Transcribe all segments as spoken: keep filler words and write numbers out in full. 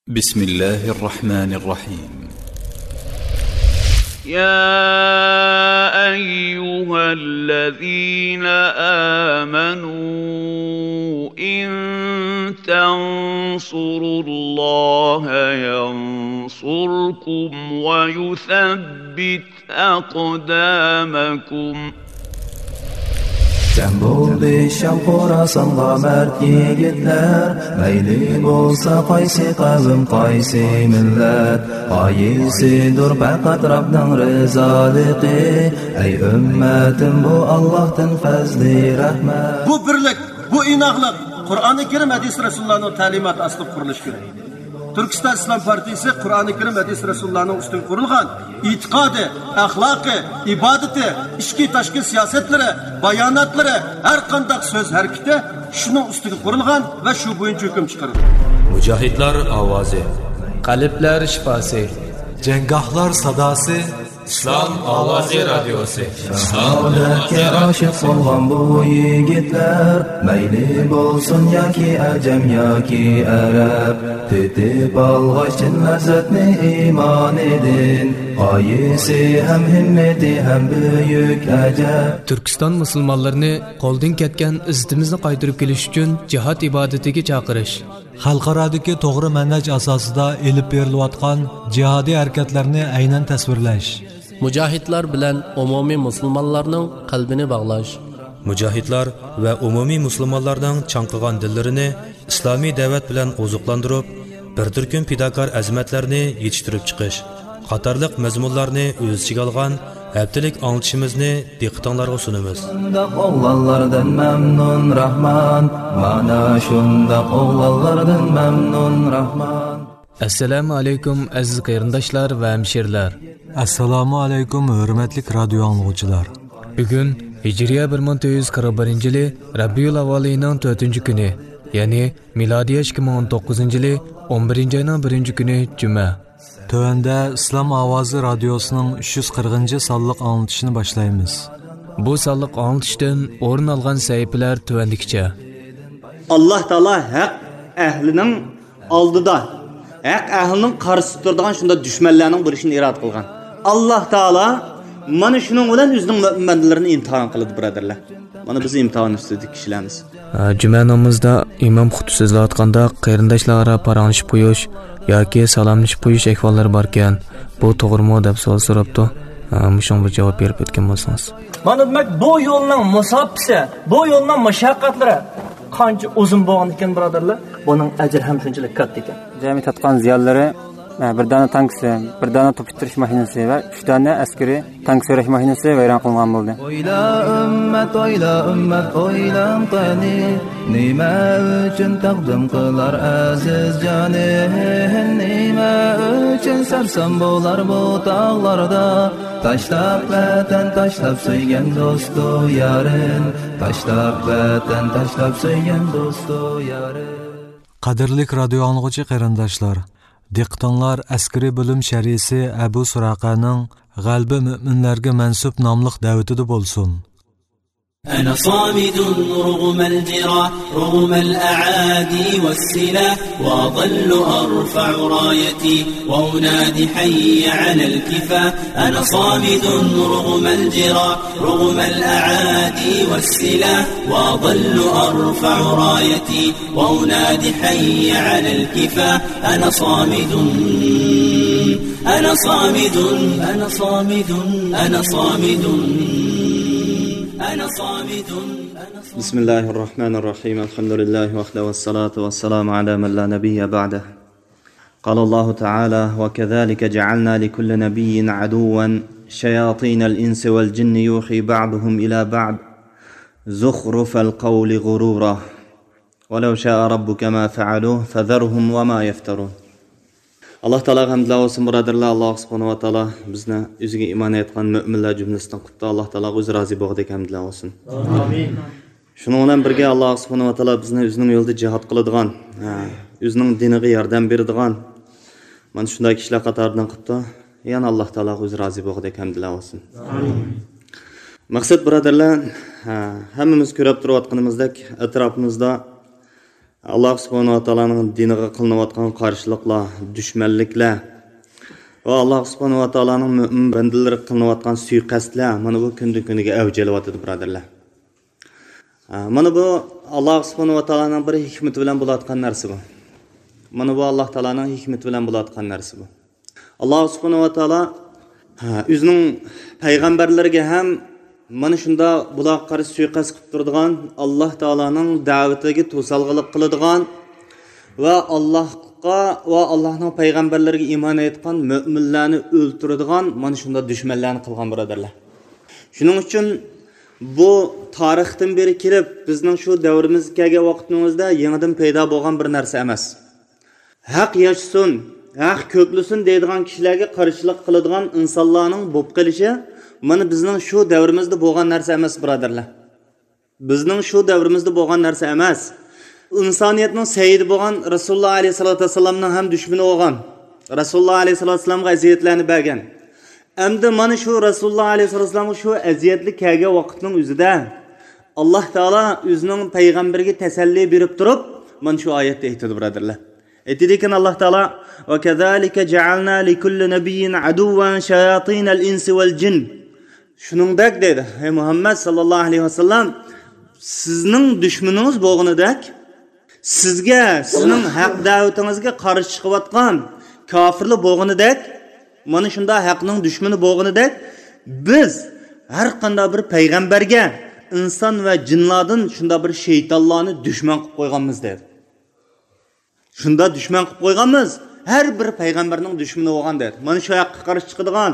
بسم الله الرحمن الرحيم. يا أيها الذين آمنوا إن تنصروا الله ينصركم ويثبت أقدامكم. جەم بولدى شام خوراسانغا مەرد يىگىتلەر، مەيلى بولسا قايسى قەۋم، قايسى مىللەت، غايىسىدۇر پەقەت رەبنىڭ رىزالىقى. ئەي ئۈممەتىم، بۇ ئاللاھتىن پەزلى رەھمەت. بۇ بىرلىك، بۇ ئىناقلىق قۇرئانى كەرىم، ھەدىس رەسۇلۇللانىڭ تەلىماتى ئاستىدا قۇرۇلۇشى كېرەك. تۈركىستان ئىسلام پارتىيىسى قۇرئانى كەرىم، ھەدىس رەسۇلۇللانىڭ ئۈستىگە قۇرۇلغان ئېتىقادى، ئەخلاقى، ئىبادىتى، ئىچكى تاشقى سىياسەتلىرى، باياناتلىرى، ھەر قانداق سۆز ھەرىكىتى شۇنىڭ ئۈستىگە قۇرۇلغان ۋە شۇ بويىچە ھۆكۈم چىقىرىدۇ. مۇجاھىدلار ئاۋازى. قەلبلەر شىپاسى. جەڭگاھلار ساداسى. ئىسلام ئاۋازى رادىيوسى. شاھادەتكە ئاشىق بولغان بۇ يىگىتلەر، مەيلى بولسۇن ياكى ئەجەم ياكى ئەرەب، تېتىپ ئالغاچ چىن لەززەتنى ئىمانىدىن، غايىسى ھەم ھىممىتى ھەم بۈيۈك ئەجەب. تۈركىستان مۇسۇلمانلىرىنى قولدىن كەتكەن ئىززىتىمىزنى قايتۇرۇپ كېلىش ئۈچۈن جىھاد ئىبادىتىگە چاقىرىش. خەلقئارادىكى توغرا مەنھەج ئاساسىدا ئېلىپ بېرىلىۋاتقان جىھادىي ھەرىكەتلەرنى ئەينەن تەسۋىرلەش. مۇجاھىدلار بىلەن ئومۇمىي مۇسۇلمانلارنىڭ قەلبىنى باغلاش. مۇجاھىدلار ۋە ئومۇمىي مۇسۇلمانلارنىڭ چاڭقىغان دىللىرىنى ئىسلامىي دەۋەت بىلەن ئوزۇقلاندۇرۇپ، بىر تۈركۈم پىداكار ئەزىمەتلەرنى يېتىشتۈرۈپ چىقىش قاتارلىق مەزمۇنلارنى ئۆز ئىچىگە ئالغان ھەپتىلىك ئاڭلىتىشىمىزنى دىققىتىڭلارغا سۇنىمىز. شۇنداق ئوغلانلاردىن مەمنۇن راھمان، مانا شۇنداق ئوغلانلاردىن مەمنۇن راھمان. ئەسسالامۇ ئەلەيكۇم، ئەزىز قېرىنداشلار ۋە ھەمشىرىلەر. ئەسسالامۇ ئەلەيكۇم، ھۆرمەتلىك رادىيو ئاڭلىغۇچىلار. بۈگۈن ھىجرىيە بىر مىڭ تۆت يۈز قىرىق بىرىنچى يىلى رەبىئۇل ئەۋۋەل ئېيىنىڭ تۆتىنچى كۈنى، يەنى مىلادىيە ئىككى مىڭ ئون توققۇزىنچى يىلى ئون بىرىنچى ئاينىڭ بىرىنچى كۈنى جۈمە. تۆۋەندە ئىسلام ئاۋازى رادىيوسىنىڭ ئۈچ يۈز قىرىقىنچى سانلىق ئاڭلىتىشىنى باشلايمىز. بۇ سانلىق ئاڭلىتىشتىن ئورۇن ئالغان سەھىپىلەر تۆۋەندىكىچە. ئاللاھ تائالا ھەق ئەھلىنىڭ ئالدىدا، ھەق ئەھلىنىڭ قارشىسىدا تۇرىدىغان شۇنداق دۈشمەنلەرنىڭ بولۇشىنى ئىرادە قىلغان. ئاللاھ تائالا مانا شۇنىڭ بىلەن ئۆزىنىڭ مۆمىن بەندىلىرىنى ئىمتىھان قىلىدۇ، بۇرادەرلەر. مانا بىز ئىمتىھان ئۈستىدىكى كىشىلەرمىز. ئە، جۈمە نامىزىدا ئىمام خۇتبە سۆزلەۋاتقاندا قېرىنداشلار ئارا پاراڭلىشىپ قويۇش ياكى سالاملىشىپ قويۇش ئەھۋاللىرى باركەن، بۇ توغرىمۇ دەپ سوئال سوراپتۇ. ئە، مۇشۇنىڭغا بىر جاۋاب بېرىپ ئۆتكەن بولسىڭىز. مانا دېمەك، بۇ يولنىڭ مۇساپىسى، بۇ يولنىڭ مۇشەققەتلىرى قانچە ئۇزۇن بولغان ئىكەن، بۇرادەرلەر، بۇنىڭ ئەجرى ھەم شۇنچىلىك كاتتا ئىكەن. جەمئىي تارتقان زىيانلىرى، ئە، بىر دانە تانكىسى، بىر دانە توپ ئىتتىرىش ماشىنىسى ۋە ئۈچ دانە ئەسكىرىي تانك سۆرەش ماشىنىسى ۋەيران قىلىنغان بولدى. ئويلا ئۈممەت، ئويلا ئۈممەت، ئويلاڭ قېنى، نېمە ئۈچۈن تەقدىم قىلار ئەزىز جانى؟ نېمە ئۈچۈن سەرسان بولار بۇ تاغلاردا؟ تاشلاپ ۋەتەن، تاشلاپ سۆيگەن دوستۇ يارىن، تاشلاپ ۋەتەن، تاشلاپ سۆيگەن دوستۇ يارىن. قەدىرلىك رادىيو ئاڭلىغۇچى قېرىنداشلار، دىققىتىڭلار ئەسكىرىي بۆلۈم شەرھىسى ئەبۇ سۇراقەنىڭ غەلىبە مۆمىنلەرگە مەنسۇپ ناملىق دەۋىتىدە بولسۇن. أنا صامد رغم الجراح، رغم الأعادي والسلاح، وأظل أرفع رايتي وأنادي حي على الكفاح. أنا صامد رغم الجراح، رغم الأعادي والسلاح، وأظل أرفع رايتي وأنادي حي على الكفاح. أنا صامد، أنا صامد، أنا صامد، أنا صامد، أنا صامد. بسم الله الرحمن الرحيم. الحمد لله وحده والصلاة والسلام على من لا نبي بعده. قال الله تعالى: وكذلك جعلنا لكل نبي عدوا شياطين الإنس والجن يوحي بعضهم إلى بعض زخرف القول غرورا. ولو شاء ربك ما فعلوه فذرهم وما يفترون. ئاللاھ تائالاغا ھەمدلەر بولسۇن، بۇرادەرلەر. ئاللاھ سۇبھانەھۇ ۋە تائالا بىزنى ئۆزىگە ئىمان ئېيتقان مۆمىنلەر جۈملىسىدىن قىلىپتۇ. ئاللاھ تائالاغا ئۆزى رازى بولغۇدەك ھەمدلەر بولسۇن. ئامىن. شۇنىڭ بىلەن بىرگە، ئاللاھ سۇبھانەھۇ ۋە تائالا بىزنى ئۆزىنىڭ يولىدا جىھاد قىلىدىغان، ھە، ئۆزىنىڭ دىنىغا ياردەم بېرىدىغان، مانا شۇنداق كىشىلەر قاتارىدىن قىلىپتۇ. يەنە ئاللاھ تائالاغا ئۆزى رازى بولغۇدەك ھەمدلەر بولسۇن. ئامىن. مەقسەت، بۇرادەرلەر، ھە، ھەممىمىز كۆرۈپ تۇرۇۋاتقىنىمىزدەك، ئەتراپىمىزدا ئاللاھ سۇبھانەھۇ ۋە تائالانىڭ دىنىغا قىلىنىۋاتقان قارشىلىقلار، دۈشمەنلىكلەر ۋە ئاللاھ سۇبھانەھۇ ۋە تائالانىڭ مۆمىن بەندىلىرىگە قىلىنىۋاتقان سۇيىقەستلەر مانا بۇ كۈندىن-كۈنگە ئەۋج ئېلىۋاتىدۇ، بۇرادەرلەر. ھە، مانا بۇ ئاللاھ سۇبھانەھۇ ۋە تائالانىڭ بىر ھېكمىتى بىلەن بولۇۋاتقان نەرسە بۇ. مانا بۇ ئاللاھ تائالانىڭ ھېكمىتى بىلەن بولۇۋاتقان نەرسە بۇ. ئاللاھ سۇبھانەھۇ ۋە تائالا، ھە، ئۆزىنىڭ پەيغەمبەرلىرىگە ھەم مانا شۇنداق بۇلارغا قارشى سۇيىقەست قىلىپ تۇرىدىغان، ئاللاھ تائالانىڭ دەۋىتىگە توسالغۇلۇق قىلىدىغان ۋە ئاللاھقا ۋە ئاللاھنىڭ پەيغەمبەرلىرىگە ئىمان ئېيتقان مۆمىنلەرنى ئۆلتۈرىدىغان مانا شۇنداق دۈشمەنلەرنى قىلغان، بۇرادەرلەر. شۇنىڭ ئۈچۈن بۇ تارىختىن بېرى كېلىپ، بىزنىڭ شۇ دەۋرىمىزگە كەلگەن ۋاقتىمىزدا يېڭىدىن پەيدا بولغان بىر نەرسە ئەمەس. ھەق ياشىسۇن، ھەق كۆكلىسۇن دەيدىغان كىشىلەرگە قارشىلىق قىلىدىغان ئىنسانلارنىڭ بولۇپ قېلىشى مانا بىزنىڭ شۇ دەۋرىمىزدە بولغان نەرسە ئەمەس، بۇرادەرلەر. بىزنىڭ شۇ دەۋرىمىزدە بولغان نەرسە ئەمەس. ئىنسانىيەتنىڭ سەييىدى بولغان رەسۇلۇللاھ ئەلەيھىسسالاتۇ ۋەسسالامنىڭ ھەم دۈشمىنى بولغان، رەسۇلۇللاھ ئەلەيھىسسالاتۇ ۋەسسالامغا ئەزىيەتلەرنى بەرگەن. ئەمدى مانا شۇ رەسۇلۇللاھ ئەلەيھىسسالاتۇ ۋەسسالامغا شۇ ئەزىيەتلىك كەلگەن ۋاقىتنىڭ ئۆزىدە ئاللاھ تائالا ئۆزىنىڭ پەيغەمبىرىگە تەسەللى بېرىپ تۇرۇپ، مانا شۇ ئايەتتە ئېيتىدۇ، بۇرادەرلەر. ئېيتىدىكەن ئاللاھ تائالا، «وكذلك جعلنا لكل نبي عدوا شياطين الإنس والجن.» شۇنىڭدەك دەيدۇ، ھەي مۇھەممەد ساللاللاھۇ ئەلەيھى ۋەسەللەم، سىزنىڭ دۈشمىنىڭىز بولغىنىدەك، سىزگە، سىزنىڭ ھەق دەۋىتىڭىزگە قارشى چىقىۋاتقان كاپىرلار بولغىنىدەك، مانا شۇنداق ھەقنىڭ دۈشمىنى بولغىنىدەك، بىز ھەر قانداق بىر پەيغەمبەرگە ئىنسان ۋە جىنلاردىن شۇنداق بىر شەيتانلارنى دۈشمەن قىلىپ قويغانمىز دەيدۇ. شۇنداق دۈشمەن قىلىپ قويغانمىز، ھەر بىر پەيغەمبەرنىڭ دۈشمىنى بولغان دەيدۇ. مانا شۇ ھەققە قارشى چىقىدىغان،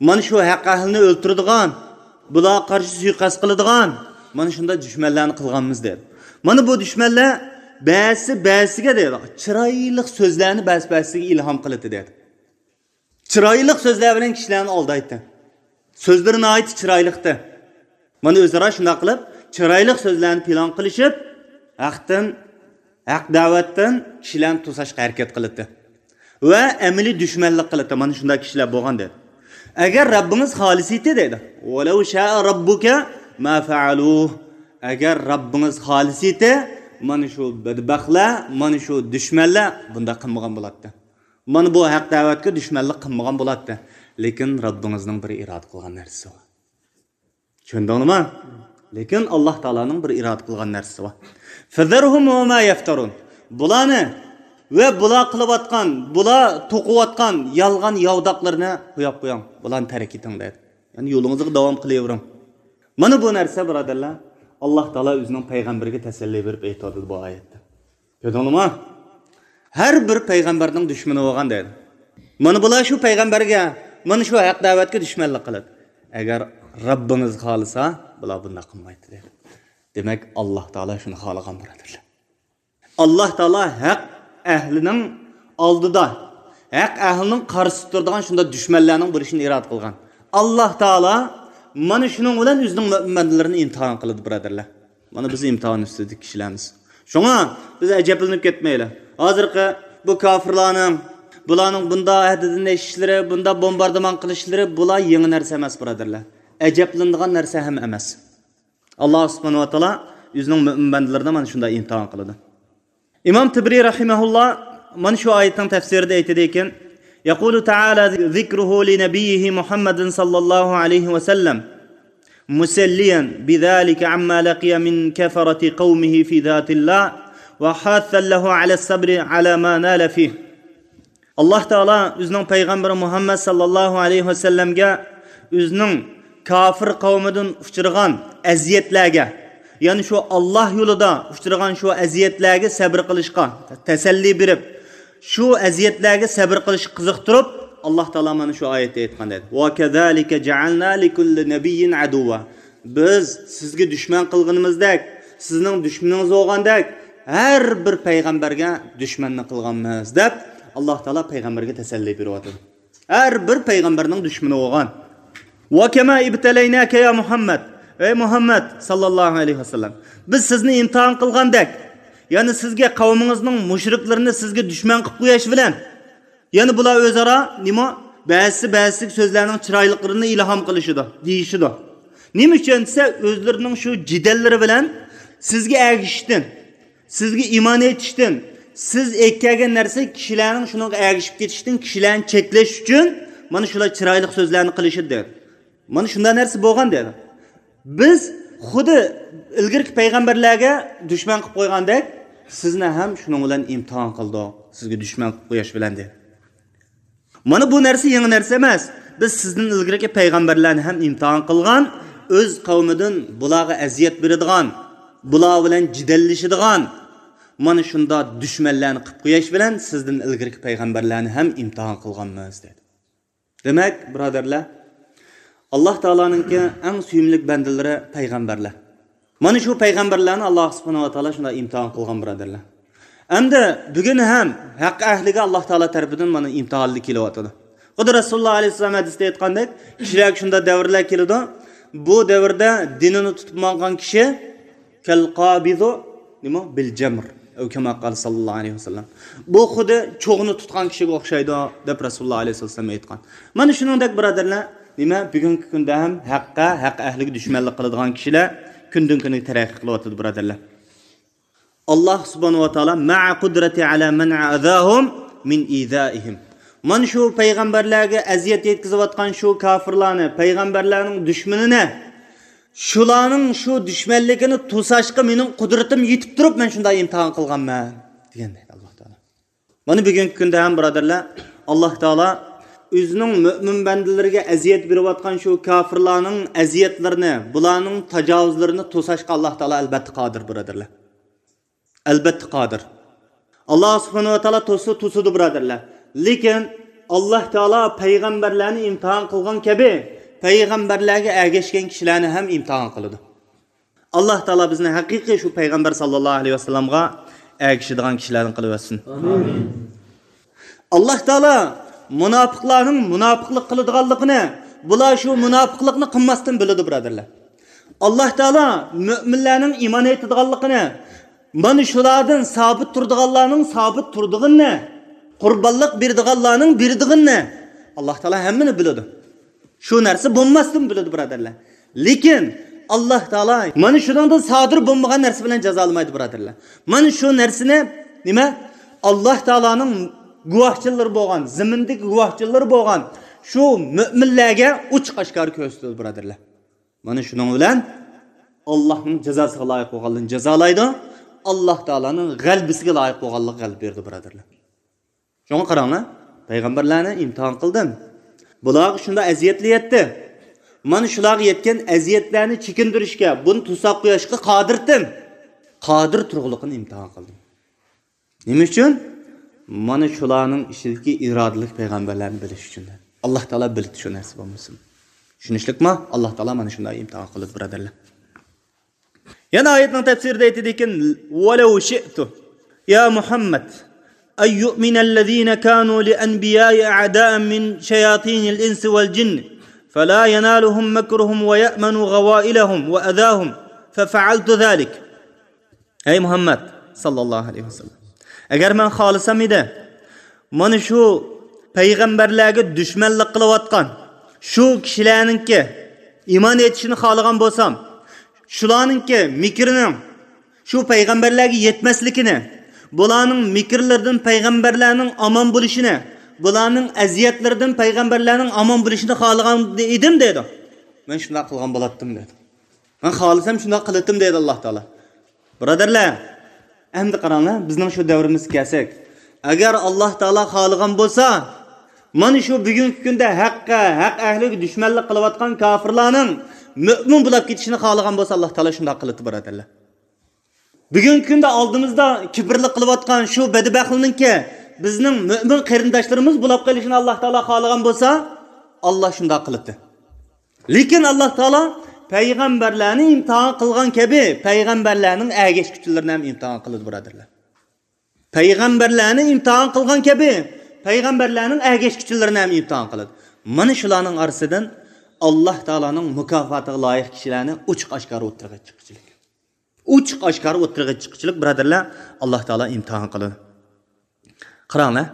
مانا شۇ ھەق ئەھلىنى ئۆلتۈرىدىغان، بۇلارغا قارشى سۇيىقەست قىلىدىغان، مانا شۇنداق دۈشمەنلەرنى قىلغانمىز دەيدۇ. مانا بۇ دۈشمەنلەر بەزىسى بەزىسىگە دەيدۇ، چىرايلىق سۆزلەرنى بەزى بەزىسىگە ئىلھام قىلىدۇ دەيدۇ. چىرايلىق سۆزلەر بىلەن كىشىلەرنى ئالدايتتى. سۆزلىرى ناھايىتى چىرايلىقتى. مانا ئۆزئارا شۇنداق قىلىپ، چىرايلىق سۆزلەرنى پىلان قىلىشىپ، ھەقتىن، ھەق دەۋەتتىن كىشىلەرنى توساشقا ھەرىكەت قىلىدۇ. ۋە ئەمەلىي دۈشمەنلىك قىلىدۇ. مانا شۇنداق كىشىلەر بولغان دەيدۇ. ئەگەر رەببىڭىز خالىسىتى دەيدۇ. ولو شاء ربك ما فعلوه. ئەگەر رەببىڭىز خالىسىتى، مانا شۇ بەدبەختلەر، مانا شۇ دۈشمەنلەر بۇنداق قىلمىغان بولاتتى. مانا بۇ ھەق دەۋەتكە دۈشمەنلىك قىلمىغان بولاتتى. لېكىن رەببىڭىزنىڭ بىر ئىرادە قىلغان نەرسىسى بار. چۈشەندىڭلىما؟ لېكىن ئاللاھ تائالانىڭ بىر ئىرادە قىلغان نەرسىسى بار. فذرهم وما يفترون. بۇلارنى ۋە بۇلار قىلىۋاتقان، بۇلار توقۇۋاتقان يالغان ياۋىداقلىرىنى قويۇپ قويۇڭ. بۇلارنى تەرك ئېتىڭ دەيدۇ. يەنى يولىڭىزغا داۋام قىلىۋېرىڭ. مانا بۇ نەرسە، بۇرادەرلەر، ئاللاھ تائالا ئۆزىنىڭ پەيغەمبىرىگە تەسەللى بېرىپ ئېيتىۋاتىدۇ بۇ ئايەتتە. كۆردۈڭلارمۇ؟ ھەر بىر پەيغەمبەرنىڭ دۈشمىنى بولغان دەيدۇ. مانا بۇلار شۇ پەيغەمبەرگە، مانا شۇ ھەق دەۋەتكە دۈشمەنلىك قىلىدۇ. ئەگەر رەببىڭىز خالىسا، بۇلار بۇنداق قىلمايتتى دەيدۇ. دېمەك، ئاللاھ تائالا شۇنى خالىغان، بۇرادەرلەر. ئاللاھ تائالا ھەق ئەھلىنىڭ ئالدىدا، ھەق ئەھلىنىڭ قارشىسىدا تۇرىدىغان شۇنداق دۈشمەنلەرنىڭ بولۇشىنى ئىرادە قىلغان. ئاللاھ تائالا مانا شۇنىڭ بىلەن ئۆزىنىڭ مۆمىن بەندىلىرىنى ئىمتىھان قىلىدۇ، بۇرادەرلەر. مانا بىز ئىمتىھان ئۈستىدىكى كىشىلەرمىز. شۇڭا بىز ئەجەبلىنىپ كەتمەيلى. ھازىرقى بۇ كاپىرلارنىڭ، بۇلارنىڭ بۇنداق ھەددىدىن ئېشىشلىرى، بۇنداق بومباردىمان قىلىشلىرى، بۇلار يېڭى نەرسە ئەمەس، بۇرادەرلەر. ئەجەبلىنىدىغان نەرسە ھەم ئەمەس. ئاللاھ سۇبھانەھۇ ۋە تائالا ئۆزىنىڭ مۆمىن بەندىلىرىنى مانا شۇنداق ئىمتىھان قىلىدۇ. ئىمام تىبرىي رەھىمەھۇللاھ مانا شۇ ئايەتنىڭ تەپسىرىدە ئېيتىدىكەن، يقول تعالى ذكره لنبيه محمد صلى الله عليه وسلم مسليا بذلك عما لقي من كفرة قومه في ذات الله وحاثا له على الصبر على ما نال فيه. ئاللاھ تائالا ئۆزىنىڭ پەيغەمبىرى مۇھەممەد ساللاللاھۇ ئەلەيھى ۋەسەللەمگە ئۆزىنىڭ كاپىر قەۋمىدىن ئۇچرىغان ئەزىيەتلەرگە، يەنى شۇ ئاللاھ يولىدا ئۇچرىغان شۇ ئەزىيەتلەرگە سەبرى قىلىشقا تەسەللى بېرىپ، شۇ ئەزىيەتلەرگە سەبرى قىلىشقا قىزىقتۇرۇپ، ئاللاھ تائالا مانا شۇ ئايەتتە ئېيتقان دەيدۇ، وكذلك جعلنا لكل نبي عدوا. بىز سىزگە دۈشمەن قىلغىنىمىزدەك، سىزنىڭ دۈشمىنىڭىز بولغاندەك، ھەر بىر پەيغەمبەرگە دۈشمەننى قىلغانمىز، دەپ ئاللاھ تائالا پەيغەمبەرگە تەسەللى بېرىۋاتىدۇ. ھەر بىر پەيغەمبەرنىڭ دۈشمىنى بولغان. وكما ابتليناك يا محمد. ئەي مۇھەممەد ساللاللاھۇ ئەلەيھى ۋەسەللەم، بىز سىزنى ئىمتىھان قىلغاندەك، يەنى سىزگە قەۋمىڭىزنىڭ مۇشرىكلىرىنى سىزگە دۈشمەن قىلىپ قويۇش بىلەن، يەنى بۇلار ئۆزئارا نېمە؟ بەزىسى بەزىسىگە سۆزلەرنىڭ چىرايلىقلىرىنى ئىلھام قىلىشىدۇ، دېيىشىدۇ. نېمە ئۈچۈن دېسە، ئۆزلىرىنىڭ شۇ جېدەللىرى بىلەن سىزگە ئەگىشىشتىن، سىزگە ئىمان ئېيتىشتىن، سىز ئەكەلگەن نەرسە كىشىلەرنىڭ شۇنىڭغا ئەگىشىپ كېتىشتىن، كىشىلەرنى چەكلەش ئۈچۈن مانا شۇلار چىرايلىق سۆزلەرنى قىلىشىدۇ. مانا شۇنداق نەرسە بولغان دېدى. بىز خۇددى ئىلگىرىكى پەيغەمبەرلەرگە دۈشمەن قىلىپ قويغاندەك، سىزنى ھەم شۇنىڭ بىلەن ئىمتىھان قىلدۇق. سىزگە دۈشمەن قىلىپ قويۇش بىلەن دېدى. مانا بۇ نەرسە يېڭى نەرسە ئەمەس. بىز سىزدىن ئىلگىرىكى پەيغەمبەرلەرنى ھەم ئىمتىھان قىلغان، ئۆز قەۋمىدىن بۇلارغا ئەزىيەت بېرىدىغان، بۇلار بىلەن جېدەللىشىدىغان، مانا شۇنداق دۈشمەنلەرنى قىلىپ قويۇش بىلەن سىزدىن ئىلگىرىكى پەيغەمبەرلەرنى ھەم ئىمتىھان قىلغانمىز، دېدى. دېمەك، بۇرادەرلەر، ئاللاھ تائالانىڭكى ئەڭ سۆيۈملۈك بەندىلىرى پەيغەمبەرلەر. مانا شۇ پەيغەمبەرلەرنى ئاللاھ سۇبھانەھۇ ۋە تائالا شۇنداق ئىمتىھان قىلغان، بۇرادەرلەر. ئەمدى بۈگۈن ھەم ھەق ئەھلىگە ئاللاھ تائالا تەرىپىدىن مانا ئىمتىھانلار كېلىۋاتىدۇ. خۇددى رەسۇلۇللاھ ئەلەيھىسسالام ھەدىستە ئېيتقاندەك، كىشىلەرگە شۇنداق دەۋرلەر كېلىدۇ، بۇ دەۋردە دىنىنى تۇتۇپ ماڭغان كىشى كەلقابىزۇ، نېمە؟ بىل جەمر. ئەۋ كەما قال ساللاللاھۇ ئەلەيھى ۋەسەللەم. بۇ خۇددى چوغنى تۇتقان كىشىگە ئوخشايدۇ، دەپ رەسۇلۇللاھ ئەلەيھىسسالام ئېيتقان. مانا شۇنىڭدەك، بۇرادەرلەر، نېمە؟ بۈگۈنكى كۈندە ھەم ھەققە، ھەق ئەھلىگە دۈشمەنلىك قىلىدىغان كىشىلەر كۈندىن كۈنگە تەرەققىي قىلىۋاتىدۇ، بۇرادەرلەر. ئاللاھ سۇبھانەھۇ ۋە تائالا مەئە قۇدرەتى ئەلا مەنئى ئەزاھۇم مىن ئىزائىھىم. مانا شۇ پەيغەمبەرلەرگە ئەزىيەت يەتكۈزۈۋاتقان شۇ كاپىرلارنى، پەيغەمبەرلەرنىڭ دۈشمىنىنى، شۇلارنىڭ شۇ دۈشمەنلىكىنى توساشقا مېنىڭ قۇدرىتىم يېتىپ تۇرۇپ، مەن شۇنداق ئىمتىھان قىلغانمەن، دېگەن دەيدۇ ئاللاھ تائالا. مانا بۈگۈنكى كۈندە ھەم، بۇرادەرلەر، ئاللاھ تائالا ئۆزىنىڭ مۆمىن بەندىلىرىگە ئەزىيەت بېرىۋاتقان شۇ كاپىرلارنىڭ ئەزىيەتلىرىنى، بۇلارنىڭ تاجاۋۇزلىرىنى توساشقا ئاللاھ تائالا ئەلبەتتە قادىر، بۇرادەرلەر. ئەلبەتتە قادىر. ئاللاھ سۇبھانەھۇ ۋە تائالا توسسا توسىدۇ، بۇرادەرلەر. لېكىن ئاللاھ تائالا پەيغەمبەرلەرنى ئىمتىھان قىلغان كەبى، پەيغەمبەرلەرگە ئەگەشكەن كىشىلەرنى ھەم ئىمتىھان قىلىدۇ. ئاللاھ تائالا بىزنى ھەقىقىي شۇ پەيغەمبەر ساللاللاھۇ ئەلەيھى ۋەسەللەمگە ئەگىشىدىغان كىشىلەردىن قىلىۋەتسۇن. ئامىن. ئاللاھ تائالا مۇناپىقلارنىڭ مۇناپىقلىق قىلىدىغانلىقىنى، بۇلار شۇ مۇناپىقلىقنى قىلماستىن بىلىدۇ، بۇرادەرلەر. ئاللاھ تائالا مۆمىنلەرنىڭ ئىمان ئېيتىدىغانلىقىنى، مانا شۇلاردىن سابىت تۇرىدىغانلارنىڭ سابىت تۇرىدىغىنىنى، قۇربانلىق بېرىدىغانلارنىڭ بېرىدىغىنىنى ئاللاھ تائالا ھەممىنى بىلىدۇ. شۇ نەرسە بولماستىن بىلىدۇ، بۇرادەرلەر. لېكىن ئاللاھ تائالا مانا شۇنىڭدىن سادىر بولمىغان نەرسە بىلەن جازالىمايدۇ، بۇرادەرلەر. مانا شۇ نەرسىنى، نېمە، ئاللاھ تائالانىڭ گۇۋاھچىلىرى بولغان، زېمىندىكى گۇۋاھچىلىرى بولغان شۇ مۆمىنلەرگە ئوچۇق ئاشكارا كۆرسىتىدۇ، بۇرادەرلەر. مانا شۇنىڭ بىلەن ئاللاھنىڭ جازاسىغا لايىق بولغانلىرىنى جازالايدۇ، ئاللاھ تائالانىڭ غەلىبىسىگە لايىق بولغانلىرىغا غەلىبە بېرىدۇ، بۇرادەرلەر. شۇڭا قاراڭلار، پەيغەمبەرلەرنى ئىمتىھان قىلدىم. بۇلارغا شۇنداق ئەزىيەتلەر يەتتى. مانا شۇلارغا يەتكەن ئەزىيەتلەرنى چېكىندۈرۈشكە، بۇنى توساپ قويۇشقا قادىرتىم. قادىر تۇرغۇلۇقىنى ئىمتىھان قىلدىم. نېمە ئۈچۈن؟ مانا شۇلارنىڭ ئىچىدىكى ئىرادىلىك پەيغەمبەرلەرنى بىلىش ئۈچۈن. ئاللاھ تائالا بىلدى شۇ نەرسە بولمىسۇن. چۈشىنىشلىكما؟ ئاللاھ تائالا مانا شۇنداق ئىمتىھان قىلىدۇ، بۇرادەرلەر. يەنە ئايەتنىڭ تەپسىرىدە ئېيتىدىكەن، ولو شئت يا محمد أن يؤمن الذين كانوا لأنبياء أعداء من شياطين الإنس والجن فلا ينالهم مكرهم ويأمنوا غوائلهم وأذاهم ففعلت ذلك. ئەي مۇھەممەد ساللاللاھۇ ئەلەيھى ۋەسەللەم، ئەگەر مەن خالىسام ئىدى، مانا شۇ پەيغەمبەرلەرگە دۈشمەنلىك قىلىۋاتقان شۇ كىشىلەرنىڭكى ئىمان ئېيتىشىنى خالىغان بولسام، شۇلارنىڭكى مىكرىنىڭ شۇ پەيغەمبەرلەرگە يەتمەسلىكىنى، بۇلارنىڭ مىكىرلىرىدىن پەيغەمبەرلەرنىڭ ئامان بولۇشىنى، بۇلارنىڭ ئەزىيەتلىرىدىن پەيغەمبەرلەرنىڭ ئامان بولۇشىنى خالىغان ئىدىم، دەيدۇ. مەن شۇنداق قىلغان بولاتتىم، دەيدۇ. مەن خالىسام شۇنداق قىلاتتىم، دەيدۇ ئاللاھ تائالا. بۇرادەرلەر، ئەمدى قاراڭلار، بىزنىڭ شۇ دەۋرىمىزگە كەلسەك، ئەگەر ئاللاھ تائالا خالىغان بولسا، مانا شۇ بۈگۈنكى كۈندە ھەققە، ھەق ئەھلىگە دۈشمەنلىك قىلىۋاتقان كاپىرلارنىڭ مۆمىن بولاپ كېتىشىنى خالىغان بولسا، ئاللاھ تائالا شۇنداق قىلاتتى، بۇرادەرلەر. بۈگۈنكى كۈندە ئالدىمىزدا كىبىرلىك قىلىۋاتقان شۇ بەدبەختلەرنىڭكى بىزنىڭ مۆمىن قېرىنداشلىرىمىز بولاپ قېلىشىنى ئاللاھ تائالا خالىغان بولسا، ئاللاھ شۇنداق قىلاتتى. لېكىن ئاللاھ تائالا پەيغەمبەرلەرنى ئىمتىھان قىلغان كەبى، پەيغەمبەرلەرنىڭ ئەگەشكۈچىلىرىنى ھەم ئىمتىھان قىلىدۇ، بۇرادەرلەر. پەيغەمبەرلەرنى ئىمتىھان قىلغان كەبى، پەيغەمبەرلەرنىڭ ئەگەشكۈچىلىرىنى ھەم ئىمتىھان قىلىدۇ. مانا شۇلارنىڭ ئارىسىدىن ئاللاھ تائالانىڭ مۇكاپاتىغا لايىق كىشىلەرنى ئوچۇق ئاشكارا ئوتتۇرىغا چىققۇچىلىك. ئوچۇق ئاشكارا ئوتتۇرىغا چىققۇچىلىك، بۇرادەرلەر، ئاللاھ تائالا ئىمتىھان قىلىدۇ. قاراڭلار،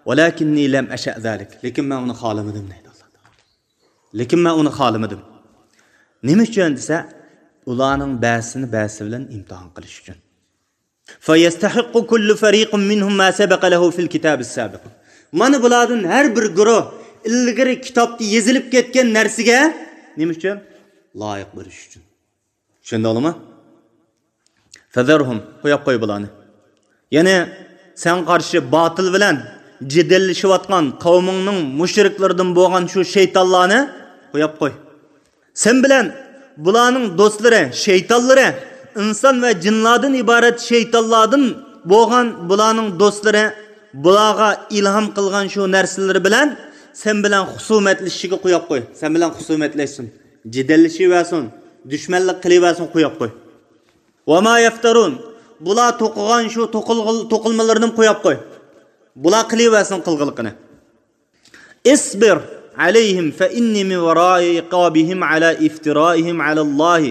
ولكني لم أشأ ذلك، لېكىن مەن ئۇنى خالىمىدىم، دەيدۇ ئاللاھ تائالا. لېكىن مەن ئۇنى خالىمىدىم. نېمە ئۈچۈن دېسە، ئۇلارنىڭ بەزىسىنى بەزىسى بىلەن ئىمتىھان قىلىش ئۈچۈن. فيستحق كل فريق منهم ما سبق له في الكتاب السابق. مانا بۇلاردىن ھەر بىر گۇرۇھ ئىلگىرى كىتابتا يېزىلىپ كەتكەن نەرسىگە، نېمە ئۈچۈن؟ لايىق بولۇش ئۈچۈن. چۈشەندىڭلىمۇ؟ فذرهم، قويۇپ قوي بۇلارنى. يەنى سەن قارشى باتىل بىلەن جېدەللىشىۋاتقان قەۋمىڭنىڭ مۇشرىكلىرىدىن بولغان شۇ شەيتانلارنى قويۇپ قوي. سەن بىلەن بۇلارنىڭ دوستلىرى، شەيتانلىرى، ئىنسان ۋە جىنلاردىن ئىبارەت شەيتانلاردىن بولغان بۇلارنىڭ دوستلىرى بۇلارغا ئىلھام قىلغان شۇ نەرسىلىرى بىلەن سەن بىلەن خۇسۇمەتلىشىشىگە قويۇپ قوي. سەن بىلەن خۇسۇمەتلەشسۇن، جېدەللىشىۋەرسۇن، دۈشمەنلىك قىلىۋەرسۇن، قويۇپ قوي. وما يفترون، بۇلار توقۇغان شۇ توقۇلغىل-، توقۇلمىلىرىنى قويۇپ قوي. بۇلار قىلىۋەرسۇن قىلغىلىقىنى. اصبر عليهم فإني من وراء عقابهم على افترائهم على الله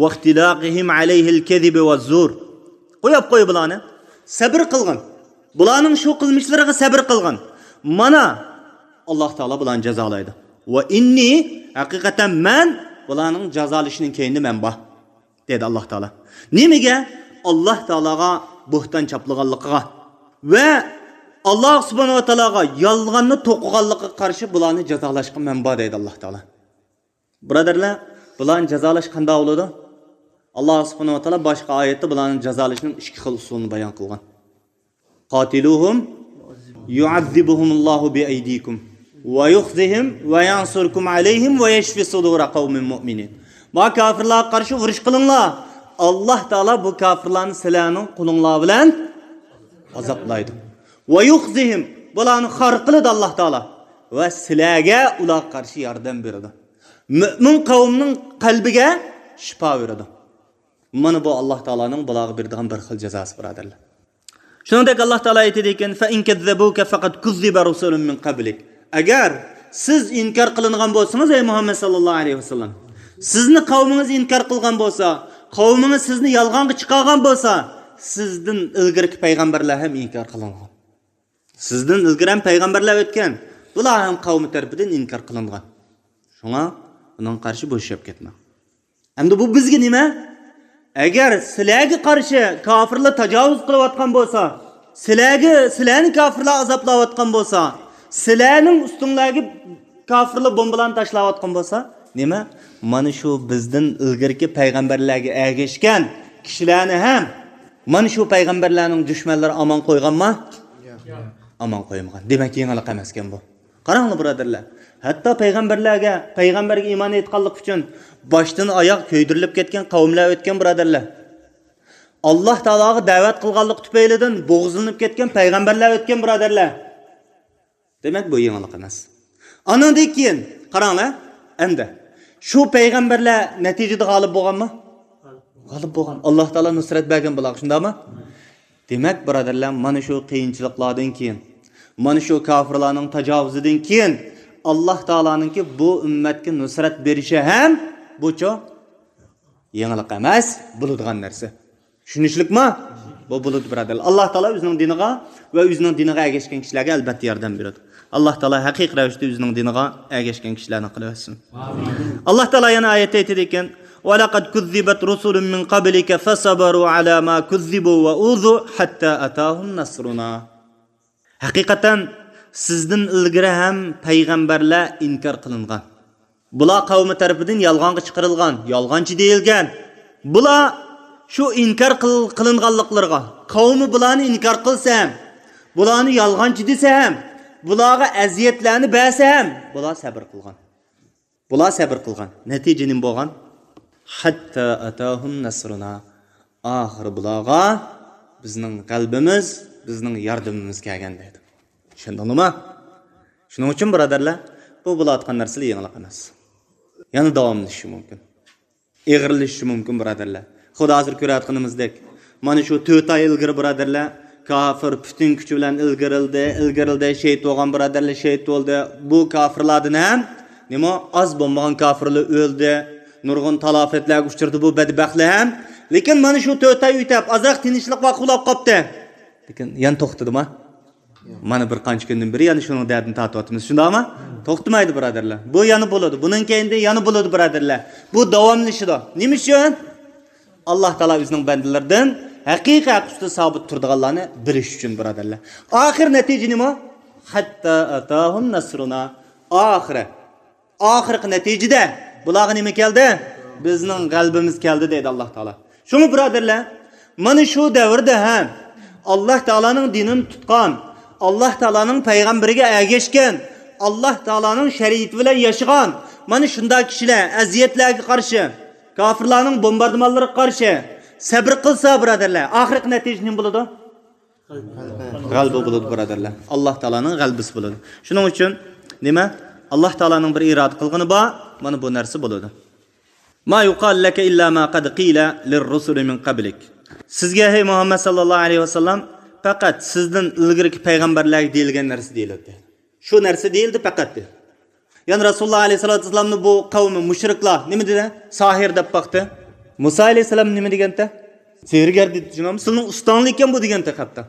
واختلاقهم عليه الكذب والزور. قويۇپ قوي بۇلارنى. سەبر قىلغىن. بۇلارنىڭ شۇ قىلمىشلىرىغا سەبر قىلغىن. مانا، ئاللاھ تائالا بۇلارنى جازالايدۇ. ۋە ئىننى، ھەقىقەتەن مەن بۇلارنىڭ جازالىشىنىڭ كەينىدە مەن بار، دېدى ئاللاھ تائالا. نېمىگە؟ ئاللاھ تائالاغا بوھتان چاپلىغانلىقىغا ۋە ئاللاھ سۇبھانەھۇ ۋە تائالاغا يالغاننى توقۇغانلىقىغا قارشى بۇلارنى جازالاشقا مەن بار، دەيدۇ ئاللاھ تائالا. بۇرادەرلەر، بۇلارنى جازالاش قانداق بولىدۇ؟ ئاللاھ سۇبھانەھۇ ۋە تائالا باشقا ئايەتتە بۇلارنى جازالاشنىڭ ئىككى خىل ئۇسۇلىنى بايان قىلغان. قاتلوهم يعذبهم الله بأيديكم ويخزهم وينصركم عليهم ويشف صدور قوم مؤمنين. ما كافىرلارغا قارشى ئۇرۇش قىلىڭلار. ئاللاھ تائالا بۇ كافىرلارنى سىلەرنىڭ قولۇڭلار بىلەن ئازابلايدۇ. ۋە يۇخزىھىم، بۇلارنى خار قىلىدۇ ئاللاھ تائالا. ۋە سىلەرگە ئۇلارغا قارشى ياردەم بېرىدۇ. مۆمىن قەۋمنىڭ قەلبىگە شىپا بېرىدۇ. مانا بۇ ئاللاھ تائالانىڭ بۇلارغا بېرىدىغان بىر خىل جازاسى، بۇرادەرلەر. شۇنىڭدەك ئاللاھ تائالا ئېيتىدىكەن، فإن كذبوك فقد كذب رسل من قبلك. ئەگەر سىز ئىنكار قىلىنغان بولسىڭىز، ئەي مۇھەممەد ساللاللاھۇ ئەلەيھى ۋەسەللەم، سىزنى قەۋمىڭىز ئىنكار قىلغان بولسا، قەۋمىڭىز سىزنى يالغانغا چىقارغان بولسا، سىزدىن ئىلگىرىكى پەيغەمبەرلەر ھەم ئىنكار قىلىنغان. سىزدىن ئىلگىرى ھەم پەيغەمبەرلەر ئۆتكەن، بۇلار ھەم قەۋمى تەرىپىدىن ئىنكار قىلىنغان. شۇڭا بۇنىڭغا قارشى بوشاپ كەتمەڭ. ئەمدى بۇ بىزگە نېمە؟ ئەگەر سىلەرگە قارشى كاپىرلار تاجاۋۇز قىلىۋاتقان بولسا، سىلەرگە، سىلەرنى كاپىرلار ئازابلاۋاتقان بولسا، سىلەرنىڭ ئۈستۈڭلەرگە كاپىرلار بومبىلارنى تاشلاۋاتقان بولسا، نېمە؟ مانا شۇ بىزدىن ئىلگىرىكى پەيغەمبەرلەرگە ئەگەشكەن كىشىلەرنى ھەم مانا شۇ پەيغەمبەرلەرنىڭ دۈشمەنلىرى ئامان قويغانما؟ ئامان قويمىغان. دېمەك، يېڭىلىق ئەمەسكەن بۇ. قاراڭلار، بۇرادەرلەر. ھەتتا پەيغەمبەرلەرگە، پەيغەمبەرگە ئىمان ئېيتقانلىق ئۈچۈن باشتىن ئاياغ كۆيدۈرۈلۈپ كەتكەن قەۋملەر ئۆتكەن، بۇرادەرلەر. ئاللاھ تائالاغا دەۋەت قىلغانلىقى تۈپەيلىدىن بوغۇزلىنىپ كەتكەن پەيغەمبەرلەر ئۆتكەن، بۇرادەرلەر. دېمەك، بۇ يېڭىلىق ئەمەس. ئانىڭدىن كېيىن، قاراڭلار، ئەمدى شۇ پەيغەمبەرلەر نەتىجىدە غالىب بولغانمۇ؟ غالىب بولغان. ئاللاھ تائالا نۇسرەت بەرگەن بۇلارغا، شۇنداقمۇ؟ دېمەك، بۇرادەرلەر، مانا شۇ قىيىنچىلىقلاردىن كېيىن، مانا شۇ كاپىرلارنىڭ تاجاۋۇزىدىن كېيىن، ئاللاھ تائالانىڭكى بۇ ئۈممەتكە نۇسرەت بېرىشى ھەم بۇچۇ يېڭىلىق ئەمەس، بولىدىغان نەرسە. چۈشىنىشلىكمۇ؟ بۇ بولىدۇ، بۇرادەرلەر. ئاللاھ تائالا ئۆزىنىڭ دىنىغا ۋە ئۆزىنىڭ دىنىغا ئەگەشكەن كىشىلەرگە ئەلبەتتە ياردەم بېرىدۇ. ئاللاھ تائالا ھەقىقىي رەۋىشتە ئۆزىنىڭ دىنىغا ئەگەشكەن كىشىلەردىن قىلىۋەتسۇن. ئاللاھ تائالا يەنە ئايەتتە ئېيتىدىكەن، ولقد كذبت رسل من قبلك فصبروا على ما كذبوا وأوذوا حتى أتاهم نصرنا. ھەقىقەتەن سىزدىن ئىلگىرى ھەم پەيغەمبەرلەر ئىنكار قىلىنغان. بۇلار قەۋمى تەرىپىدىن يالغانغا چىقىرىلغان، يالغانچى دېيىلگەن. بۇلار شۇ ئىنكار قىل-، قىلىنغانلىقلىرىغا، قەۋمى بۇلارنى ئىنكار قىلسا ھەم، بۇلارنى يالغانچى دېسە ھەم، بۇلارغا ئەزىيەتلەرنى بەرسە ھەم، بۇلار سەبر قىلغان. بۇلار سەبر قىلغان. نەتىجە نېمە بولغان؟ حتى أتاهم نصرنا. ئاخىرى بۇلارغا بىزنىڭ غەلىبىمىز، بىزنىڭ ياردىمىمىز كەلگەن دەيدۇ. چۈشەندىڭلىما؟ شۇنىڭ ئۈچۈن، بۇرادەرلەر، بۇ بولۇۋاتقان نەرسىلەر يېڭىلىق ئەمەس. يەنە داۋاملىشىشى مۇمكىن. ئېغىرلىشىشى مۇمكىن، بۇرادەرلەر. خۇددى ھازىر كۆرۈۋاتقىنىمىزدەك، مانا شۇ تۆت ئاي ئىلگىرى، بۇرادەرلەر، كاپىر پۈتۈن كۈچى بىلەن ئىلگىرىلدى، ئىلگىرىلدى، شېھىت بولغان بۇرادەرلەر شېھىت بولدى. بۇ كاپىرلاردىن ھەم، نېمە، ئاز بولمىغان كاپىرلار ئۆلدى. نۇرغۇن تالاپەتلەرگە ئۇچرىدى بۇ بەدبەختلەر ھەم. لېكىن مانا شۇ تۆت ئاي ئۆتۈپ، ئازراق تىنچلىق ۋاقىت بولاپ قاپتۇ. لېكىن يەنە توختىدىما؟ مانا بىر قانچە كۈندىن بېرى يەنە شۇنىڭ دەردىنى تارتىۋاتىمىز. شۇنداقمۇ؟ توختىمايدۇ، بۇرادەرلەر. بۇ يەنە بولىدۇ. بۇنىڭ كەينىدىن يەنە بولىدۇ، بۇرادەرلەر. بۇ داۋاملىشىدۇ. نېمە ئۈچۈن؟ ئاللاھ تائالا ئۆزىنىڭ بەندىلىرىدىن ھەقىقىي ھەق ئۈستىدە سابىت تۇرىدىغانلارنى بىلىش ئۈچۈن، بۇرادەرلەر. ئاخىر نەتىجە نېمە؟ ھەتتا ئەتاھۇم نەسرۇنا. ئاخىرى. ئاخىرقى نەتىجىدە بۇلارغا نېمە كەلدى؟ بىزنىڭ غەلىبىمىز كەلدى دەيدۇ ئاللاھ تائالا. شۇڭا بۇرادەرلەر، مانا شۇ دەۋردە ھەم ئاللاھ تائالانىڭ دىنىنى تۇتقان، ئاللاھ تائالانىڭ پەيغەمبىرىگە ئەگەشكەن، ئاللاھ تائالانىڭ شەرىئىتى بىلەن ياشىغان، مانا شۇنداق كىشىلەر ئەزىيەتلەرگە قارشى، كافىرلارنىڭ بومباردىمانلىرىغا قارشى سەبرى قىلسا، بۇرادەرلەر، ئاخىرقى نەتىجە نېمە بولىدۇ؟ غەلىبە بولىدۇ، بۇرادەرلەر. ئاللاھ تائالانىڭ غەلىبىسى بولىدۇ. شۇنىڭ ئۈچۈن نېمە؟ ئاللاھ تائالانىڭ بىر ئىرادە قىلغىنى بار، مانا بۇ نەرسە بولىدۇ. ما يقال لك إلا ما قد قيل للرسل من قبلك. سىزگە، ھەي مۇھەممەد ساللاللاھۇ ئەلەيھى ۋەسەللەم، پەقەت سىزدىن ئىلگىرىكى پەيغەمبەرلەرگە دېيىلگەن نەرسە دېيىلدى. شۇ نەرسە دېيىلدى پەقەت، دېدى. يەنى رەسۇلۇللاھ ئەلەيھىسسالاتۇ ۋەسسالامنى بۇ قەۋمى مۇشرىكلار نېمە دېدى؟ ساھىر دەپ باقتى. مۇسا ئەلەيھىسسالام نېمە دېگەنتى؟ سېھىرگەر دېدى، چۈشىنىڭلارمۇ؟ سىلىنىڭ ئۇستاڭلىق ئىكەن بۇ دېگەنتى ھەتتا.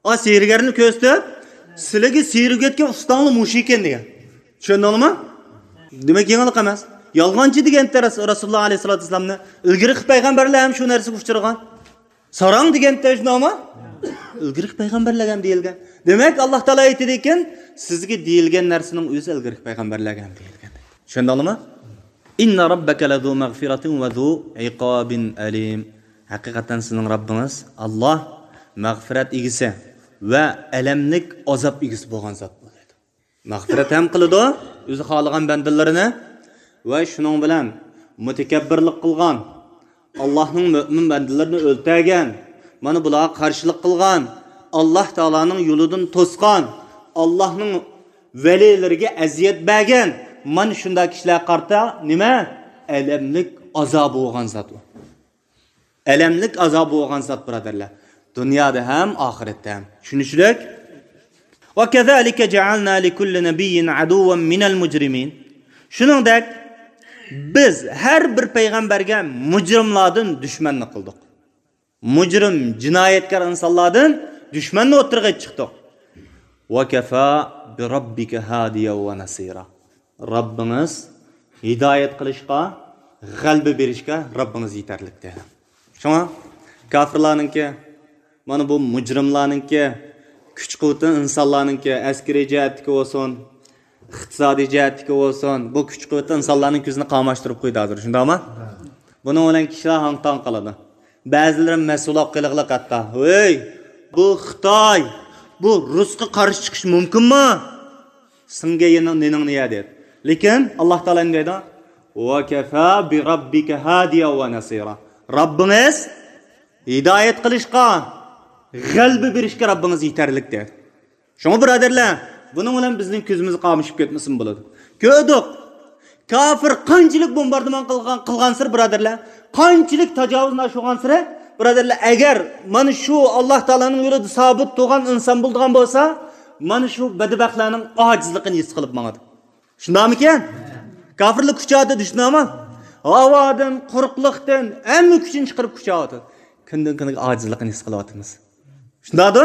ئا، سېھىرگەرنى كۆرسىتىپ، سىلىگە سېھىر ئۆگەتكەن ئۇستاڭلار مۇشۇ ئىكەن دېگەن. چۈشەندىڭلارمۇ؟ دېمەك، يېڭىلىق ئەمەس. يالغانچى دېگەنتى رەس-، رەسۇلۇللاھ ئەلەيھىسسالاتۇ ۋەسسالامنى. ئىلگىرىكى پەيغەمبەرلەر ھەم شۇ نەرسىگە ئۇچرىغان. ساراڭ دېگەنتى شۇنداقمۇ؟ ئىلگىرىكى پەيغەمبەرلەرگە ھەم دېيىلگەن. دېمەك، ئاللاھ تائالا ئېيتىدىكەن، سىزگە دېيىلگەن نەرسىنىڭ ئۆزى ئىلگىرىكى پەيغەمبەرلەرگە ھەم دېيىلگەن. چۈشەندىڭلارمۇ؟ إن ربك لذو مغفرة وذو عقاب أليم. ھەقىقەتەن سىزنىڭ رەببىڭىز ئاللاھ مەغپىرەت ئىگىسى ۋە ئەلەملىك ئازاب ئىگىسى بولغان زات بولىدۇ. مەغپىرەت ھەم قىلىدۇ ئۆزى خالىغان بەندىلىرىنى ۋە شۇنىڭ بىلەن مۇتەكەببىرلىك قىلغان، ئاللاھنىڭ مۆمىن بەندىلىرىنى ئۆلتۈرگەن، مانا بۇلارغا قارشىلىق قىلغان، ئاللاھ تائالانىڭ يولىدىن توسقان، ئاللاھنىڭ ۋەلىلىرىگە ئەزىيەت بەرگەن، مانا شۇنداق كىشىلەرگە قارىتا نېمە؟ ئەلەملىك ئازابى بولغان زات ئۇ. ئەلەملىك ئازابى بولغان زات، بۇرادەرلەر. دۇنيادا ھەم ئاخىرەتتە ھەم. چۈشىنىشلىك؟ وكذلك جعلنا لكل نبي عدوا من المجرمين. شۇنىڭدەك بىز ھەر بىر پەيغەمبەرگە مۇجرىملاردىن دۈشمەننى قىلدۇق. مۇجرىم، جىنايەتكار ئىنسانلاردىن دۈشمەننى ئوتتۇرىغا چىقتۇق. وكفى بربك هاديا ونصيرا. رەببىڭىز ھىدايەت قىلىشقا، غەلىبە بېرىشكە رەببىڭىز يېتەرلىك، دېدى. شۇڭا كاپىرلارنىڭكى، مانا بۇ مۇجرىملارنىڭكى، كۈچ-قۇۋۋىتى ئىنسانلارنىڭكى، ئەسكىرىي جەھەتتىكى بولسۇن، ئىقتىسادىي جەھەتتىكى بولسۇن، بۇ كۈچ-قۇۋۋىتى ئىنسانلارنىڭ كۆزىنى قاماشتۇرۇپ قويدى ھازىر، شۇنداقمۇ؟ بۇنىڭ بىلەن كىشىلەر ھاڭ-تاڭ قالىدۇ. بەزىلىرى مەسئۇل بولۇپ قېلىغلىق ھەتتا، ھەي، بۇ خىتاي، بۇ رۇسقا قارشى چىقىش مۇمكىنمۇ؟ سىڭگەن يېنىڭ نېنىڭنى يە، دەيدۇ. لېكىن ئاللاھ تائالا نېمە دەيدۇ؟ وكفى بربك هاديا ونصيرا. رەببىڭىز ھىدايەت قىلىشقا، غەلىبە بېرىشكە رەببىڭىز يېتەرلىك، دەيدۇ. شۇڭا، بۇرادەرلەر، بۇنىڭ بىلەن بىزنىڭ كۆزىمىز قامىشىپ كەتمىسىمۇ بولىدۇ. كۆردۇق. كاپىر قانچىلىك بومباردىمان قىلغان، قىلغانسېرى، بۇرادەرلەر، قانچىلىك تاجاۋۇزنى ئاشۇرغانسېرى، بۇرادەرلەر، ئەگەر مانا شۇ ئاللاھ تائالانىڭ يولىدا سابىت تۇرغان ئىنسان بولىدىغان بولسا، مانا شۇ بەدبەختلەرنىڭ ئاجىزلىقىنى ھېس قىلىپ ماڭىدۇ. شۇنداقمىكەن؟ كاپىرلار كۈچەۋاتىدۇ، شۇنداقمۇ؟ ھاۋادىن، قۇرۇقلۇقتىن ھەممە كۈچىنى چىقىرىپ كۈچەۋاتىدۇ. كۈندىن-كۈنگە ئاجىزلىقىنى ھېس قىلىۋاتىمىز. شۇنداقتۇ؟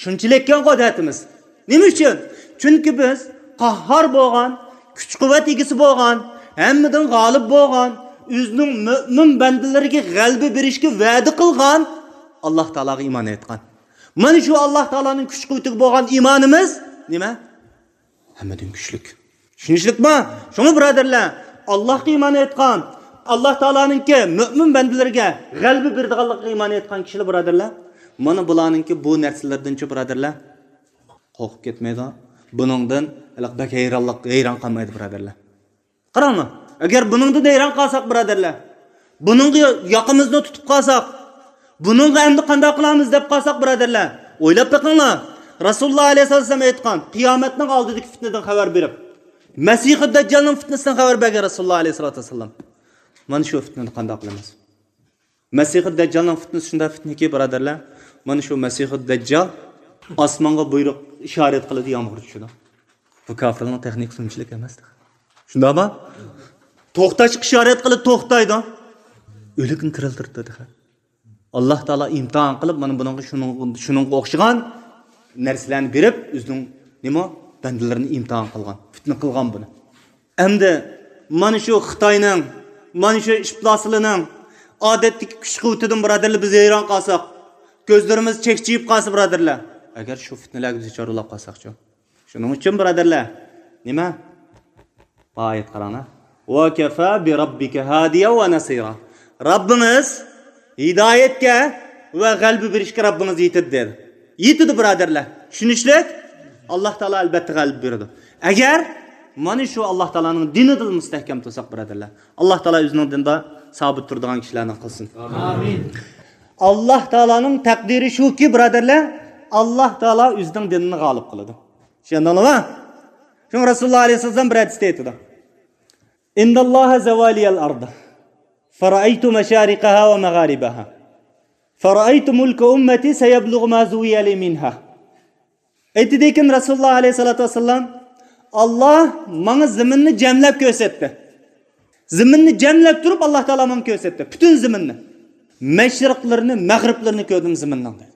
شۇنچىلىككەن قۇدرىتىمىز. نېمە ئۈچۈن؟ چۈنكى بىز قاھھار بولغان، كۈچ-قۇۋۋەت ئىگىسى بولغان، ھەممىدىن غالىب بولغان، ئۆزىنىڭ مۆمىن بەندىلىرىگە غەلىبە بېرىشكە ۋەدە قىلغان ئاللاھ تائالاغا ئىمان ئېيتقان. مانا شۇ ئاللاھ تائالانىڭ كۈچ-قۇۋۋىتىگە بولغان ئىمانىمىز نېمە؟ ھەممىدىن كۈچلۈك. چۈشىنىشلىكمۇ؟ شۇڭا، بۇرادەرلەر، ئاللاھقا ئىمان ئېيتقان، ئاللاھ تائالانىڭكى مۆمىن بەندىلىرىگە غەلىبە بېرىدىغانلىقىغا ئىمان ئېيتقان كىشىلەر، بۇرادەرلەر، مانا بۇلارنىڭكى بۇ نەرسىلىرىدىنچۇ، بۇرادەرلەر، قورقۇپ كەتمەيدۇ. بۇنىڭدىن ھېلىقى بەك ھەيرانلىق، ھەيران قالمايدۇ، بۇرادەرلەر. قاراڭلار، ئەگەر بۇنىڭدىن ھەيران قالساق، بۇرادەرلەر، بۇنىڭغا ياقىمىزنى تۇتۇپ قالساق، بۇنىڭغا ئەمدى قانداق قىلامىز دەپ قالساق، بۇرادەرلەر، ئويلاپ بېقىڭلار. رەسۇلۇللاھ ئەلەيھىسسالام ئېيتقان، قىيامەتنىڭ ئالدىدىكى پىتنىدىن خەۋەر بېرىپ، مەسىھۇ دەججالنىڭ پىتنىسىدىن خەۋەر بەرگەن رەسۇلۇللاھ ئەلەيھىسسالاتۇ ۋەسسالام. مانا شۇ پىتنىنى قانداق قىلىمىز؟ مەسىھۇ دەججالنىڭ پىتنىسى شۇنداق پىتنىكى، بۇرادەرلەر، مانا شۇ مەسىھۇ دەججال ئاسمانغا بۇيرۇق، ئىشارەت قىلىدۇ، يامغۇر چۈشىدۇ. بۇ كافىرلارنىڭ تېخنىكىسى ئۇنچىلىك ئەمەس. شۇنداقمۇ؟ توختاشقا ئىشارەت قىلىپ توختايدۇ. ئۆلۈكنى تىرىلدۈرۈپتۇ تېخى. ئاللاھ تائالا ئىمتىھان قىلىپ، مانا بۇنىڭغا شۇنىڭ-، شۇنىڭغا ئوخشىغان نەرسىلەرنى بېرىپ، ئۆزىنىڭ نېمە، بەندىلىرىنى ئىمتىھان قىلغان، پىتنە قىلغان بۇنى. ئەمدى مانا شۇ خىتاينىڭ، مانا شۇ ئىپلاسلىرىنىڭ ئادەتتىكى كۈچ-قۇۋۋىتىدىن، بۇرادەرلەر، بىز ھەيران قالساق، كۆزلىرىمىز چەكچىيىپ قالسا، بۇرادەرلەر، ئەگەر شۇ پىتنىلەرگە دۇچار بولاپ قالساقچۇ؟ شۇنىڭ ئۈچۈن، بۇرادەرلەر، نېمە؟ بۇ ئايەت قاراڭلار. «وَكَفَى بِرَبِّكَ هَادِيًا وَنَصِيرًا.» رەببىڭىز ھىدايەتكە ۋە غەلىبە بېرىشكە رەببىڭىز يېتىدۇ، دېدى. يېتىدۇ، بۇرادەرلەر. چۈشىنىشلىك؟ ئاللاھ تائالا ئەلبەتتە غەلىبە بېرىدۇ. ئەگەر مانا شۇ ئاللاھ تائالانىڭ دىنىدا مۇستەھكەم تۇرساق، بۇرادەرلەر، ئاللاھ تائالا ئۆزىنىڭ دىنىدا سابىت تۇرىدىغان كىشىلەردىن قىلسۇن. ئامىن. ئاللاھ تائالانىڭ تەقدىرى شۇكى، بۇرادەرلەر، ئاللاھ تائالا ئۆزىنىڭ دىنىنى غالىب قىلىدۇ. چۈشەندىڭلارمۇ؟ شۇڭا رەسۇلۇللاھ ئەلەيھىسسالام بىر ھەدىستە ئېيتىدۇ: «إِنَّ اللَّهَ زَوَّى لِيَ الْأَرْضَ فَرَأَيْتُ مَشَارِقَهَا وَمَغَارِبَهَا فَرَأَيْتُ مُلْكَ أُمَّتِي سَيَبْلُغُ مَا زُوِّيَ لِي مِنْهَا.» ئېيتىدىكەن رەسۇلۇللاھ ئەلەيھىسسالاتۇ ۋەسسالام: «ئاللاھ ماڭا زېمىننى جەملەپ كۆرسەتتى. زېمىننى جەملەپ تۇرۇپ، ئاللاھ تائالا ماڭا كۆرسەتتى، پۈتۈن زېمىننى. مەشرىقلىرىنى، مەغرىبلىرىنى كۆردۈم زېمىننىڭ.» دېدى.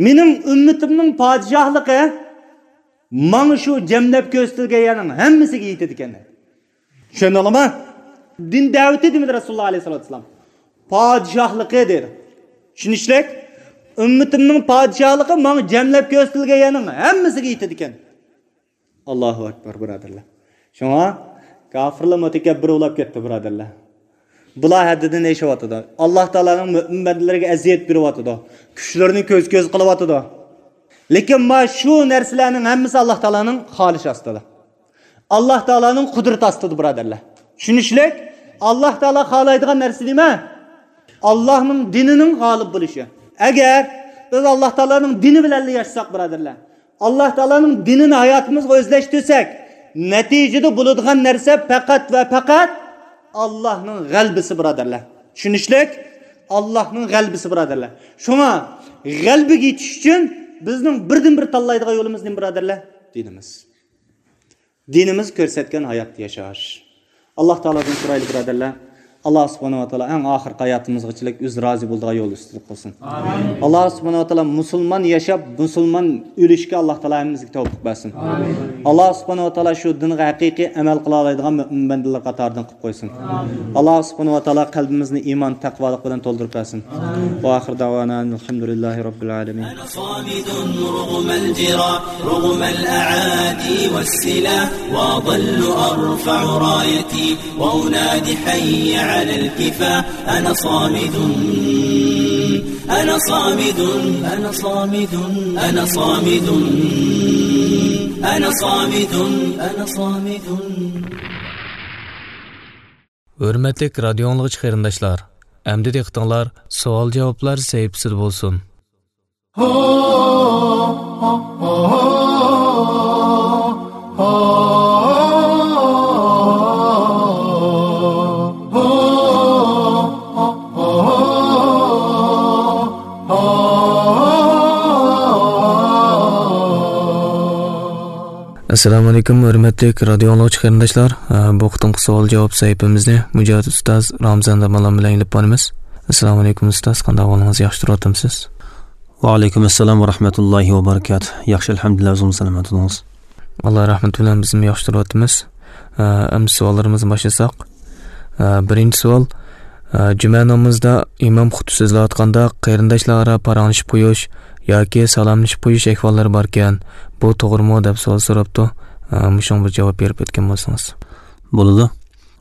مېنىڭ ئۈممىتىمنىڭ پادىشاھلىقى ماڭا شۇ جەملەپ كۆرسىتىلگەن يەرنىڭ ھەممىسىگە يېتىدىكەن، دېدى. چۈشەندىڭلارمۇ؟ دىن دەۋىتى دېمىدى رەسۇلۇللاھ ئەلەيھىسسالاتۇ ۋەسسالام. پادىشاھلىقى دېدى. چۈشىنىشلىك؟ ئۈممىتىمنىڭ پادىشاھلىقى ماڭا جەملەپ كۆرسىتىلگەن يەرنىڭ ھەممىسىگە يېتىدىكەن. ئاللاھۇ ئەكبەر، بۇرادەرلەر. شۇڭا كاپىرلار مۇتەكەببىر بولاپ كەتتى، بۇرادەرلەر. بۇلار ھەددىدىن ئېشىۋاتىدۇ. ئاللاھ تائالانىڭ مۆمىن بەندىلىرىگە ئەزىيەت بېرىۋاتىدۇ. كۈچلىرىنى كۆز-كۆز قىلىۋاتىدۇ. لېكىن ما شۇ نەرسىلەرنىڭ ھەممىسى ئاللاھ تائالانىڭ خالىشى ئاستىدا. ئاللاھ تائالانىڭ قۇدرىتى ئاستىدا، بۇرادەرلەر. چۈشىنىشلىك؟ ئاللاھ تائالا خالايدىغان نەرسە نېمە؟ ئاللاھنىڭ دىنىنىڭ غالىب بولۇشى. ئەگەر بىز ئاللاھ تائالانىڭ دىنى بىلەن ياشىساق، بۇرادەرلەر، ئاللاھ تائالانىڭ دىنىنى ھاياتىمىزغا ئۆزلەشتۈرسەك، نەتىجىدە بولىدىغان نەرسە پەقەت ۋە پەقەت ئاللاھنىڭ غەلىبىسى، بۇرادەرلەر. چۈشىنىشلىك؟ ئاللاھنىڭ غەلىبىسى، بۇرادەرلەر. شۇڭا غەلىبىگە يېتىش ئۈچۈن بىزنىڭ بىردىنبىر تاللايدىغان يولىمىز نېمە، بۇرادەرلەر؟ دىنىمىز. دىنىمىز كۆرسەتكەن ھاياتتا ياشاش. ئاللاھ تائالادىن سورايلى، بۇرادەرلەر. ئاللاھ سۇبھانەھۇ ۋە تائالا ئەڭ ئاخىرقى ھاياتىمىزغىچىلىك ئۆزى رازى بولىدىغان يول ئۈستىدە قىلسۇن. ئامىن. ئاللاھ سۇبھانەھۇ ۋە تائالا مۇسۇلمان ياشاپ، مۇسۇلمان ئۆلۈشكە ئاللاھ تائالا ھەممىمىزگە تەۋپىق بەرسۇن. ئامىن. ئاللاھ سۇبھانەھۇ ۋە تائالا شۇ دىنغا ھەقىقىي ئەمەل قىلالايدىغان مۆمىن بەندىلەر قاتارىدىن قىلىپ قويسۇن. ئامىن. ئاللاھ سۇبھانەھۇ ۋە تائالا قەلبىمىزنى ئىمان، تەقۋالىق بىلەن تولدۇرۇپ بەرسۇن. ئامىن. وآخر دعوانا أن الحمد لله رب العالمين. أنا صامد رغم الجراح، رغم الأعادي والسلاح، وأظل أرفع رايتي وأنادي حي على الكفاح. أنا صامد، أنا صامد، أنا صامد، أنا صامد، أنا صامد، أنا صامد. ھۆرمەتلىك رادىيو ئاڭلىغۇچى قېرىنداشلار، ئەمدى دىققىتىڭلار سوئال-جاۋابلار سەھىپىسىدە بولسۇن. ئەسسالامۇئەلەيكۇم، ھۆرمەتلىك رادىيو ئاڭلىغۇچى قېرىنداشلار. ئە، بۇ قېتىمقى سوئال-جاۋاب سەھىپىمىزنى مۇجاھىد ئۇستاز رامزان داموللام بىلەن ئېلىپ بارىمىز. ئەسسالامۇئەلەيكۇم ئۇستاز، قانداق ئەھۋالىڭىز؟ ياخشى تۇرۇۋاتامسىز؟ ۋەئەلەيكۇم ئەسسالام ۋە رەھمەتۇللاھى ۋە بەرىكاتۇھ. ياخشى، ئەلھەمدۇلىللا، ئۆزىڭىز سالامەت بولۇڭىز. ئاللا رەھمىتى بىلەن بىزمۇ ياخشى تۇرۇۋاتىمىز. ئە، ئەمدى سوئاللىرىمىزنى باشلىساق. ئە، بىرىنچى سوئال. ئە، جۈمە نامىزىدا ئىمام خۇتبە سۆزلەۋاتقاندا قېرىنداشلار ئارا پاراڭلىشىپ قويۇش ياكى سالاملىشىپ قويۇش ئەھۋاللىرى باركەن، بۇ توغرىمۇ دەپ سوئال سوراپتۇ. ئە، مۇشۇنىڭغا بىر جاۋاب بېرىپ ئۆتكەن بولسىڭىز. بولىدۇ.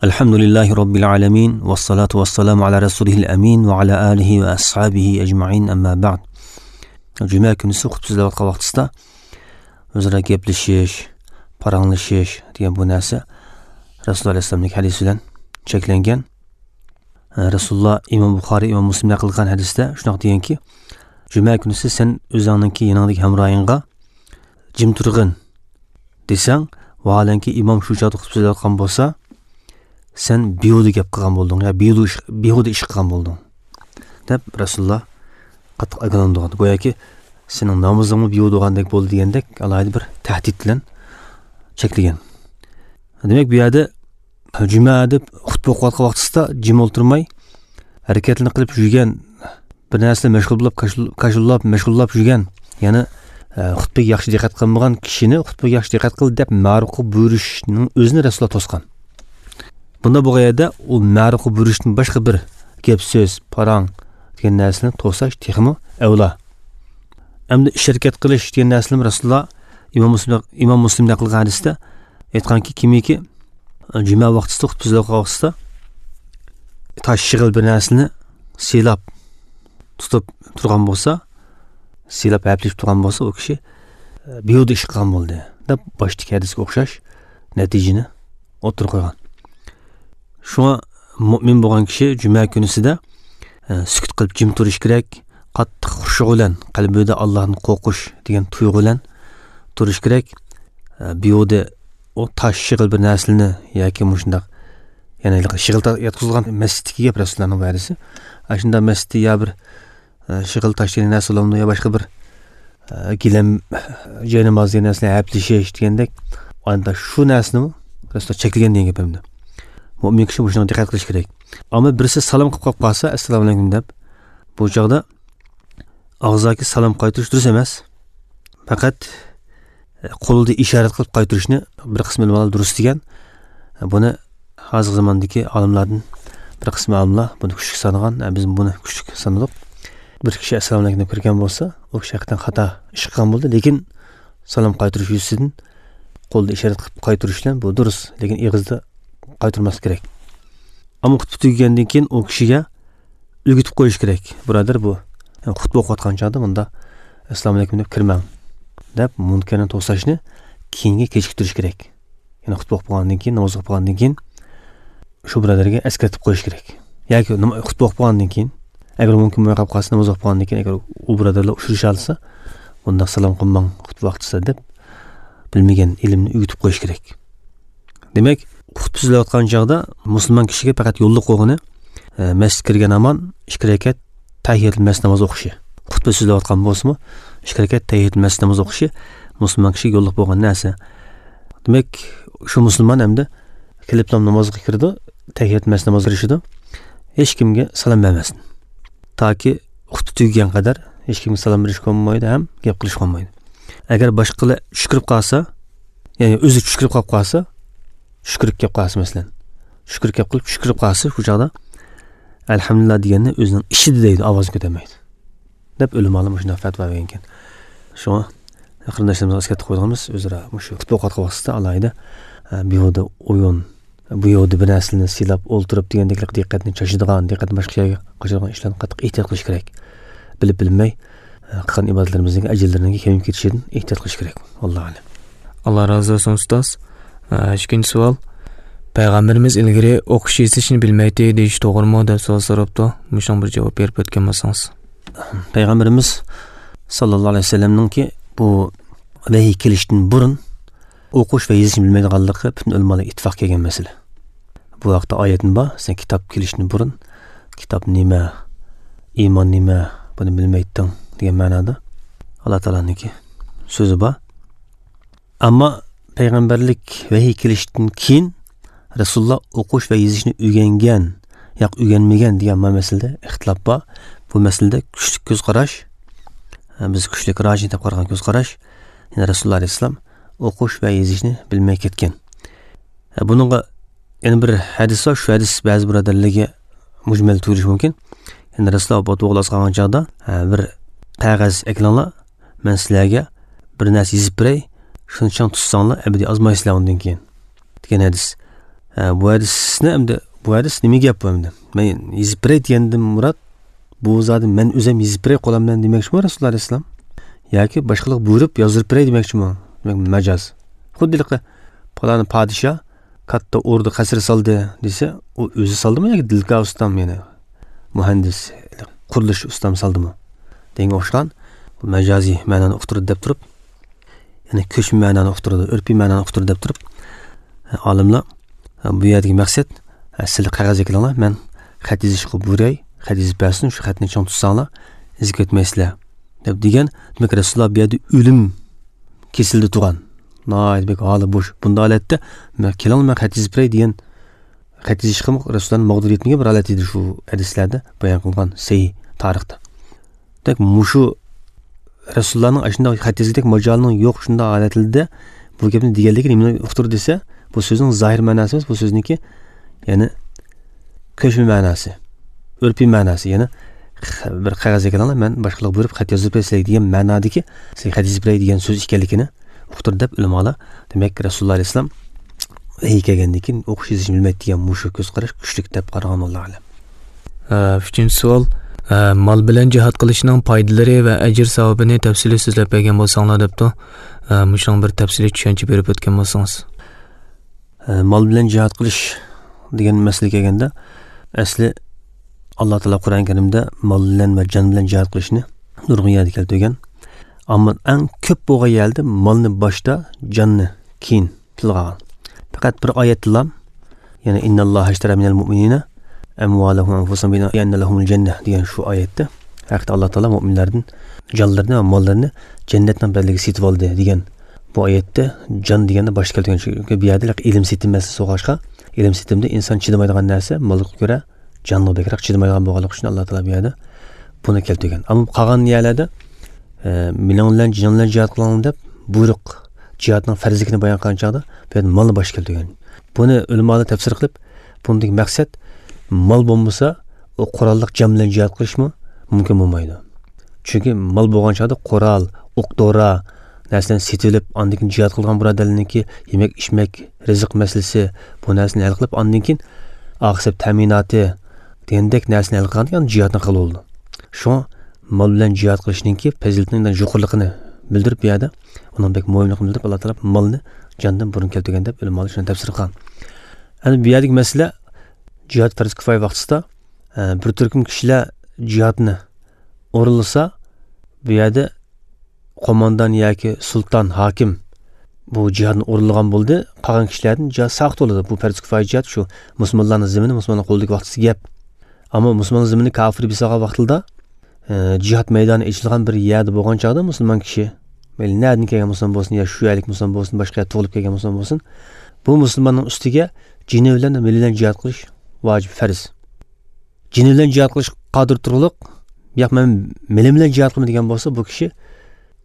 الحمد لله رب العالمين، والصلاة والسلام على رسوله الأمين وعلى آله وأصحابه أجمعين، أما بعد. جۈمە كۈنىسى خۇتبە سۆزلەۋاتقان ۋاقتىسىدا ئۆزئارا گەپلىشىش، پاراڭلىشىش دېگەن بۇ نەرسە رەسۇلۇللا ئەلەيھىسسالامنىڭ ھەدىسى بىلەن چەكلەنگەن. رەسۇلۇللا ئىمام بۇخارىي، ئىمام مۇسلىم نەقىل قىلغان ھەدىستە شۇنداق دېگەنكى، جۈمە كۈنىسى سەن ئۆزۈڭنىڭكى يېنىڭدىكى ھەمراھىڭغا جىم تۇرغىن دېسەڭ، ۋاھالەنكى ئىمام شۇ چاغدا خۇتبە سۆزلەۋاتقان بولسا، سەن بىھۇدە گەپ قىلغان بولدۇڭ يا بىھۇدە ئىش، بىھۇدە ئىش قىلغان بولدۇڭ، دەپ رەسۇلۇللا قاتتىق ئاگاھلاندۇرغان. گوياكى سېنىڭ نامىزىڭمۇ بىھۇدە بولغاندەك بولدى دېگەندەك، ئالاھىدە بىر تەھدىت بىلەن چەكلىگەن. دېمەك، بۇ يەردە جۈمە دەپ خۇتبە ئوقۇۋاتقان ۋاقتىسىدا جىم ئولتۇرماي، ھەرىكەتلىرىنى قىلىپ يۈرگەن، بىر نەرسىلەر مەشغۇل بولۇپ، كاشۇل-، كاشۇللاپ، مەشغۇللاپ يۈرگەن، يەنى، ئە، خۇتبىگە ياخشى دىققەت قىلمىغان كىشىنى خۇتبىگە ياخشى دىققەت قىل دەپ مەرۇققا بۇيرۇشنىڭ ئۆزىنى رەسۇلۇللا توسقان. بۇنداق بولغان يەردە ئۇ مەرۇققا بۇيرۇشتىن باشقا بىر گەپ سۆز، پاراڭ دېگەن نەرسىلەرنى توساش تېخىمۇ ئەۋلا. ئەمدى ئىش ھەرىكەت قىلىش دېگەن نەرسىلەرنى رەسۇلۇللا ئىمام مۇسلىم، ئىمام مۇسلىم نەقىل قىلغان ھەدىستە ئېيتقانكى، كىمكى جۈمە ۋاقتىسىدا، خۇتبە سۆزلەۋاتقان ۋاقتىسىدا تاش، شېغىل بىر نەرسىنى سىيلاپ تۇتۇپ تۇرغان بولسا، سىيلاپ ھەپىلىشىپ تۇرغان بولسا، ئۇ كىشى بىھۇدە ئىش قىلغان بولدى، دەپ باشتىكى ھەدىسكە ئوخشاش نەتىجىنى ئوتتۇرىغا قويغان. شۇڭا مۇئمىن بولغان كىشى جۈمە كۈنىسىدە، ئە، سۈكۈت قىلىپ جىم تۇرۇش كېرەك. قاتتىق خۇشۇ بىلەن، قەلبىدە ئاللاھتىن قورقۇش دېگەن تۇيغۇ بىلەن تۇرۇش كېرەك. ئە، بىھۇدە ئۇ تاش، شېغىل بىر نەرسىلەرنى ياكى مۇشۇنداق، يەنى شېغىل تا-، ياتقۇزۇلغان مەسچىتتىكى گەپ رەسۇلۇللانىڭ ۋەدىسى. ئاشۇنداق مەسچىتتە يا بىر ئە، شېغىل تاش دېگەن نەرسە بولامدۇ يا باشقا بىر، ئە، گىلەم، جايناماز دېگەن نەرسىلەرنى ھەپىلىشىش دېگەندەك، ئاندا شۇ نەرسىنىمۇ رەسۇلۇللا چەكلىگەن دېگەن گەپ ئەمدى. مۇئمىن كىشى مۇشۇنىڭغا دىققەت قىلىشى كېرەك. ئەمما بىرسى سالام قىلىپ قالىپ قالسا، «ئەسسالامۇ ئەلەيكۇم» دەپ، بۇ چاغدا ئاغزاكى سالام قايتۇرۇش دۇرۇس ئەمەس. پەقەت قولدا ئىشارەت قىلىپ قايتۇرۇشنى بىر قىسىم ئۆلىمالار دۇرۇس دېگەن. بۇنى ھازىرقى زاماندىكى ئالىملاردىن بىر قىسىم ئالىملار بۇنى كۈچلۈك سانىغان، بىز بۇنى كۈچلۈك سانىدۇق. بىر كىشى «ئەسسالامۇ ئەلەيكۇم» دەپ كىرگەن بولسا، ئۇ كىشى ھەقىقەتەن خاتا ئىش قىلغان بولدى، لېكىن سالام قايتۇرۇش يۈزىسىدىن قولدا ئىشارەت قىلىپ قايتۇرۇش بىلەن بۇ دۇرۇس، لېكىن ئېغىزدا قايتۇرماسلىق كېرەك. ئەمما خۇتبە تۈگىگەندىن كېيىن ئۇ كىشىگە ئۆگىتىپ قويۇش كېرەك. بۇرادەر، بۇ، يەنى خۇتبە ئوقۇۋاتقان چاغدا مۇندا «ئەسسالامۇ ئەلەيكۇم» دەپ كىرمەڭ، دەپ مۇنكەرنى توساشنى كېيىنگە كېچىكتۈرۈش كېرەك. يەنى خۇتبە ئوقۇپ بولغاندىن كېيىن، ناماز ئوقۇپ بولغاندىن كېيىن شۇ بۇرادەرگە ئەسكەرتىپ قويۇش كېرەك. ياكى نام-، خۇتبە ئوقۇپ بولغاندىن كېيىن، ئەگەر مۇمكىن بولماي قالىپ قالسا، ناماز ئوقۇپ بولغاندىن كېيىن ئەگەر ئۇ بۇرادەرلەر ئۇچرىشالىسا، بۇنداق سالام قىلماڭ خۇتبە ۋاقتىسىدا دەپ، بىلمىگەن ئىلىمنى ئۆگىتىپ قويۇش كېرەك. دېمەك، خۇتبە سۆزلەۋاتقان چاغدا مۇسۇلمان كىشىگە پەقەت يوللۇق بولغىنى، ئە، مەسچىتكە كىرگەن ھامان ئىككى رەكەت تەھىيەتۇل مەسچىت ناماز ئوقۇشى. خۇتبە سۆزلەۋاتقان بولسىمۇ، ئىككى رەكەت تەھىيەتۇل مەسچىت ناماز ئوقۇشى مۇسۇلمان كىشىگە يوللۇق بولغان نەرسە. دېمەك، شۇ مۇسۇلمان ئەمدى كېلىپلا نامازغا كىرىدۇ، تەھىيەتۇل مەسچىت نامازغا كىرىشىدۇ، ھېچكىمگە سالام بەرمەسلىك. تاكى خۇتبە تۈگىگەن قەدەر ھېچكىمگە سالام بېرىشكە بولمايدۇ ھەم گەپ قىلىشقا بولمايدۇ. ئەگەر باشقىلار چۈش كىرىپ قالسا، يەنى ئۆزى چۈش كىرىپ قاپ قالسا، چۈش كىرىپ كەپ قالسا مەسىلەن، چۈش كىرىپ كەپ قىلىپ چۈش كىرىپ قالسا، شۇ چاغدا «ئەلھەمدۇلىللا» دېگەننى ئۆزىنىڭ ئىچىدە دەيدۇ، ئاۋازىنى كۆتەرمەيدۇ، دەپ ئۆلىمالار مۇشۇنداق پەتىۋا بەرگەنكەن. شۇڭا قېرىنداشلىرىمىزغا ئەسكەرتىپ قويىدىغىنىمىز، ئۆزئارا مۇشۇ خۇتبە ئوقۇۋاتقان ۋاقتىدا ئالاھىدە، ئە، بىھۇدە ئويۇن، بۇ يەردە بىر نەرسىلەرنى سىيلاپ ئولتۇرۇپ دېگەندەك دىققەتنى چاچىدىغان، دىققەتنى باشقا يەرگە قاچىدىغان ئىشلارنى قاتتىق ئېھتىيات قىلىش كېرەك. بىلىپ بىلمەي، ئە، قىلغان ئىبادەتلىرىمىزنىڭ ئەجىرلىرىنىڭ كېمىيىپ كېتىشىدىن ئېھتىيات قىلىش كېرەك. ۋاللاھۇ ئەلەم. ئاللا رازى بولسۇن، ئۇستاز. ئە، ئىككىنچى سوئال. پەيغەمبىرىمىز ئىلگىرى ئوقۇش يېزىشنى بىلمەيتتى دېيىش توغرىمۇ دەپ سوئال سوراپتۇ. مۇشۇنىڭغا بىر جاۋاب بېرىپ ئۆتكەن بولسىڭىز. پەيغەمبىرىمىز ساللاللاھۇ ئەلەيھى ۋەسەللەمنىڭكى بۇ ۋەھىي كېلىشتىن بۇرۇن ئوقۇش ۋە يېزىشنى بىلمەيدىغانلىقى پۈتۈن ئۆلىمالار ئىتتىپاق كەلگەن مەسىلە. بۇ ھەقتە ئايەتمۇ بار، «سەن كىتاب كېلىشتىن بۇرۇن كىتاب نېمە، ئىمان نېمە، بۇنى بىلمەيتتىڭ» دېگەن مەنادا ئاللا تائالانىڭكى سۆزى بار. ئەمما پەيغەمبەرلىك ۋەھىي كېلىشتىن كېيىن رەسۇلۇللا ئوقۇش ۋە يېزىشنى ئۆگەنگەن ياكى ئۆگەنمىگەن دېگەن ما مەسىلىدە ئىختىلاپ بار. بۇ مەسىلىدە كۈچلۈك كۆز قاراش، بىز كۈچلۈك راجىھ دەپ قارىغان كۆز قاراش، يەنى رەسۇلۇللا ئەلەيھىسسالام ئوقۇش ۋە يېزىشنى بىلمەي كەتكەن. بۇنىڭغا يەنە بىر ھەدىس بار، شۇ ھەدىس بەزى بۇرادەرلەرگە مۇجمەل تۇيۇلۇشى مۇمكىن. يەنى رەسۇلۇللا بۇ توغرىلىق قالغان چاغدا، بىر قەغەز ئەكېلىڭلار، مەن سىلەرگە بىر نەرسە يېزىپ بېرەي، شۇنى چىڭ تۇتساڭلار، ئەبەدىي ئازمايسىلەر ئۇندىن كېيىن، دېگەن ھەدىس. ھە، بۇ ھەدىسنى ئەمدى، بۇ ھەدىس نېمە گەپ بۇ ئەمدى؟ مەن يېزىپ بېرەي دېگەندىن مۇراد، بۇ زادى مەن ئۆزۈم يېزىپ بېرەي قولۇم بىلەن دېمەكچىمۇ رەسۇلۇللا ئەلەيھىسسالام؟ ياكى باشقىلارغا بۇيرۇپ يازدۇرۇپ بېرەي دېمەكچىمۇ؟ دېمەك، مەجاز. خۇددى ھېلىقى پالان پادىشاھ كاتتا ئوردا قەسىر سالدى دېسە، ئۇ ئۆزى سالدىمۇ ياكى دىلكا ئۇستام، يەنى مۇھەندىس، قۇرۇلۇش ئۇستام سالدىمۇ دېگەنگە ئوخشىغان بۇ مەجازىي مەنانى ئۇقتۇرىدۇ دەپ تۇرۇپ، يەنى كۆچمە مەنانى ئۇقتۇرىدۇ، ئۆرپىي مەنانى ئۇقتۇرىدۇ دەپ تۇرۇپ، ئالىملار بۇ يەردىكى مەقسەت، سىلەر قەغەز ئەكېلىڭلار، مەن خەت يېزىشقا بۇيرۇي، خەت يېزىپ بەرسۇن، شۇ خەتنى چىڭ تۇتساڭلار، ئېزىپ كەتمەيسىلەر، دەپ دېگەن. دېمەك، رەسۇلۇللا بۇ يەردە ئۆلۈم كېسىلىدە تۇرغان، ناھايىتى بەك ھالى بوش. بۇنداق ھالەتتە مەن، كېلىڭلار، مەن خەت يېزىپ بېرەي دېگەن، خەت يېزىشقىمۇ رەسۇلۇللانىڭ مەقدۇرى يەتمىگەن بىر ھالەت ئىدى شۇ ھەدىسلەردە بايان قىلغان سەھىھ تارىختا. دېمەك، مۇشۇ رەسۇلۇللانىڭ ئاشۇنداق خەت يېزىدەك ماجالىنىڭ يوق، شۇنداق ھالەتلىدە بۇ گەپنى دېگەنلىكى نېمىنى ئۇقتۇردى دېسە، بۇ سۆزنىڭ زاھىر مەناسى ئەمەس، بۇ سۆزنىڭكى، يەنى كۆچمە مەناسى. ئۆرپىي مەناسى، يەنى خ-، بىر قەغەزگە كېلىڭلار، مەن باشقىلارغا بۇيرۇپ خەت يازدۇرۇپ بېرەي سىلەرگە دېگەن مەنادىكى سىلەرگە خەت يېزىپ بېرەي دېگەن سۆز ئىكەنلىكىنى ئۇقتۇردى دەپ ئۆلىمالار، دېمەك، رەسۇلۇللا ئەلەيھىسسالام ۋەھىي كەلگەندىن كېيىن ئوقۇش يېزىشنى بىلمەيدۇ دېگەن مۇشۇ كۆز قاراش كۈچلۈك دەپ قارىغان، ۋاللاھۇ ئەلەم. ئە، ئۈچىنچى سوئال، ئە، مال بىلەن جىھاد قىلىشنىڭ پايدىلىرى ۋە ئەجىر ساۋابىنى تەپسىلىي سۆزلەپ بەرگەن بولساڭلار دەپتۇ. ئە، مۇشۇنىڭ بىر تەپسىلىي چۈشەنچە بېرىپ ئۆتكەن بولسىڭىز. ئە، مال بىلەن جىھاد قىلىش دېگەن مەسىلىگە كەلگەندە، ئەسلى ئاللا تائالا قۇرئان كەرىمدە مال بىلەن ۋە جان بىلەن جىھاد قىلىشنى نۇرغۇن يەردە كەلتۈرگەن. ئەمما ئەڭ كۆپ بولغان يەردە مالنى باشتا، جاننى كېيىن تىلغا ئالغان. پەقەت بىر ئايەتتىلا، يەنى «إن الله اشترى من المؤمنين أموالهم وأنفسهم بأن لهم الجنة» دېگەن شۇ ئايەتتە ھەقىقەتەن ئاللا تائالا مۆمىنلەردىن جانلىرىنى ۋە ماللىرىنى جەننەتنىڭ بەدىلىگە سېتىۋالدى دېگەن بۇ ئايەتتە جان دېگەننى باشتا كەلتۈرگەن. چۈنكى بۇ يەردە ئىلىم سېتىم مەسىلىسى بولغاچقا، ئىلىم سېتىمدا ئىنسان چىدىمايدىغان نەرسە مالغا كۆرە جانغا بەكرەك چىدىمايدىغان بولغانلىقى ئۈچۈن ئاللا تائالا بۇ يەردە بۇنى كەلتۈرگەن. ئەمما قالغان يەرلەردە، ئە، «مېنىڭ بىلەن جېنىڭ بىلەن جىھاد قىلىڭ» دەپ بۇيرۇق، جىھادنىڭ پەرزلىكىنى بايان قىلغان چاغدا بۇ يەردە مالنى باشتا كەلتۈرگەن. بۇنى ئۆلىمالار تەپسىر قىلىپ، بۇندىكى مەقسەت مال بولمىسا، ئۇ قوراللىق جان بىلەن جىھاد قىلىشمۇ مۇمكىن بولمايدۇ. چۈنكى مال بولغان چاغدا قورال، ئوق-دورا، نەرسىلەرنى سېتىۋېلىپ، ئاندىن كېيىن جىھاد قىلغان بۇرادەرلەرنىڭكى يېمەك-ئىچمەك، رىزىق مەسىلىسى، بۇ نەرسىنى ھەل قىلىپ، ئاندىن كېيىن ئاخىر ھېساب تەمىناتى دېگەندەك نەرسىنى ھەل قىلغاندىكىن جىھادنى قىلغىلى بولىدۇ. شۇڭا مال بىلەن جىھاد قىلىشنىڭكى پەزىلىتىنىڭ يۇقىرىلىقىنى بىلدۈرۈپ، بۇ يەردە ئۇنىڭ بەك مۇھىملىقىنى بىلدۈرۈپ، ئاللا تائالا مالنى جاندىن بۇرۇن كەلتۈرگەن دەپ ئۆلىمالار شۇنى تەپسىر قىلغان. ئەمدى بۇ يەردىكى مەسىلە، جىھاد پەرز كۇپايە ۋاقتىسىدا، ئە، بىر تۈركۈم كىشىلەر جىھادنى ئورۇنلىسا، بۇ يەردە قوماندان ياكى سۇلتان، ھاكىم بۇ جىھادنى ئورۇنلىغان بولدى، قالغان كىشىلەردىن جىھاد ساقىت بولىدۇ. بۇ پەرز كۇپايە جىھاد شۇ مۇسۇلمانلارنىڭ زېمىنى، مۇسۇلمانلارنىڭ قولىدىكى ۋاقتىسى گەپ. ئەمما مۇسۇلماننىڭ زېمىنى كاپىر بېسىۋالغان ۋاقتىدا، ئە، جىھاد مەيدانى ئېچىلغان بىر يەردە بولغان چاغدا مۇسۇلمان كىشى، مەيلى نەدىن كەلگەن مۇسۇلمان بولسۇن، يا شۇ يەرلىك مۇسۇلمان بولسۇن، باشقا يەردە تۇغۇلۇپ كەلگەن مۇسۇلمان بولسۇن، بۇ مۇسۇلماننىڭ ئۈستىگە جېنى بىلەن، مېلى بىلەن جىھاد قىلىش ۋاجىپ، پەرز. جېنى بىلەن جىھاد قىلىشقا قادىر تۇرغۇلۇق، ياق، مەن مېلىم بىلەن جىھاد قىلىمەن دېگەن بولسا، بۇ كىشى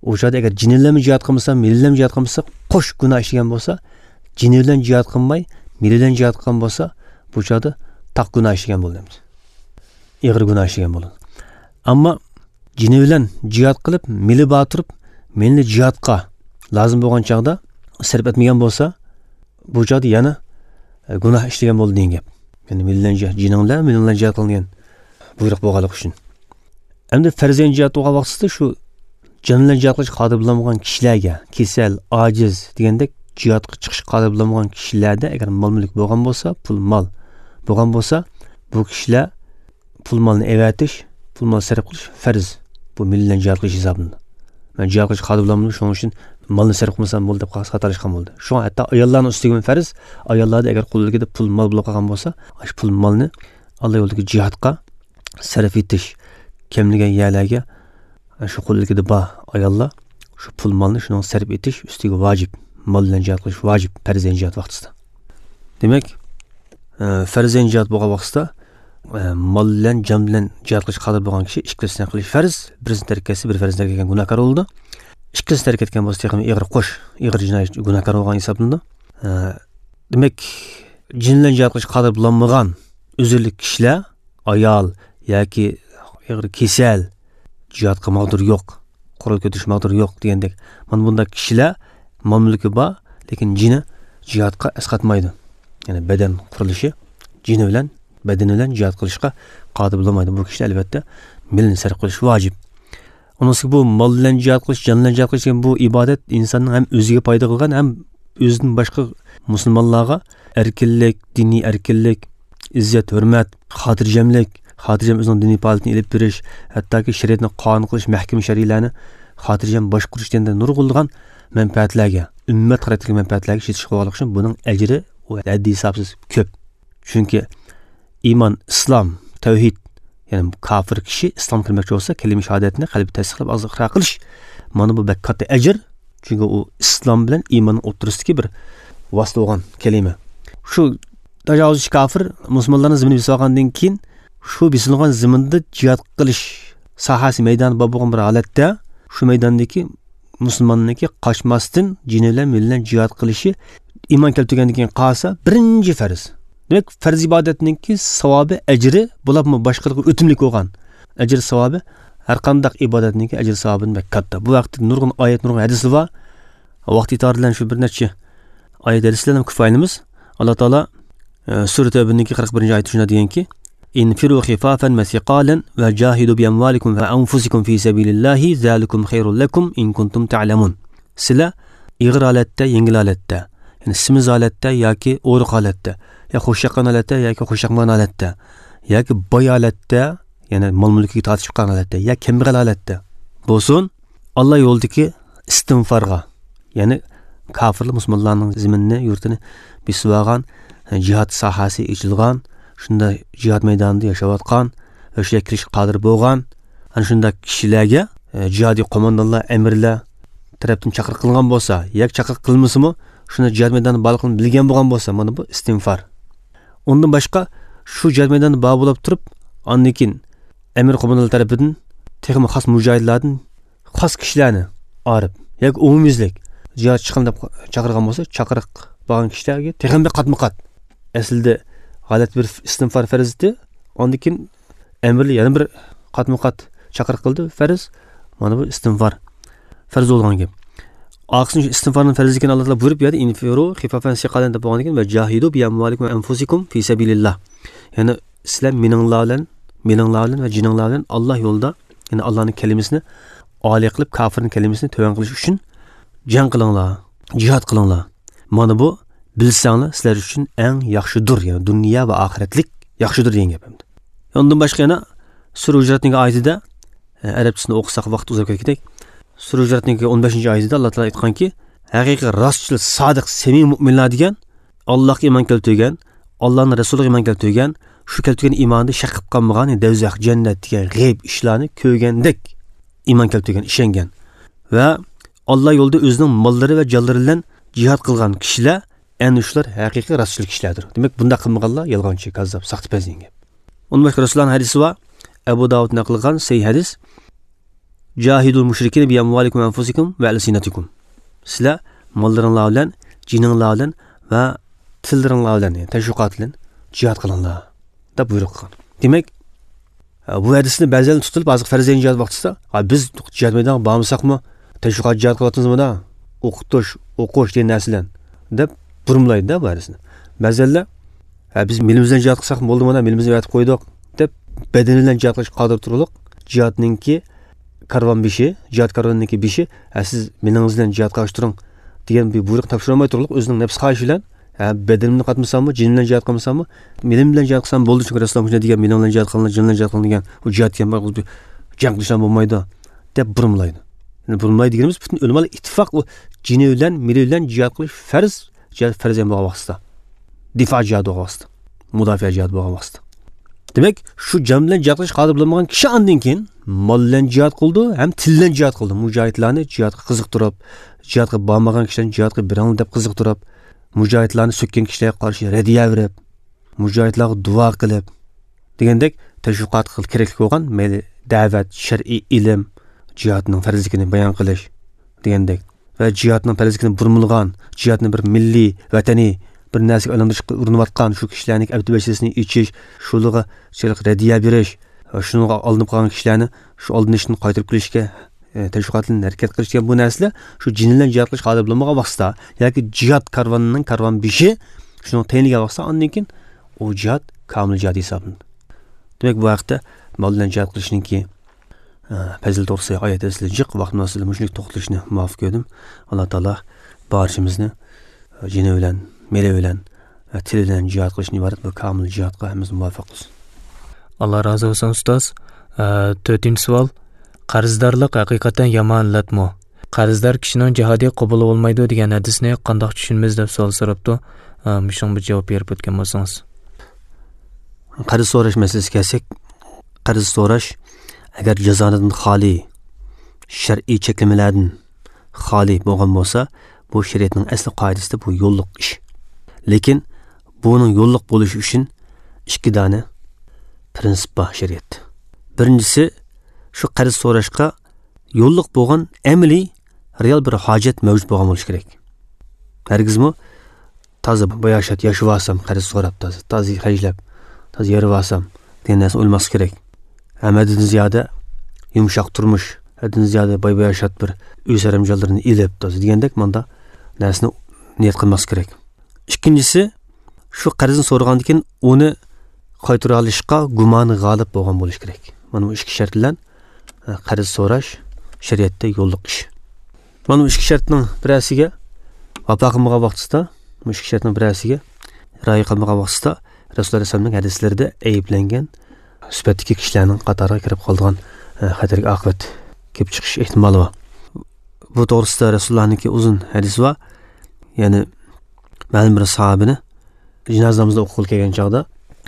ئۇ چاغدا ئەگەر جېنى بىلەنمۇ جىھاد قىلمىسا، مېلى بىلەنمۇ جىھاد قىلمىسا، قوش گۇناھ ئىشلىگەن بولسا، جېنى بىلەن جىھاد قىلماي، مېلى بىلەن جىھاد قىلغان بولسا، بۇ چاغدا تاق گۇناھ ئىشلىگەن بولدى، ئېغىر گۇناھ ئىشلىگەن بولىدۇ. ئەمما جېنى بىلەن جىھاد قىلىپ، مېلى بار تۇرۇپ، مېلىنى جىھادقا لازىم بولغان چاغدا سەرپ ئەتمىگەن بولسا، بۇ چاغدا يەنە، ئە، گۇناھ ئىشلىگەن بولدى دېگەن گەپ. يەنى مېلى بىلەن جىھ-، جېنىڭ بىلەن، مېلىڭ بىلەن جىھاد قىلىڭ دېگەن بۇيرۇق بولغانلىقى ئۈچۈن. ئەمدى پەرزەينى جىھاد بولغان ۋاقتىسىدا شۇ جان بىلەن جىھاد قىلىشقا قادىر بولالمىغان كىشىلەرگە، كېسەل، ئاجىز دېگەندەك جىھادقا چىقىشقا قادىر بولالمىغان كىشىلەردە ئەگەر مال-مۈلۈك بولغان بولسا، پۇل-مال بولغان بولسا، بۇ كىشىلەر پۇل-مالنى ئەۋەتىش، پۇل-مال سەرپ قىلىش پەرز. بۇ مېلى بىلەن جىھاد قىلىش ھېسابلىنىدۇ. مەن جىھاد قىلىشقا قادىر بولالمىدىم، شۇنىڭ ئۈچۈن مالنى سەرپ قىلمىسام بولدى دەپ خاتالاشقان بولدى. شۇڭا ھەتتا ئاياللارنىڭ ئۈستىگىمۇ پەرز، ئاياللاردا ئەگەر قولىدىكىدە پۇل-مال بولۇپ قالغان بولسا، شۇ پۇل-مالنى ئاللا يولىدىكى جىھادقا سەرپ ئېتىش، كەملىگەن يەرلەرگە شۇ قولىدىكىدە بار ئاياللار شۇ پۇل-مالنى شۇنىڭغا سەرپ ئېتىش ئۈستىگە ۋاجىپ. مال بىلەن جىھاد قىلىش ۋاجىپ، پەرزەينى جىھاد ۋاقتىسىدا. دېمەك، ئە، پەرزەينى جىھاد بولغان ۋاقتىسىدا، ئە، مال بىلەن، جان بىلەن جىھاد قىلىشقا قادىر بولغان كىشى ئىككىلىسىنى قىلىش پەرز، بىرسىنى تەرك ئەتسە، بىر پەرزنى تەرك ئەتكەن گۇناھكار بولىدۇ. ئىككىلىسىنى تەرك ئەتكەن بولسا، تېخىمۇ ئېغىر قوش، ئېغىر جىنايەت، گۇناھكار بولغان ھېسابلىنىدۇ. ئە، دېمەك، جېنى بىلەن جىھاد قىلىشقا قادىر بولالمىغان ئۆزۈرلۈك كىشىلەر، ئايال ياكى ئېغىر كېسەل، جىھادقا ماغدۇر يوق، قورال كۆتۈرۈش ماغدۇر يوق دېگەندەك، مانا بۇنداق كىشىلەر مال-مۈلكى بار، لېكىن جېنى جىھادقا ئەسقاتمايدۇ. يەنى بەدەن قۇرۇلۇشى جېنى بىلەن، بەدىنى بىلەن جىھاد قىلىشقا قادىر بولالمايدۇ. بۇ كىشىلەر ئەلۋەتتە مېلىنى سەرپ قىلىش ۋاجىپ. ئۇنىڭ ئۈستىگە بۇ مال بىلەن جىھاد قىلىش، جان بىلەن جىھاد قىلىش دېگەن بۇ ئىبادەت ئىنساننىڭ ھەم ئۆزىگە پايدا قىلغان، ھەم ئۆزىدىن باشقا مۇسۇلمانلارغا ئەركىنلىك، دىنىي ئەركىنلىك، ئىززەت، ھۆرمەت، خاتىرجەملىك، خاتىرجەم ئۆزىنىڭ دىنىي پائالىيىتىنى ئېلىپ بېرىش، ھەتتاكى شەرىئەتنى قانۇن قىلىش، مەھكىمە شەرئىيلەرنى خاتىرجەم باشقۇرۇش دېگەندە نۇرغۇنلىغان مەنپەئەتلەرگە، ئۈممەت خاراكتېرلىك مەنپەئەتلەرگە ئىشلىتىشكە بولغانلىقى ئۈچۈن بۇنىڭ ئەجرى ھەددى ھېسابسىز كۆپ. چۈنكى ئىمان، ئىسلام، تەۋھىد، يەنى كاپىر كىشى ئىسلامغا كىرمەكچى بولسا، كەلىمە شاھادەتنى قەلبىدە تەستىقلاپ، ئاغزىدا ئىقرار قىلىش. مانا بۇ بەك كاتتا ئەجىر. چۈنكى ئۇ ئىسلام بىلەن ئىماننىڭ ئوتتۇرىسىدىكى بىر ۋاسىتە بولغان كەلىمە. شۇ تاجاۋۇزچى كاپىر مۇسۇلمانلارنىڭ زېمىنىنى بېسىۋالغاندىن كېيىن، شۇ بېسىلغان زېمىندا جىھاد قىلىش ساھەسى، مەيدانى بار بولغان بىر ھالەتتە، شۇ مەيداندىكى مۇسۇلماننىڭكى قاچماستىن جېنى بىلەن، مېلى بىلەن جىھاد قىلىشى ئىمان كەلتۈرگەندىن كېيىن قالسا بىرىنچى پەرز. دېمەك، پەرز ئىبادەتنىڭكى ساۋابى، ئەجرى، بولۇپمۇ باشقىلارغا ئۆتۈملۈك بولغان ئەجىر ساۋابى ھەر قانداق ئىبادەتنىڭكى ئەجىر ساۋابىدىن بەك كاتتا. بۇ ھەقتە نۇرغۇن ئايەت، نۇرغۇن ھەدىسلەر بار. ۋاقىت ئېتىبارى بىلەن شۇ بىر نەچچە ئايەت ھەدىسلەرنى كىفايىلىنىمىز. ئاللا تائالا، ئە، سۈرە تەۋبىنىڭكى قىرىق بىرىنچى ئايىتى شۇنداق دېگەنكى، انفروا خفافا وثقالا وجاهدوا بأموالكم وأنفسكم في سبيل الله ذلكم خير لكم إن كنتم تعلمون. سىلەر ئېغىر ھالەتتە، يەڭگىل ھالەتتە، يەنى سېمىز ھالەتتە ياكى ئورۇق ھالەتتە، يا خۇشياققان ھالەتتە ياكى خۇشياقمىغان ھالەتتە، ياكى باي ھالەتتە، يەنى مال-مۈلكىگە تارتىشىپ قالغان ھالەتتە، يا كەمبەغەل ھالەتتە بولسۇن، ئاللا يولىدىكى ئىستىغپارغا، يەنى كاپىرلار مۇسۇلمانلارنىڭ زېمىنىنى، يۇرتىنى بېسىۋالغان، جىھاد ساھەسى ئېچىلغان، شۇنداق جىھاد مەيدانىدا ياشاۋاتقان، ھۆشيار كىرىشكە قادىر بولغان، ئەنە شۇنداق كىشىلەرگە، ئە، جىھادىي قوماندانلار، ئەمىرلەر تەرەپتىن چاقىرىق قىلىنغان بولسا، ياكى چاقىرىق قىلمىسىمۇ، شۇنداق جىھاد مەيدانىدا بارلىقىنى بىلگەن بولغان بولسا، مانا بۇ ئىستىغپار. ئۇندىن باشقا، شۇ جىھاد مەيدانىدا بار بولۇپ تۇرۇپ، ئاندىن كېيىن ئەمىر قوماندانلار تەرىپىدىن تېخىمۇ خاس مۇجاھىدلاردىن خاس كىشىلەرنى ئايرىپ ياكى ئومۇميۈزلۈك جىھاد چىقىڭ دەپ چاقىرغان بولسا، چاقىرىق بارغان كىشىلەرگە تېخىمۇ بىر قاتمۇ قات. ئەسلىدە غەلىتە بىر ئىستىغپار پەرز ئىدى، ئاندىن كېيىن ئەمىرلەر يەنە بىر قاتمۇ قات چاقىرىق قىلدى، پەرز. مانا بۇ ئىستىغپار پەرز بولغان گەپ. ئارقىسىدىن شۇ ئىستىغپارنىڭ پەرزلىكىنى ئاللا تائالا بۇيرۇپ، بۇ يەردە انفروا خفافا وثقالا دەپ بولغاندىن كېيىن، وجاهدوا بأموالكم وأنفسكم في سبيل الله. يەنى سىلەر مېنىڭلار بىلەن، مېلىڭلار بىلەن ۋە جېنىڭلار بىلەن ئاللا يولىدا، يەنى ئاللانىڭ كەلىمىسىنى ئالىي قىلىپ، كاپىرنىڭ كەلىمىسىنى تۆۋەن قىلىش ئۈچۈن جەڭ قىلىڭلار، جىھاد قىلىڭلار. مانا بۇ، بىلسەڭلار، سىلەر ئۈچۈن ئەڭ ياخشىدۇر، يەنى دۇنيا ۋە ئاخىرەتلىك ياخشىدۇر دېگەن گەپ ئەمدى. ئۇندىن باشقا يەنە سۈرە ھۇجراتنىڭ ئايىتىدە، ئە، ئەرەبچىسىنى ئوقۇساق ۋاقىت ئۇزاپ كەتكۈدەك. سۈرە ھۇجراتنىڭ ئون بەشىنچى ئايىتىدە ئاللا تائالا ئېيتقانكى، ھەقىقىي راستچىل، سادىق، سەمىمىي مۆمىنلەر دېگەن، ئاللاھقا ئىمان كەلتۈرگەن، ئاللانىڭ رەسۇلىغا ئىمان كەلتۈرگەن، شۇ كەلتۈرگەن ئىمانىدا شەك قىلىپ قالمىغان، دوزاخ، جەننەت دېگەن غەيىب ئىشلارنى كۆرگەندەك ئىمان كەلتۈرگەن، ئىشەنگەن ۋە ئاللا يولىدا ئۆزىنىڭ ماللىرى ۋە جانلىرى بىلەن جىھاد قىلغان كىشىلەر، ئەنە شۇلار ھەقىقىي راستچىل كىشىلەردۇر. دېمەك، بۇنداق قىلمىغانلار يالغانچى، كاززاپ، ساختىپەز دېگەن گەپ. ئۇندىن باشقا رەسۇلۇللانىڭ ھەدىسى بار. ئەبۇ داۋۇد نەقىل قىلغان سەھىھ ھەدىس. جاھىدۇل مۇشرىكىنە بىئەمۋالىكۇم ۋە ئەنفۇسىكۇم ۋە ئەلسىنەتىكۇم. سىلەر ماللىرىڭلار بىلەن، جېنىڭلار بىلەن ۋە تىللىرىڭلار بىلەن، يەنى تەشۋىقات بىلەن جىھاد قىلىڭلار، دەپ بۇيرۇق قىلغان. دېمەك، بۇ ھەدىسنى بەزىلەر تۇتۇپ، ھازىر پەرزەن جىھاد ۋاقتىسىدا، «ھە، بىز جىھاد مەيدانىغا بارمىساقمۇ، تەشۋىقات جىھاد قىلىۋاتىمىز مانا، ئوقۇتۇش، ئوقۇش دېگەن نەرسە بىلەن» دەپ بۇرمىلايدۇ-دە بۇ ھەدىسنى. بەزىلەر، «ھە، بىز مېلىمىز بىلەن جىھاد قىلساق بولدى مانا، مېلىمىزنى ئەۋەتىپ قويدۇق» دەپ، بەدىنى بىلەن جىھاد قىلىشقا قادىر تۇرۇقلۇق جىھادنىڭكى كارۋان بېشى، جىھاد كارۋىنىڭكى بېشى، «ھە، سىز مېلىڭىز بىلەن جىھادقا قارشى تۇرۇڭ» دېگەن بىر بۇيرۇق تاپشۇرالماي تۇرۇقلۇق ئۆزىنىڭ نەپس خاھىشى بىلەن، «ھە، بەدىنىمنى قاتمىساممۇ، جېنىم بىلەن جىھاد قىلمىساممۇ، مېلىم بىلەن جىھاد قىلسام بولدى، چۈنكى رەسۇلۇللا مۇشۇنداق دېگەن، مېلىڭ بىلەن جىھاد قىلىڭلار، جېنىڭ بىلەن جىھاد قىلىڭلار» دېگەن، ئۇ جىھاد دېگەن بىر جەڭ قىلىشلار بولمايدۇ، دەپ بۇرمىلايدۇ. يەنى بۇرمىلايدۇ دېگىنىمىز، پۈتۈن ئۆلىمالار ئىتتىپاق، ئۇ جېنى بىلەن، مېلى بىلەن جىھاد قىلىش پەرز، جىھاد پەرز بولغان ۋاقتىدا، دىفا جىھادى بولغان ۋاقتىدا، مۇداپىئە جىھادى بولغان ۋاقتىدا. دېمەك، شۇ جان بىلەن جىھاد قىلىشقا قادىر بولمىغان كىشى ئاندىن كېيىن مال بىلەن جىھاد قىلىدۇ ھەم تىل بىلەن جىھاد قىلىدۇ. مۇجاھىدلارنى جىھادقا قىزىقتۇرۇپ، جىھادقا بارمىغان كىشىلەرنى جىھادقا بېرىڭلار دەپ قىزىقتۇرۇپ، مۇجاھىدلارنى سۆككەن كىشىلەرگە قارشى رەددىيە بېرىپ، مۇجاھىدلارغا دۇئا قىلىپ، دېگەندەك تەشۋىقاتقا كېرەكلىك بولغان، مەيلى دەۋەت، شەرئىي ئىلىم، جىھادنىڭ پەرزلىكىنى بايان قىلىش دېگەندەك ۋە جىھادنىڭ پەرزلىكىنى بۇرمىلىغان، جىھادنى بىر مىللىي، ۋەتەنىي بىر نەرسىگە ئايلاندۇرۇشقا ئۇرۇنۇۋاتقان شۇ كىشىلەرنىڭ ئەبدى ۋەسىلىسىنى ئېچىش، شۇلارغا شۇنداق رەددىيە بېرىش، شۇنىڭغا ئالدىنىپ قالغان كىشىلەرنى شۇ ئالدىنىشتىن قايتۇرۇپ كېلىشكە، ئە، تەشۋىقاتلىرىنى ھەرىكەت قىلىش دېگەن بۇ نەرسىلەر شۇ جېنى بىلەن جىھاد قىلىشقا قادىر بولمىغان ۋاقتىدا ياكى جىھاد كارۋانىنىڭ كارۋان بېشى شۇنىڭغا تەيىنلىگەن ۋاقتىدا، ئاندىن كېيىن ئۇ جىھاد كامىل جىھاد ھېسابلىنىدۇ. دېمەك، بۇ ھەقتە مال بىلەن جىھاد قىلىشنىڭكى، ئە، پەزىلىتى توغرىسىدا ئايەت ھەدىسلەر جىق، ۋاقىت مۇناسىۋىتى بىلەن مۇشۇنچىلىك توختىلىشنى مۇۋاپىق كۆردۈم. ئاللا تائالا بارچىمىزنى، ئە، جېنى بىلەن، مېلى بىلەن ۋە تىلى بىلەن جىھاد قىلىشتىن ئىبارەت بۇ كامىل جىھادقا ھەممىمىزنى مۇۋەپپەق قىلسۇن. ئاللا رازى بولسۇن، ئۇستاز. ئە، تۆتىنچى سوئال. قەرزدارلىق ھەقىقەتەن يامان ئىللەتمۇ؟ قەرزدار كىشىنىڭ جىھادى قوبۇل بولمايدۇ دېگەن ھەدىسنى قانداق چۈشىنىمىز دەپ سوئال سوراپتۇ. ئە، مۇشۇنىڭغا بىر جاۋاب بېرىپ ئۆتكەن بولسىڭىز. قەرز سوراش مەسىلىسىگە كەلسەك، قەرز سوراش ئەگەر جازانىدىن خالىي، شەرئىي چەكلىمىلەردىن خالىي بولغان بولسا، بۇ شەرىئەتنىڭ ئەسلى قائىدىسىدە بۇ يوللۇق ئىش. لېكىن بۇنىڭ يوللۇق بولۇشى ئۈچۈن ئىككى دانە پرىنسىپ بار شەرىئەتتە. بىرىنچىسى، شۇ قەرز سوراشقا يوللۇق بولغان ئەمەلىي، رېئال بىر ھاجەت مەۋجۇت بولغان بولۇشى كېرەك. ھەرگىزمۇ تازا باياشات ياشىۋالسام، قەرز سوراپ، تازا، تازا خەجلەپ، تازا يېرىۋالسام دېگەن نەرسىنى ئويلىماسلىق كېرەك. ھەم ھەددىدىن زىيادە يۇمشاق تۇرمۇش، ھەددىدىن زىيادە باي-باياشات بىر ئۆي سەرەمجانلىرىنى ئېلىپ، تازا دېگەندەك ماندا نەرسىنى نىيەت قىلماسلىق كېرەك. ئىككىنچىسى، شۇ قەرزنى سورىغاندىن كېيىن ئۇنى قايتۇرالىشقا گۇمانى غالىب بولغان بولۇش كېرەك. مانا بۇ ئىككى شەرت بىلەن، ئە، قەرز سوراش شەرىئەتتە يوللۇق ئىش. مانا بۇ ئىككى شەرتنىڭ بىرەرسىگە ۋاپا قىلمىغان ۋاقتىسىدا، بۇ ئىككى شەرتنىڭ بىرەرسىگە رىئايە قىلمىغان ۋاقتىسىدا رەسۇلۇللا ئەلەيھىسسالامنىڭ ھەدىسلىرىدە ئەيىبلەنگەن سۈپەتتىكى كىشىلەرنىڭ قاتارىغا كىرىپ قالىدىغان، ئە، خەتەرلىك ئاقىۋەت كېلىپ چىقىش ئېھتىمالى بار. بۇ توغرىسىدا رەسۇلۇللانىڭكى ئۇزۇن ھەدىسى بار. يەنى مەلۇم بىر ساھابىنى جىنازا نامىزىنى ئوقۇغىلى كەلگەن چاغدا،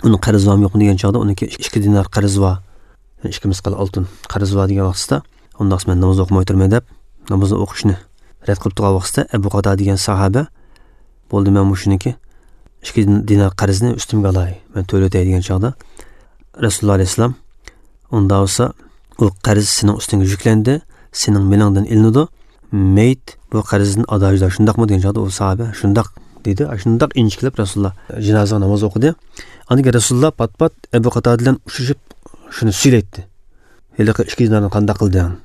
ئۇنىڭ قەرزى بارمۇ يوقمۇ دېگەن چاغدا، ئۇنىڭكى ئىككى دىنار قەرزى بار، يەنى ئىككى مىسقال ئالتۇن قەرزى بار دېگەن ۋاقتىسىدا، ئۇنداقسا مەن ناماز ئوقۇماي تۇرماي دەپ، نامازنى ئوقۇشنى رەت قىلىپ تۇرغان ۋاقتىسىدا، ئەبۇ قاتادە دېگەن ساھابە، بولدى، مەن مۇشۇنىڭكى ئىككى دىنار قەرزنى ئۈستۈمگە ئالاي، مەن تۆلىۋېتەي دېگەن چاغدا، رەسۇلۇللا ئەلەيھىسسالام، ئۇنداق بولسا، ئۇ قەرز سېنىڭ ئۈستۈڭگە يۈكلەندى، سېنىڭ مېلىڭدىن ئېلىنىدۇ، مېيىت بۇ قەرزدىن ئادا جۇدا، شۇنداقمۇ دېگەن چاغدا، ئۇ ساھابە، شۇنداق دېدى، شۇنداق ئىنچىكىلەپ رەسۇلۇللا جىنازىغا ناماز ئوقۇدى. ئاندىن كېيىن رەسۇلۇللا پات-پات ئەبۇ قاتادە بىلەن ئۇچرىشىپ، شۇنى سۈيلەيتتى. ھېلىقى ئىككى دىنارنى قانداق قىلدىڭ؟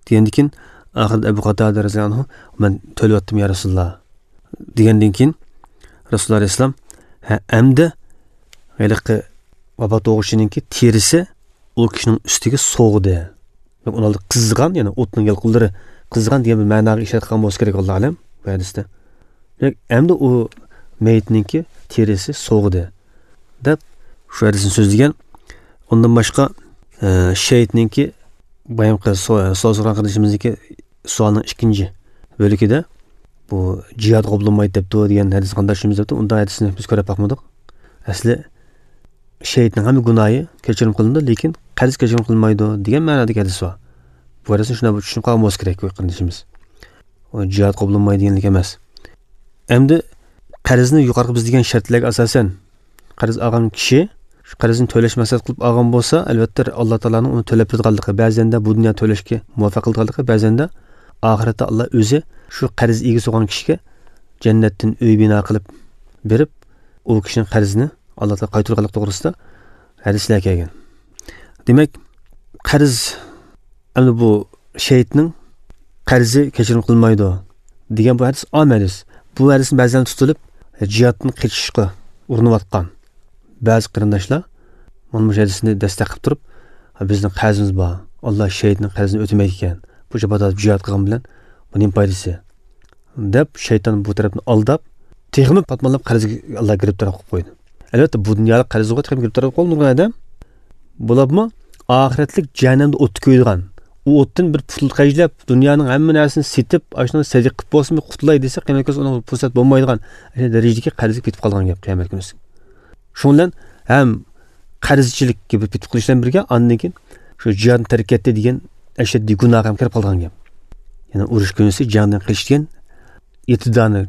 دېگەندىن كېيىن، ئاخىرىدا ئەبۇ قاتادە رەزىياللاھۇ ئەنھۇ، مەن تۆلىۋەتتىم يا رەسۇلۇللا، دېگەندىن كېيىن، رەسۇلۇللا ئەلەيھىسسالام، ھە، ئەمدى ھېلىقى ۋاپات بولغۇچىنىڭكى تېرىسى ئۇ كىشىنىڭ ئۈستىگە سوغدى. ئۇنىڭ قىزىغان، يەنى ئوتنىڭ يالقۇنلىرى قىزىغان دېگەن بىر مەناغا ئىشارە قىلغان بولسا كېرەك، ئاللا ئالەم، بۇ ھەدىستە. دېمەك، ئەمدى ئۇ مېيىتنىڭكى تېرىسى سوغدى، دەپ شۇ ھەدىسنى سۆزلىگەن. ئۇندىن باشقا، ئە، شېھىتنىڭكى بايامقى سو-، سوئال سورىغان قېرىندىشىمىزنىڭكى سوئالنىڭ ئىككىنچى بۆلىكىدە، بۇ جىھاد قوبۇللانمايدۇ دەپتۇ دېگەن ھەدىس قانداق چۈشىنىمىز دەپتۇ، ئۇنداق ھەدىسنى بىز كۆرۈپ باقمىدۇق. ئەسلى شېھىتنىڭ ھەممە گۇناھى كەچۈرۈم قىلىنىدۇ، لېكىن قەرز كەچۈرۈم قىلىنمايدۇ دېگەن مەنادىكى ھەدىس بار. بۇ ھەدىسنى شۇنداق بىر چۈشىنىپ قالغان بولسا كېرەك بۇ قېرىندىشىمىز. ئۇ جىھاد قوبۇللانمايدۇ دېگەنلىك ئەمەس. ئەمدى قەرزنى يۇقىرىقى بىز دېگەن شەرتلەرگە ئاساسەن، قەرز ئالغان كىشى شۇ قەرزنى تۆلەش مەقسەت قىلىپ ئالغان بولسا، ئەلۋەتتە، ئاللا تائالانىڭ ئۇنى تۆلەپ بېرىدىغانلىقى، بەزەندە بۇ دۇنيا تۆلەشكە مۇۋەپپەق قىلىدىغانلىقى، بەزەندە ئاخىرەتتە ئاللا ئۆزى شۇ قەرز ئىگىسى بولغان كىشىگە جەننەتتىن ئۆي بىنا قىلىپ بېرىپ، ئۇ كىشىنىڭ قەرزىنى ئاللا تائالا قايتۇرغانلىق توغرىسىدا ھەدىسلەر كەلگەن. دېمەك، قەرز، ئەمدى بۇ شېھىتنىڭ قەرزى كەچۈرۈم قىلمايدۇ دېگەن بۇ ھەدىس ئام ھەدىس. بۇ ھەدىسنى بەزىلەر تۇتۇلۇپ، جىھادتىن قېچىشقا ئۇرۇنۇۋاتقان بەزى قېرىنداشلار مانا مۇشۇ ھەدىسنى دەستەك قىلىپ تۇرۇپ، بىزنىڭ قەرزىمىز بار، ئاللا شېھىتنىڭ قەرزىنى ئۆتىمەيدىكەن، بۇ جاپادا جىھاد قىلغان بىلەن بۇ نېمە پايدىسى؟ دەپ، شەيتان بۇ تەرەپنى ئالداپ، تېخىمۇ پاتمانلاپ قەرزگە ئاللا گىرىپتار قىلىپ قويدى. ئەلۋەتتە، بۇ دۇنيالىق قەرزگە تېخىمۇ گىرىپتار قىلىپ قويدى نۇرغۇن ئادەم. بولۇپمۇ ئاخىرەتلىك جەھەننەمدە ئوتتا كۆيىدىغان، ئۇ ئوتتىن بىر پۇل خەجلەپ، دۇنيانىڭ ھەممە نەرسىنى سېتىپ، ئاشۇنى سەدىقە قىلىپ بولسىمۇ قۇتۇلاي دېسە، قىيامەت كۈنى ئۇنىڭ پۇرسەت بولمايدىغان دەرىجىدىكى قەرزگە پېتىپ قالغان گەپ قىيامەت كۈنىسى. شۇنىڭ بىلەن ھەم قەرزچىلىككە بىر پېتىپ قېلىش بىلەن بىرگە، ئاندىن كېيىن شۇ جىھادنى تەرك ئەتتى دېگەن ئەشەددىي گۇناھقا ھەم كىرىپ قالغان گەپ. يەنى ئۇرۇش كۈنىسى جەڭدىن قېچىش دېگەن يەتتە دانە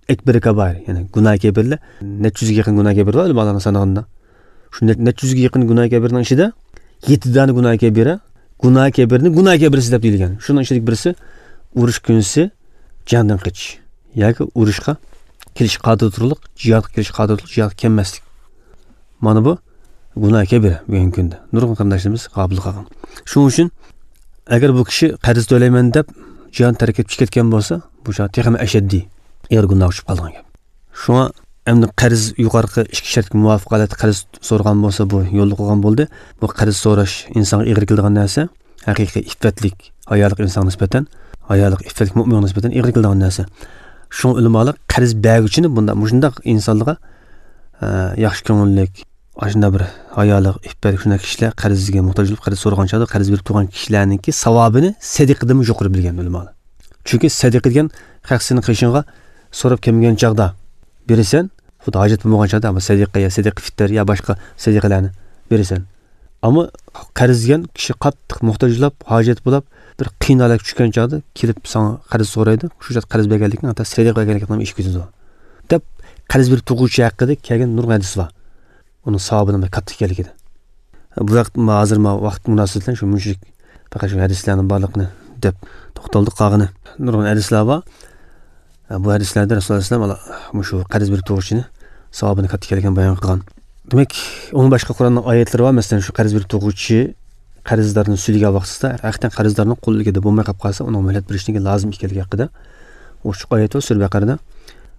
ئەكبەر كابائىر، يەنى گۇناھ كەبىرلەر، نەچچە يۈزگە يېقىن گۇناھ كەبىر بار ئۆلىمالارنىڭ سانىغىنىدا. شۇ نەچ-، نەچچە يۈزگە يېقىن گۇناھ كەبىرنىڭ ئىچىدە يەتتە دانە گۇناھ كەبىرە، گۇناھ كەبىرنى گۇناھ كەبىرىسى دەپ دېيىلگەن. شۇنىڭ ئىچىدىكى بىرسى ئۇرۇش كۈنىسى جەڭدىن قېچىش ياكى ئۇرۇشقا كېلىشكە قادىر تۇرۇقلۇق، جىھادقا كېلىشكە قادىر تۇرۇقلۇق، جىھادقا كەلمەسلىك. مانا بۇ گۇناھ كەبىرە بۈگۈنكى كۈندە نۇرغۇن قېرىنداشلىرىمىز غاپىل قالغان. شۇنىڭ ئۈچۈن ئەگەر بۇ كىشى قەرز تۆلەيمەن دەپ جىھادنى تەرك ئېتىپ چىقىپ كەتكەن بولسا، بۇ چاغ تېخىمۇ ئەشەددىي ئېغىر گۇناھقا چۈشۈپ قالىدىغان گەپ. شۇڭا ئەمدى قەرز يۇقىرىقى ئىككى شەرتكە مۇۋاپىق ھالەتتە قەرز سورىغان بولسا، بۇ يوللۇق بولغان بولدى. بۇ قەرز سوراش ئىنسانغا ئېغىر كېلىدىغان نەرسە. ھەقىقىي ئىپپەتلىك، ھايالىق ئىنسانغا نىسبەتەن، ھايالىق ئىپپەتلىك مۆمىنگە نىسبەتەن ئېغىر كېلىدىغان نەرسە. شۇڭا ئۆلىمالار قەرز بەرگۈچىنى بۇنداق، مۇشۇنداق ئىنسانلارغا، ئە، ياخشى كۆڭۈللۈك، ئاشۇنداق بىر ھايالىق، ئىپپەتلىك شۇنداق كىشىلەر قەرزگە موھتاج بولۇپ قەرز سورىغان چاغدا قەرز بېرىپ تۇرغان كىشىلەرنىڭكى ساۋابىنى سەدىقىدىنمۇ يۇقىرى بىلگەن ئۆلىمالار. چۈنكى سەدىقە دېگەن خەق سېنىڭ قېشىڭغا سوراپ كەلمىگەن چاغدا بېرىسەن، خۇددى ھاجەت بولمىغان چاغدا، ئەمما سەدىقە يا سەدىقە فىتىر يا باشقا سەدىقىلەرنى بېرىسەن. ئەمما قەرز دېگەن كىشى قاتتىق موھتاج بولاپ، ھاجەت بولاپ، بىر قىيىن ھالەتكە چۈشكەن چاغدا كېلىپ ساڭا قەرز سورايدۇ. شۇ چاغدا قەرز بەرگەنلىكنىڭ ھەتتا سەدىقە بەرگەنلىكنىڭ ئىشى كېتىدۇ، دەپ قەرز بېرىپ تۇرغۇچى ھەققىدە كەلگەن نۇرغۇن ھەدىس بار. ئۇنىڭ ساۋابىنىڭ بەك كاتتا ئىكەنلىكىدە. بۇ ۋاقىت، ھازىر ما ۋاقىت مۇناسىۋىتى بىلەن شۇ مۇشۇ پەقەت شۇ ھەدىسلەرنىڭ بارلىقىنى دەپ توختالدۇق. قالغىنى نۇرغۇن ھەدىسلەر بار. بۇ ھەدىسلەردە رەسۇلۇللاھ ئەلەيھىسسالام مۇشۇ قەرز بېرىپ تۇرغۇچىنى ساۋابىنى كاتتا ئىكەنلىكىنى بايان قىلغان. دېمەك، ئۇنىڭ باشقا قۇرئاننىڭ ئايەتلىرى بار. مەسىلەن، شۇ قەرز بېرىپ تۇرغۇچى قەرزدارنى سۈيلىگەن ۋاقتىدا، ھەقىقەتەن قەرزدارنىڭ قولىدىكىدە بولماي قېلىپ قالسا، ئۇنىڭ مۆھلەت بېرىشنىڭ لازىم ئىكەنلىكى ھەققىدە ئوچۇق ئايەت بار سۈرە بەقەرىدە.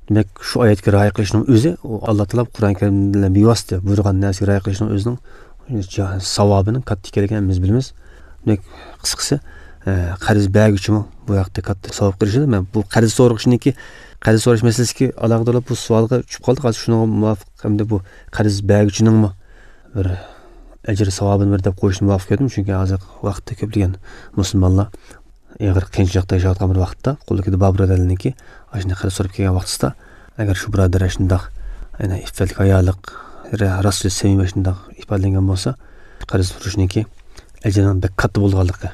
دېمەك، شۇ ئايەتكە رىئايە قىلىشنىڭ ئۆزى، ئۇ ئاللا تائالا قۇرئان كەرىم بىلەن بىۋاسىتە بۇيرۇغان نەرسىگە رىئايە قىلىشنىڭ ئۆزىنىڭ ساۋابىنىڭ كاتتا ئىكەنلىكىنى ھەممىمىز بىلىمىز. دېمەك، قىسقىسى، ئە، قەرز بەرگۈچىمۇ بۇ ھەقتە كاتتا ساۋابقا ئېرىشىدۇ. مەن بۇ قەرز سورىغۇچىنىڭكى، قەرز سوراش مەسىلىسىگە ئالاقىدار بولۇپ بۇ سوئالغا چۈشۈپ قالدۇق. ھازىر شۇنىڭغا مۇۋاپىق ھەمدە بۇ قەرز بەرگۈچىنىڭمۇ بىر ئەجىر ساۋابىنى بېرىدۇ دەپ قويۇشنى مۇۋاپىق كۆردۈم. چۈنكى ھازىر ۋاقىتتا كۆپلىگەن مۇسۇلمانلار ئېغىر قىيىنچىلىقتا ياشاۋاتقان بىر ۋاقىتتا، قولىدىكىدە بار بۇرادەرلىرىنىڭكى ئاشۇنداق قەرز سوراپ كەلگەن ۋاقتىسىدا، ئەگەر شۇ بۇرادەر ئاشۇنداق، يەنى ئىپپەتلىك ھايالىق، راست سۆز، سەمىمىي ئاشۇنداق ئىپادىلەنگەن بولسا، قەرز سورىشىنىڭكى ئەجرىنىڭ بەك كاتتا بولغانلىقى،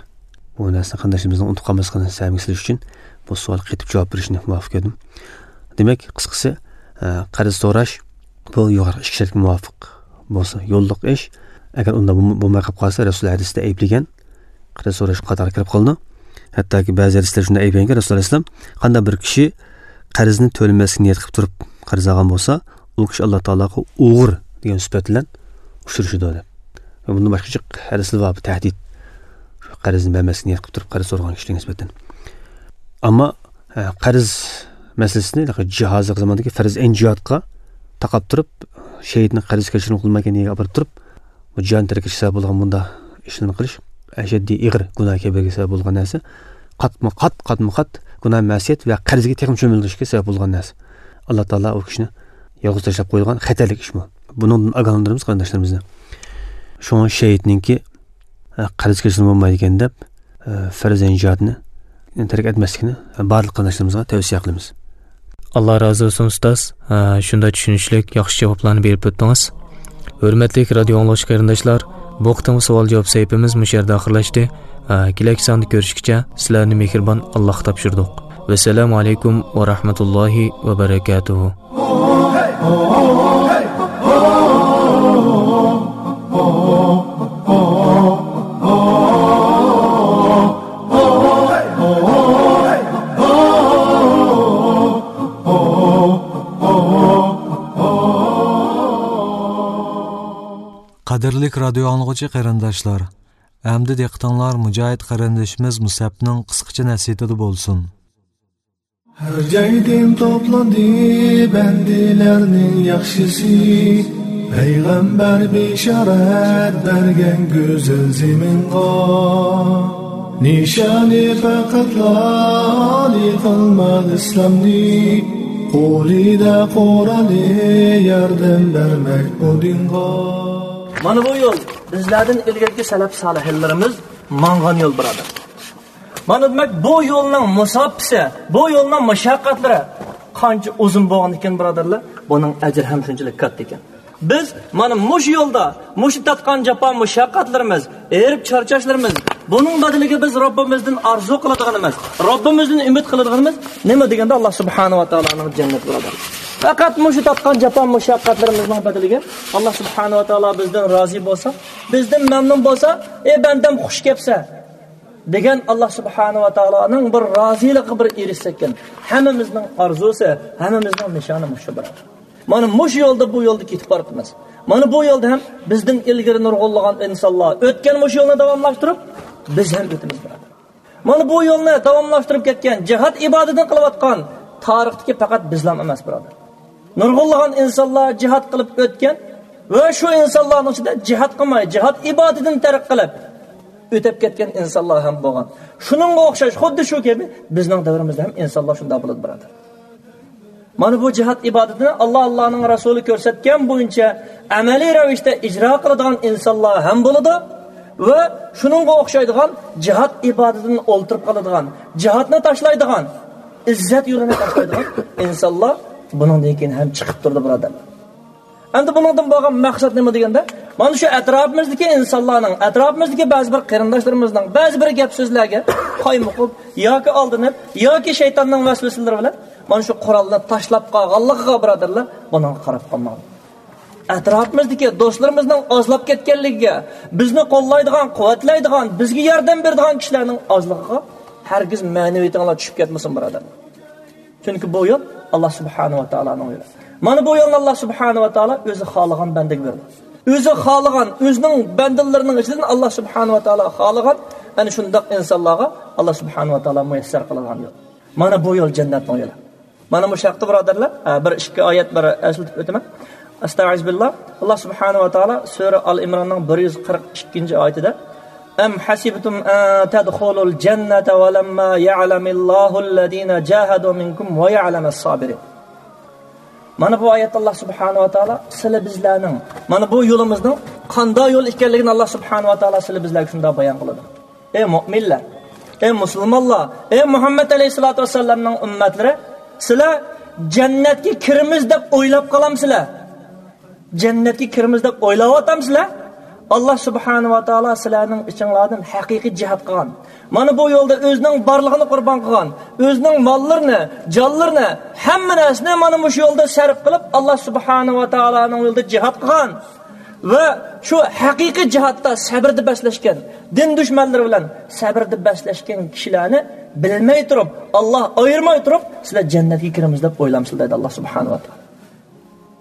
بۇ نەرسىنى قېرىنداشلىرىمىزنىڭ ئۇنتۇپ قالماسلىقىنى سەمىگە سېلىش ئۈچۈن بۇ سوئالغا قېتىپ جاۋاب بېرىشنى مۇۋاپىق كۆردۈم. دېمەك، قىسقىسى، ئە، قەرز سوراش بۇ يۇقىرىقى ئىككى شەرتكە مۇۋاپىق بولسا يوللۇق ئىش. ئەگەر ئۇنداق بولم-، بولماي قېلىپ قالسا، رەسۇل ھەدىستە ئەيىبلىگەن قەرز سوراش قاتارىغا كىرىپ قالىدۇ. ھەتتاكى بەزى ھەدىسلەر شۇنداق ئەيىبلىگەنكى، رەسۇلۇللاھ ئەلەيھىسسالام، قانداق بىر كىشى قەرزنى تۆلىمەسلىكنى نىيەت قىلىپ تۇرۇپ قەرز ئالغان بولسا، ئۇ كىشى ئاللا تائالاغا ئوغرى دېگەن سۈپەت بىلەن ئۇچرىشىدۇ دەپ. بۇندىن باشقا جىق ھەدىسلەر بار، بۇ تەھدىت. شۇ قەرزنى بەرمەسلىكنى نىيەت قىلىپ تۇرۇپ قەرز سورىغان كىشىلەرگە نىسبەتەن. ئەمما، ئە، قەرز مەسىلىسىنى جاھازىغ زاماندىكى پەرز ئەين جىھادقا تاقاپ تۇرۇپ، شېھىتنى قەرز كەچۈرۈم قىلمايكەن يەرگە ئاپىرىپ تۇرۇپ، بۇ جان تەرك ئېتىشكە سەۋەب بولغان بۇنداق ئىشلارنى قىلىش ئەشەددىي ئېغىر گۇناھ كەبىرىگە سەۋەب بولغان نەرسە. قاتمۇ قات، قاتمۇ قات گۇناھ مەسىيەت ۋە قەرزگە تېخىمۇ چۆمۈلدۈرۈشكە سەۋەب بولغان نەرسە. ئاللا تائالا ئۇ كىشىنى يالغۇز تاشلاپ قويىدىغان خەتەرلىك ئىش بۇ. بۇنىڭدىن ئاگاھلاندۇرىمىز قېرىنداشلىرىمىزنى. شۇڭا شېھىتنىڭكى، ئە، قەرز كەچۈرۈم بولمايدىكەن دەپ، ئە، پەرز ئەين جىھادنى تەرك ئەتمەسلىكنى بارلىق قېرىنداشلىرىمىزغا تەۋسىيە قىلىمىز. ئاللا رازى بولسۇن، ئۇستاز. ھە، شۇنداق چۈشىنىشلىك، ياخشى جاۋابلارنى بېرىپ ئۆتتىڭىز. ھۆرمەتلىك رادىيو ئاڭلىغۇچى قېرىنداشلار، بۇ قېتىمقى سوئال-جاۋاب سەھىپىمىز مۇشۇ يەردە ئاخىرلاشتى. ھە، كېلەكى ساندا كۆرۈشكىچە سىلەرنى مېھرىبان ئاللاغا تاپشۇردۇق. ۋەسسالامۇ ئەلەيكۇم ۋە رەھمەتۇللاھى ۋە بەرەكاتۇھۇ. قەدىرلىك رادىيو ئاڭلىغۇچى قېرىنداشلار، ئەمدى دىققىتىڭلار مۇجاھىد قېرىندىشىمىز مۇسەپنىڭ قىسقىچە نەسىھىتىدە بولسۇن. ھەر جايدىن توپلاندى بەندىلەرنىڭ ياخشىسى، پەيغەمبەر بېشارەت بەرگەن گۈزەل زېمىنغا. نىشانى پەقەتلا ئالىي قىلماق ئىسلامنى، قولىدا قورالى ياردەم بەرمەك بۇ دىنغا. مانا بۇ يول بىزلەردىن ئىلگىرىكى سەلەپ سالىھلىرىمىز ماڭغان يول، بۇرادەر. مانا دېمەك، بۇ يولنىڭ مۇساپىسى، بۇ يولنىڭ مۇشەققەتلىرى قانچە ئۇزۇن بولغان ئىكەن، بۇرادەرلەر، بۇنىڭ ئەجرى ھەم شۇنچىلىك كاتتا ئىكەن. بىز مانا مۇشۇ يولدا، مۇشۇ تارتقان جاپا مۇشەققەتلىرىمىز، ھېرىپ چارچاشلىرىمىز، بۇنىڭ بەدىلىگە بىز رەببىمىزدىن ئارزۇ قىلىدىغىنىمىز، رەببىمىزدىن ئۈمىد قىلىدىغىنىمىز نېمە دېگەندە، ئاللا سۇبھانەھۇ ۋە تائالانىڭ جەننىتى، بۇرادەر. پەقەت مۇشۇ تارتقان جاپا مۇشەققەتلىرىمىزنىڭ بەدىلىگە ئاللا سۇبھانەھۇ ۋە تائالا بىزدىن رازى بولسا، بىزدىن مەمنۇن بولسا، ئەي بەندەم، خۇش كەپسەن دېگەن ئاللا سۇبھانەھۇ ۋە تائالانىڭ بىر رازىلىقىغا بىر ئېرىشسەككەن، ھەممىمىزنىڭ ئارزۇسى، ھەممىمىزنىڭ نىشانى مۇشۇ، بۇرادەر. مانا مۇشۇ يولدا، بۇ يولدا كېتىپ بارىمىز. مانا بۇ يولدا ھەم بىزدىن ئىلگىرى نۇرغۇنلىغان ئىنسانلار ئۆتكەن، مۇشۇ يولنى داۋاملاشتۇرۇپ، بىز ھەم ئۆتىمىز، بۇرادەر. مانا بۇ يولنى داۋاملاشتۇرۇپ كەتكەن، جىھاد ئىبادىتىنى قىلىۋاتقان تارىختىكى پەقەت بىزلام ئەمەس، بۇرادەر. نۇرغۇنلىغان ئىنسانلار جىھاد قىلىپ ئۆتكەن ۋە شۇ ئىنسانلارنىڭ ئىچىدە جىھاد قىلماي، جىھاد ئىبادىتىنى تەرك قىلىپ ئۆتۈپ كەتكەن ئىنسانلار ھەم بولغان. شۇنىڭغا ئوخشاش، خۇددى شۇ كەبى بىزنىڭ دەۋرىمىزدە ھەم ئىنسانلار شۇنداق بولىدۇ، بۇرادەر. مانا بۇ جىھاد ئىبادىتىنى ئاللا، ئاللانىڭ رەسۇلى كۆرسەتكەن بويىچە ئەمەلىي رەۋىشتە ئىجرا قىلىدىغان ئىنسانلار ھەم بولىدۇ ۋە شۇنىڭغا ئوخشايدىغان جىھاد ئىبادىتىدىن ئولتۇرۇپ قالىدىغان، جىھادنى تاشلايدىغان، ئىززەت يولىنى تاشلايدىغان ئىنسانلار بۇنىڭدىن كېيىن ھەم چىقىپ تۇرىدۇ، بۇرادەرلەر. ئەمدى بۇنىڭدىن بولغان مەقسەت نېمە دېگەندە، مانا شۇ ئەتراپىمىزدىكى ئىنسانلارنىڭ، ئەتراپىمىزدىكى بەزى بىر قېرىنداشلىرىمىزنىڭ بەزى بىر گەپ سۆزلەرگە قايمۇقۇپ ياكى ئالدىنىپ ياكى شەيتاننىڭ ۋەسۋەسىلىرى بىلەن مانا شۇ قورالنى تاشلاپ قالغانلىقىغا، بۇرادەرلەر، بۇنىڭغا قاراپ قالماڭ. ئەتراپىمىزدىكى دوستلىرىمىزنىڭ ئازلاپ كەتكەنلىكىگە، بىزنى قوللايدىغان، قۇۋۋەتلەيدىغان، بىزگە ياردەم بېرىدىغان كىشىلەرنىڭ ئازلىقىغا ھەرگىز مەنىۋىيىتىڭلار چۈشۈپ كەتمىسۇن، بۇرادەرلەر. چۈنكى بۇ يول ئاللا سۇبھانەھۇ ۋە تائالانىڭ يولى. مانا بۇ يولنى ئاللا سۇبھانەھۇ ۋە تائالا ئۆزى خالىغان بەندىگە بېرىدۇ. ئۆزى خالىغان، ئۆزىنىڭ بەندىلىرىنىڭ ئىچىدىن ئاللا سۇبھانەھۇ ۋە تائالا خالىغان، ئەنە شۇنداق ئىنسانلارغا ئاللا سۇبھانەھۇ ۋە تائالا مۇيەسسەر قىلىدىغان يول. مانا بۇ يول جەننەتنىڭ يولى. مانا مۇشۇ ھەقتە، بۇرادەرلەر، ھە، بىر ئىككى ئايەت بىر ئەسلىتىپ ئۆتىمەن. ئەستەئىزۇبىللا. ئاللا سۇبھانەھۇ ۋە تائالا سۈرە ئال ئىمراننىڭ بىر يۈز قىرىق ئىككىنچى ئايىتىدە، أم حسبتم أن تدخلوا الجنة ولما يعلم الله الذين جاهدوا منكم ويعلم الصابرين. مانا بۇ ئايەتتە ئاللا سۇبھانەھۇ ۋە تائالا سىلە بىزلەرنىڭ، مانا بۇ يولىمىزنىڭ قانداق يول ئىكەنلىكىنى ئاللا سۇبھانەھۇ ۋە تائالا سىلە بىزلەرگە شۇنداق بايان قىلىدۇ. ئەي مۆمىنلەر، ئەي مۇسۇلمانلار، ئەي مۇھەممەد ئەلەيھىسسالاتۇ ۋەسسالامنىڭ ئۈممەتلىرى، سىلەر جەننەتكە كىرىمىز دەپ ئويلاپ قالامسىلەر؟ جەننەتكە كىرىمىز دەپ ئويلاۋاتامسىلەر؟ ئاللا سۇبھانەھۇ ۋە تائالا سىلەرنىڭ ئىچىڭلاردىن ھەقىقىي جىھاد قىلغان، مانا بۇ يولدا ئۆزىنىڭ بارلىقىنى قۇربان قىلغان، ئۆزىنىڭ ماللىرىنى، جانلىرىنى، ھەممە نەرسىنى مانا مۇشۇ يولدا سەرپ قىلىپ، ئاللا سۇبھانەھۇ ۋە تائالانىڭ يولىدا جىھاد قىلغان ۋە شۇ ھەقىقىي جىھادتا سەبرىدە بەسلەشكەن، دىن دۈشمەنلىرى بىلەن سەبرىدە بەسلەشكەن كىشىلەرنى بىلمەي تۇرۇپ، ئاللا ئايرىماي تۇرۇپ، سىلەر جەننەتكە كىرىمىز دەپ ئويلامسىلەر دەيدۇ ئاللا سۇبھانەھۇ ۋە تائالا.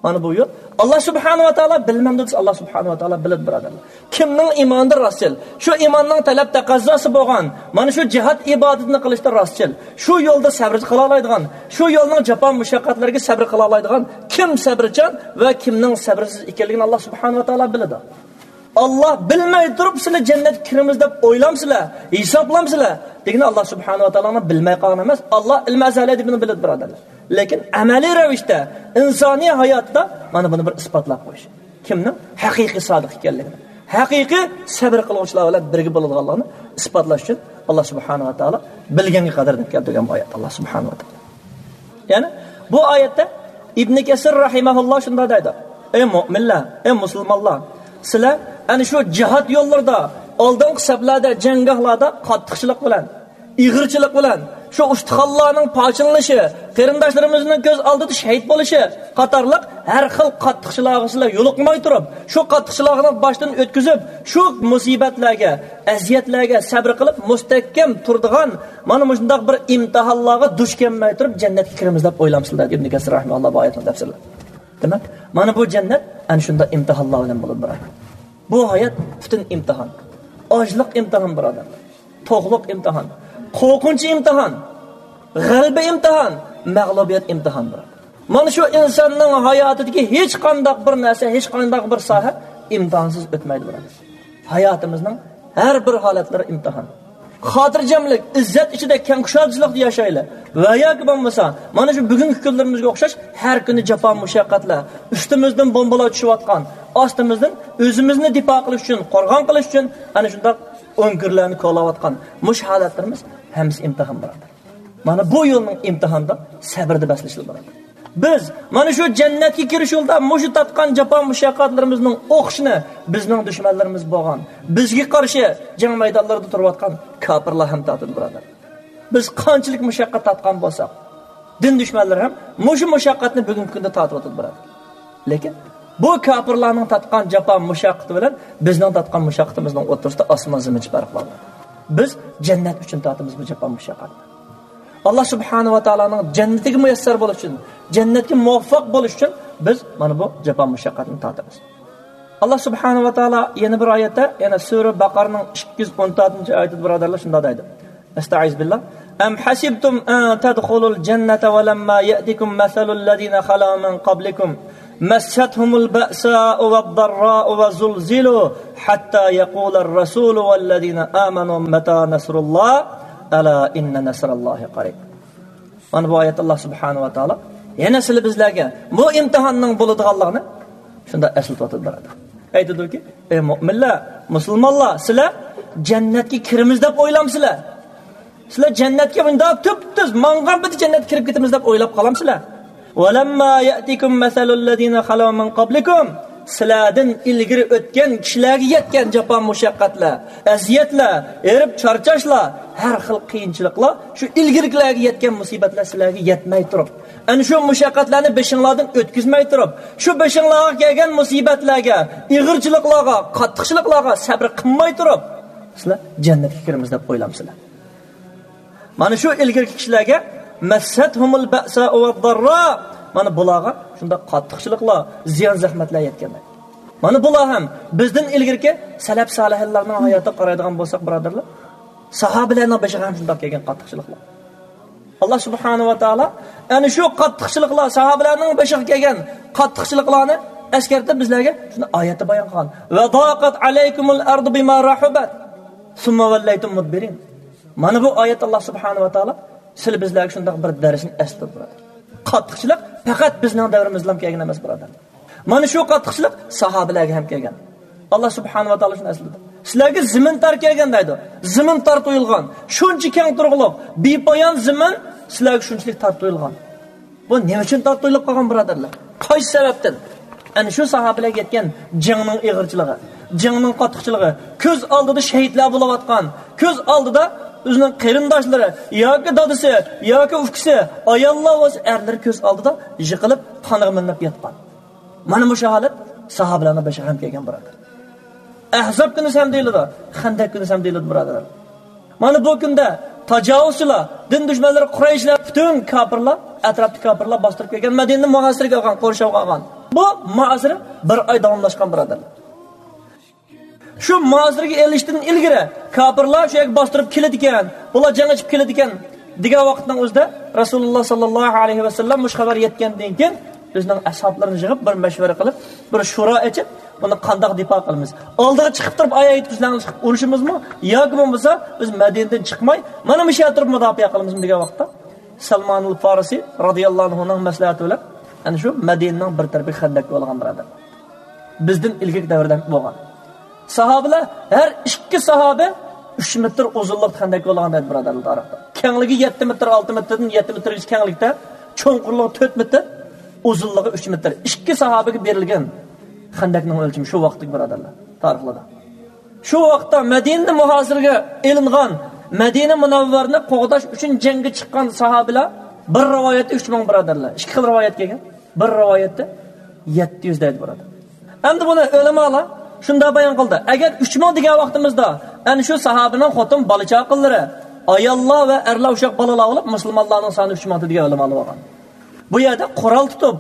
مانا بۇ يول. ئاللا سۇبھانەھۇ ۋە تائالا بىلمەمدۇ دېسە، ئاللا سۇبھانەھۇ ۋە تائالا بىلىدۇ، بۇرادەرلەر. كىمنىڭ ئىمانىدا راستچىل، شۇ ئىماننىڭ تەلەپ تەقەززاسى بولغان، مانا شۇ جىھاد ئىبادىتىنى قىلىشتا راستچىل، شۇ يولدا سەبرى قىلالايدىغان، شۇ يولنىڭ جاپا مۇشەققەتلىرىگە سەبرى قىلالايدىغان كىم سەبرىچان ۋە كىمنىڭ سەبرسىز ئىكەنلىكىنى ئاللا سۇبھانەھۇ ۋە تائالا بىلىدۇ. ئاللا بىلمەي تۇرۇپ سىلەر جەننەتكە كىرىمىز دەپ ئويلامسىلەر، ھېسابلامسىلەر دېگىنى ئاللا سۇبھانەھۇ ۋە تائالا بىلمەي قالغان ئەمەس، ئاللا ئىلمى ئەزەلىي دېگىنى بىلىدۇ، بۇرادەرلەر. لېكىن ئەمەلىي رەۋىشتە ئىنسانىي ھاياتتا مانا بۇنى بىر ئىسپاتلاپ قويۇش. كىمنىڭ ھەقىقىي سادىق ئىكەنلىكىنى، ھەقىقىي سەبر قىلغۇچىلار بىلەن بىرگە بولىدىغانلىقىنى ئىسپاتلاش ئۈچۈن ئاللا سۇبھانەھۇ ۋە تائالا بىلگەنگە قەدەر دەپ كەلتۈرگەن بۇ ئايەت ئاللا سۇبھانەھۇ ۋە تائالا. يەنى بۇ ئايەتتە ئىبنى كەسىر رەھىمەھۇللا شۇنداق دەيدۇ: ئەي مۆمىنلەر، ئەي مۇسۇلمانلار، سىلەر ئەنە شۇ جىھاد يوللىرىدا، ئالدىنقى سەپلەردە، جەڭگاھلاردا قاتتىقچىلىق بىلەن، ئېغىرچىلىق بىلەن، شۇ ئۇستىخانلارنىڭ پارچىلىنىشى، قېرىنداشلىرىمىزنىڭ كۆز ئالدىدا شېھىت بولۇشى قاتارلىق ھەر خىل قاتتىقچىلىقلارغا سىلەر يولۇقماي تۇرۇپ، شۇ قاتتىقچىلىقلارنى باشتىن ئۆتكۈزۈپ، شۇ مۇسىبەتلەرگە، ئەزىيەتلەرگە سەبرى قىلىپ، مۇستەھكەم تۇرىدىغان مانا مۇشۇنداق بىر ئىمتىھانلارغا دۇچ كەلمەي تۇرۇپ، جەننەتكە كىرىمىز دەپ ئويلامسىلەر، دېدى ئىبنى كەسىر رەھىمەھۇللا بۇ ئايەتنى تەپسىرلەپ. دېمەك، مانا بۇ جەننەت ئەنە شۇنداق ئىمتىھانلار بىلەن بولىدۇ، بۇرادەر. بۇ ھايات پۈتۈن ئىمتىھان. ئاچلىق ئىمتىھان، بۇرادەرلەر. توقلۇق ئىمتىھان، قورقۇنچ ئىمتىھان، غەلىبە ئىمتىھان، مەغلۇبىيەت ئىمتىھان، بۇرادەر. مانا شۇ ئىنساننىڭ ھاياتىدىكى ھېچقانداق بىر نەرسە، ھېچقانداق بىر ساھە ئىمتىھانسىز ئۆتمەيدۇ، بۇرادەر. ھاياتىمىزنىڭ ھەر بىر ھالەتلىرى ئىمتىھان. خاتىرجەملىك، ئىززەت ئىچىدە كەڭ كۇشادىچىلىقتا ياشايلى. ۋە ياكى بولمىسا، مانا شۇ بۈگۈنكى كۈنلىرىمىزگە ئوخشاش ھەر كۈنى جاپا مۇشەققەتلەر، ئۈستىمىزدىن بومبىلار چۈشۈۋاتقان، ئاستىمىزدىن ئۆزىمىزنى دىپا قىلىش ئۈچۈن، قورغان قىلىش ئۈچۈن ئەنە شۇنداق ئۆڭكۈرلەرنى كولاۋاتقان مۇشۇ ھالەتلىرىمىز ھەممىسى ئىمتىھان، بۇرادەر. مانا بۇ يولنىڭ ئىمتىھانىدا سەبرىدە بەسلىشىدۇ، بۇرادەر. بىز مانا شۇ جەننەتكە كىرىش يولىدا مۇشۇ تارتقان جاپا مۇشەققەتلىرىمىزنىڭ ئوخشىشىنى بىزنىڭ دۈشمەنلىرىمىز بولغان، بىزگە قارشى جەڭ مەيدانلىرىدا تۇرۇۋاتقان كاپىرلار ھەم تارتىدۇ، بۇرادەر. بىز قانچىلىك مۇشەققەت تارتقان بولساق، دىن دۈشمەنلىرى ھەم مۇشۇ مۇشەققەتنى بۈگۈنكى كۈندە تارتىۋاتىدۇ، بۇرادەر. لېكىن بۇ كاپىرلارنىڭ تارتقان جاپا مۇشەققىتى بىلەن بىزنىڭ تارتقان مۇشەققىتىمىزنىڭ ئوتتۇرىسىدا ئاسمان زېمىنچە پەرق بار. بىز جەننەت ئۈچۈن تارتىمىز بۇ جاپا مۇشەققەتنى. ئاللا سۇبھانەھۇ ۋە تائالانىڭ جەننىتىگە مۇيەسسەر بولۇش ئۈچۈن، جەننەتكە مۇۋەپپەق بولۇش ئۈچۈن بىز مانا بۇ جاپا مۇشەققەتنى تارتىمىز. ئاللا سۇبھانەھۇ ۋە تائالا يەنە بىر ئايەتتە، يەنە سۈرە بەقەرىنىڭ ئىككى يۈز ئون تۆتىنچى ئايىتىدە، بۇرادەرلەر، شۇنداق دەيدۇ. ئەستەئىزۇبىللا. أم حسبتم أن تدخلوا الجنة ولما يأتكم مثل الذين خلوا من قبلكم مستهم البأساء والضراء وزلزلوا حتى يقول الرسول والذين آمنوا متى نصر الله ألا إن نصر الله قريب. مانا بۇ ئايەتتە ئاللا سۇبھانەھۇ ۋە تائالا يەنە سىلى بىزلەرگە بۇ ئىمتىھاننىڭ بولىدىغانلىقىنى شۇنداق ئەسلىتىۋاتىدۇ، بۇرادەر. ئېيتىدۇكى، ئەي مۆمىنلەر، مۇسۇلمانلار، سىلەر جەننەتكە كىرىمىز دەپ ئويلامسىلەر؟ سىلەر جەننەتكە مۇنداق تۈپتۈز ماڭغان پېتى جەننەتكە كىرىپ كېتىمىز دەپ ئويلاپ قالامسىلەر؟ ولما يأتكم مثل الذين خلوا من قبلكم، سىلەردىن ئىلگىرى ئۆتكەن كىشىلەرگە يەتكەن جاپا مۇشەققەتلەر، ئەزىيەتلەر، ھېرىپ چارچاشلار، ھەر خىل قىيىنچىلىقلار، شۇ ئىلگىرىكىلەرگە يەتكەن مۇسىبەتلەر سىلەرگە يەتمەي تۇرۇپ، ئەنە شۇ مۇشەققەتلەرنى بېشىڭلاردىن ئۆتكۈزمەي تۇرۇپ، شۇ بېشىڭلارغا كەلگەن مۇسىبەتلەرگە، ئېغىرچىلىقلارغا، قاتتىقچىلىقلارغا سەبرى قىلماي تۇرۇپ، سىلەر جەننەتكە كىرىمىز دەپ ئويلامسىلەر؟ مانا شۇ ئىلگىرىكى كىشىلەرگە مەسسەتھۇمۇل بەئسائۇ ۋەدداررا. مانا بۇلارغا شۇنداق قاتتىقچىلىقلار، زىيان-زەخمەتلەر يەتكەن. مانا بۇلار ھەم بىزدىن ئىلگىرىكى سەلەپ سالىھلارنىڭ ھاياتىغا قارايدىغان بولساق، بۇرادەرلەر، ساھابىلەرنىڭ بېشىغا ھەم شۇنداق كەلگەن قاتتىقچىلىقلار. ئاللا سۇبھانەھۇ ۋە تائالا ئەنە شۇ قاتتىقچىلىقلار، ساھابىلەرنىڭ بېشىغا كەلگەن قاتتىقچىلىقلارنى ئەسكەرتىپ بىزلەرگە شۇنى ئايەتتە بايان قىلغان. ۋە ضاقت عليكم الأرض بما رحبت ثم وليتم مدبرين. مانا بۇ ئايەت، ئاللا سۇبھانەھۇ ۋە تائالا سىلى بىزلەرگە شۇنداق بىر دەرسنى ئەسلىتىپ بۇرادەر. قاتتىقچىلىق پەقەت بىزنىڭ دەۋرىمىزدىلا كەلگەن ئەمەس، بۇرادەر. مانا شۇ قاتتىقچىلىق ساھابىلەرگە ھەم كەلگەن. ئاللا سۇبھانەھۇ ۋە تائالا شۇنى ئەسلىتىپ، سىلەرگە زېمىن تار كەلگەن دەيدۇ. زېمىن تار تۇيۇلغان. شۇنچە كەڭ تۇرغۇلۇق، بىپايان زېمىن سىلەرگە شۇنچىلىك تار تۇيۇلغان. بۇ نېمە ئۈچۈن تار تۇيۇلۇپ قالغان، بۇرادەرلەر؟ قايسى سەۋەبتىن؟ ئەنە شۇ ساھابىلەرگە يەتكەن جەڭنىڭ ئېغىرچىلىقى، جەڭنىڭ قاتتىقچىلىقى، كۆز ئالدىدا شەھىدلەر بولۇۋاتقان، كۆز ئالدىدا ئۆزىنىڭ قېرىنداشلىرى ياكى دادىسى ياكى ئۇكىسى، ئاياللار بولسا ئەرلىرى كۆز ئالدىدا يىقىلىپ، قانغا مىلىنىپ ياتقان. مانا مۇشۇ ھالەت ساھابىلەرنىڭ بېشىغا ھەم كەلگەن، بۇرادەر. ئەھزاب كۈنى ھەم دېيىلىدۇ، خەندەك كۈنى ھەم دېيىلىدۇ، بۇرادەر. مانا بۇ كۈندە تاجاۋۇزچىلار، دىن دۈشمەنلىرى قۇرەيشلەر، پۈتۈن كاپىرلار، ئەتراپتىكى كاپىرلار باستۇرۇپ كەلگەن مەدىنىنى مۇھاسىرىگە ئالغان، قورشاۋغا ئالغان. بۇ مۇھاسىرە بىر ئاي داۋاملاشقان، بۇرادەرلەر. شۇ مۇھاسىرىگە ئېلىشتىن ئىلگىرى كاپىرلار شۇ يەرگە باستۇرۇپ كېلىدىكەن، بۇلار جەڭ ئېچىپ كېلىدىكەن دېگەن ۋاقىتنىڭ ئۆزىدە رەسۇلۇللا ساللاللاھۇ ئەلەيھى ۋەسەللەم مۇشۇ خەۋەر يەتكەندىن كېيىن ئۆزىنىڭ ئەسھابلىرىنى يىغىپ، بىر مەشۋەرە قىلىپ، بىر شورا ئېچىپ، بۇنى قانداق دىپا قىلىمىز؟ ئالدىغا چىقىپ تۇرۇپ، ئايەت بىلەن چىقىپ ئۇرۇشىمىزمۇ ياكى بولمىسا بىز مەدىنىدىن چىقماي مانا مۇشۇ يەردە تۇرۇپ مۇداپىئە قىلىمىزمۇ دېگەن ۋاقىتتا، سەلمانۇل فارسى رازىياللاھۇ ئەنھۇنىڭ مەسلىھەتى بىلەن ئەنە شۇ مەدىنىنىڭ بىر تەرىپىگە خەندەك كولىغان، بۇرادەر. بىزدىن ئىلگىرىكى دەۋردە بولغان. ساھابىلەر، ھەر ئىككى ساھابە ئۈچ مېتىر ئۇزۇنلۇقتا خەندەك كولىغان دەيدۇ، بۇرادەرلەر، تارىختا. كەڭلىكى يەتتە مېتىر، ئالتە مېتىردىن يەتتە مېتىرگىچە كەڭلىكتە، چوڭقۇرلۇقى تۆت مېتىر، ئۇزۇنلۇقى ئۈچ مېتىر. ئىككى ساھابىگە بېرىلگەن خەندەكنىڭ ئۆلچىمى شۇ ۋاقىتتىكى، بۇرادەرلەر، تارىخلاردا. شۇ ۋاقىتتا مەدىنە مۇھاسىرىگە ئېلىنغان، مەدىنە مۇنەۋۋەرنى قوغداش ئۈچۈن جەڭگە چىققان ساھابىلەر بىر رىۋايەتتە ئۈچ مىڭ، بۇرادەرلەر. ئىككى خىل رىۋايەت كەلگەن. بىر رىۋايەتتە يەتتە يۈز دەيدۇ، بۇرادەر. ئەمدى بۇنى ئۆلىمالار شۇنداق بايان قىلدى. ئەگەر ئۈچ مىڭ دېگەن ۋاقتىمىزدا، ئەنە شۇ ساھابىنىڭ خوتۇن، بالا-چاقىلىرى، ئاياللار ۋە ئەرلەر ئوخشاپ بالىلار بولۇپ، مۇسۇلمانلارنىڭ سانى ئۈچ مىڭ دېگەن ئۆلىمالار بولغان. بۇ يەردە قورال تۇتۇپ،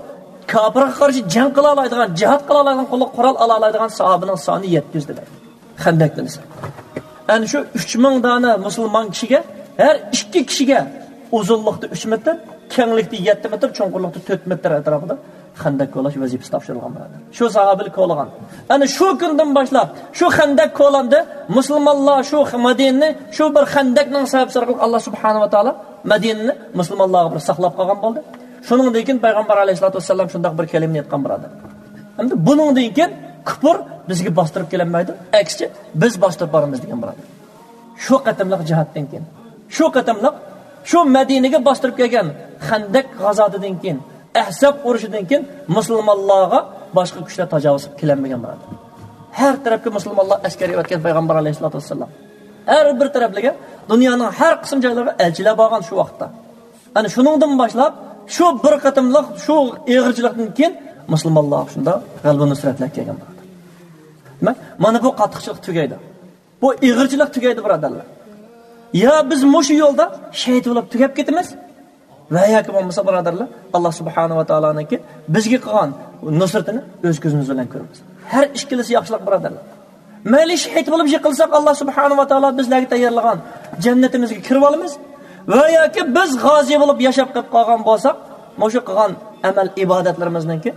كاپىرغا قارشى جەڭ قىلالايدىغان، جىھاد قىلالايدىغان، قولىغا قورال ئالالايدىغان ساھابىنىڭ سانى يەتتە يۈز دېدى. خەندەكتىن ئېسىپ. ئەنە شۇ ئۈچ مىڭ دانە مۇسۇلمان كىشىگە، ھەر ئىككى كىشىگە ئۇزۇنلۇقتا ئۈچ مېتىر، كەڭلىكتە يەتتە مېتىر، چوڭقۇرلۇقتا تۆت مېتىر ئەتراپىدا خەندەك كولاش ۋەزىپىسى تاپشۇرۇلغان، بۇرادەر. شۇ ساھابىلەر كولىغان. ئەنە شۇ كۈندىن باشلاپ شۇ خەندەك كولاندى. مۇسۇلمانلار شۇ مەدىنىنى شۇ بىر خەندەكنىڭ سەۋەبى ئارقىلىق ئاللا سۇبھانەھۇ ۋە تائالا مەدىنىنى مۇسۇلمانلارغا بىر ساقلاپ قالغان بولدى. شۇنىڭدىن كېيىن پەيغەمبەر ئەلەيھىسسالاتۇ ۋەسسالام شۇنداق بىر كەلىمىنى ئېيتقان، بۇرادەر. ئەمدى بۇنىڭدىن كېيىن كۇپۇر بىزگە باستۇرۇپ كېلەلمەيدۇ. ئەكسىچە، بىز باستۇرۇپ بارىمىز دېگەن، بۇرادەر. شۇ قېتىملىق جىھادتىن كېيىن، شۇ قېتىملىق شۇ مەدىنىگە باستۇرۇپ كەلگەن خەندەك غازاتىدىن كېيىن، ئەھزاب ئۇرۇشىدىن كېيىن مۇسۇلمانلارغا باشقا كۈچلەر تاجاۋۇز قىلىپ كېلەلمىگەن، بۇرادەر. ھەر تەرەپكە مۇسۇلمانلار ئەسكەر ئەۋەتكەن پەيغەمبەر ئەلەيھىسسالاتۇ ۋەسسالام. ھەر بىر تەرەپلىككە، دۇنيانىڭ ھەر قىسىم جايلىرىغا ئەلچىلەر بارغان شۇ ۋاقىتتا. ئەنە شۇنىڭدىن باشلاپ، شۇ بىر قېتىملىق شۇ ئېغىرچىلىقتىن كېيىن مۇسۇلمانلارغا شۇنداق غەلىبە نۇسرەتلەر كەلگەن، بۇرادەر. دېمەك، مانا بۇ قاتتىقچىلىق تۈگەيدۇ. بۇ ئېغىرچىلىق تۈگەيدۇ، بۇرادەرلەر. يا بىز مۇشۇ يولدا شېھىت بولۇپ تۈگەپ كېتىمىز، ۋە ياكى بولمىسا، بۇرادەرلەر، ئاللا سۇبھانەھۇ ۋە تائالانىڭكى بىزگە قىلغان نۇسرىتىنى ئۆز كۆزىمىز بىلەن كۆرىمىز. ھەر ئىككىلىسى ياخشىلىق، بۇرادەرلەر. مەيلى شېھىت بولۇپ يىقىلساق، ئاللا سۇبھانەھۇ ۋە تائالا بىزلەرگە تەييارلىغان جەننىتىمىزگە كىرىۋالىمىز، ۋە ياكى بىز غازى بولۇپ ياشاپ قېلىپ قالغان بولساق، مۇشۇ قىلغان ئەمەل ئىبادەتلىرىمىزنىڭكى،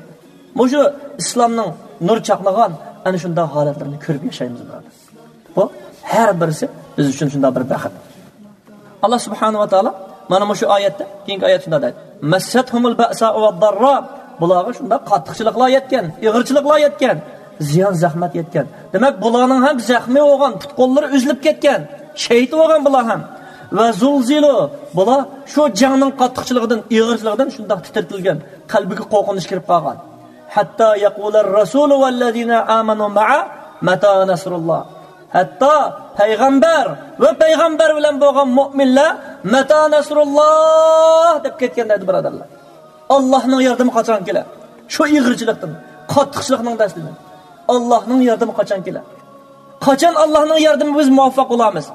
مۇشۇ ئىسلامنىڭ نۇر چاقنىغان ئەنە شۇنداق ھالەتلىرىنى كۆرۈپ ياشايمىز، بۇرادەر. بۇ ھەر بىرسى بىز ئۈچۈن شۇنداق بىر بەخت. ئاللا سۇبھانەھۇ ۋە تائالا مانا مۇشۇ ئايەتتە، كېيىنكى ئايەت شۇنداق دەيدۇ، مەسسەتھۇمۇل بەئسائۇ ۋەدداررا. بۇلارغا شۇنداق قاتتىقچىلىقلار يەتكەن، ئېغىرچىلىقلار يەتكەن، زىيان زەخمەت يەتكەن. دېمەك، بۇلارنىڭ ھەم زەخمى بولغان، پۇت-قوللىرى ئۈزۈلۈپ كەتكەن، شېھىت بولغان بۇلار ھەم. ۋە زۇلزىلۇ، بۇلار شۇ جەڭنىڭ قاتتىقچىلىقىدىن، ئېغىرچىلىقىدىن شۇنداق تىترىتىلگەن، قەلبىگە قورقۇنچ كىرىپ قالغان. ھەتتا يەقۇلەر رەسۇلۇ ۋەللەزىنە ئامەنۇ مەئە مەتا نەسرۇللا. ھەتتا پەيغەمبەر ۋە پەيغەمبەر بىلەن بولغان مۆمىنلەر «مەتا نەسرۇللا» دەپ كەتكەن دەيدۇ، بۇرادەرلەر. ئاللاھنىڭ ياردىمى قاچان كېلە؟ شۇ ئېغىرچىلىقتىن، قاتتىقچىلىقنىڭ دەستىدىن ئاللاھنىڭ ياردىمى قاچان كېلە؟ قاچان ئاللاھنىڭ ياردىمى بىز مۇۋەپپەق بولامىز؟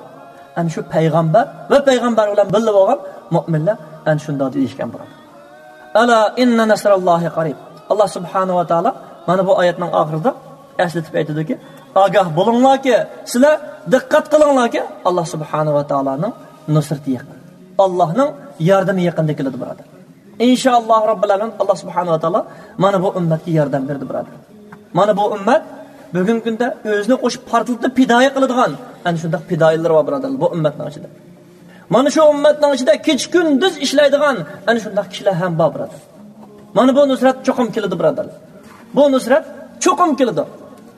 ئەنە شۇ پەيغەمبەر ۋە پەيغەمبەر بىلەن بىللە بولغان مۆمىنلەر ئەنە شۇنداق دېيىشكەن بۇلار. ئەلا ئىننا نەسراللاھى قەرىب. ئاللا سۇبھانەھۇ ۋە تائالا مانا بۇ ئايەتنىڭ ئاخىرىدا ئەسلىتىپ ئېيتىدۇكى، ئاگاھ بولۇڭلاركى، سىلەر دىققەت قىلىڭلاركى، ئاللا سۇبھانەھۇ ۋە تائالانىڭ نۇسرىتى يېقىن. ئاللانىڭ ياردىمى يېقىندا كېلىدۇ، بۇرادەر. ئىنشائاللاھ رەببىل ئالەمىن، ئاللا سۇبھانەھۇ ۋە تائالا مانا بۇ ئۈممەتكە ياردەم بېرىدۇ، بۇرادەر. مانا بۇ ئۈممەت بۈگۈنكى كۈندە ئۆزىنى قوشۇپ پارتلىتىپ پىدائىي قىلىدىغان ئەنە شۇنداق پىدائىيلىرى بار، بۇرادەرلەر، بۇ ئۈممەتنىڭ ئىچىدە. مانا شۇ ئۈممەتنىڭ ئىچىدە كېچە-كۈندۈز ئىشلەيدىغان ئەنە شۇنداق كىشىلەر ھەم بار، بۇرادەر. مانا بۇ نۇسرەت چوقۇم كېلىدۇ، بۇرادەرلەر. بۇ نۇسرەت چوقۇم كېلىدۇ.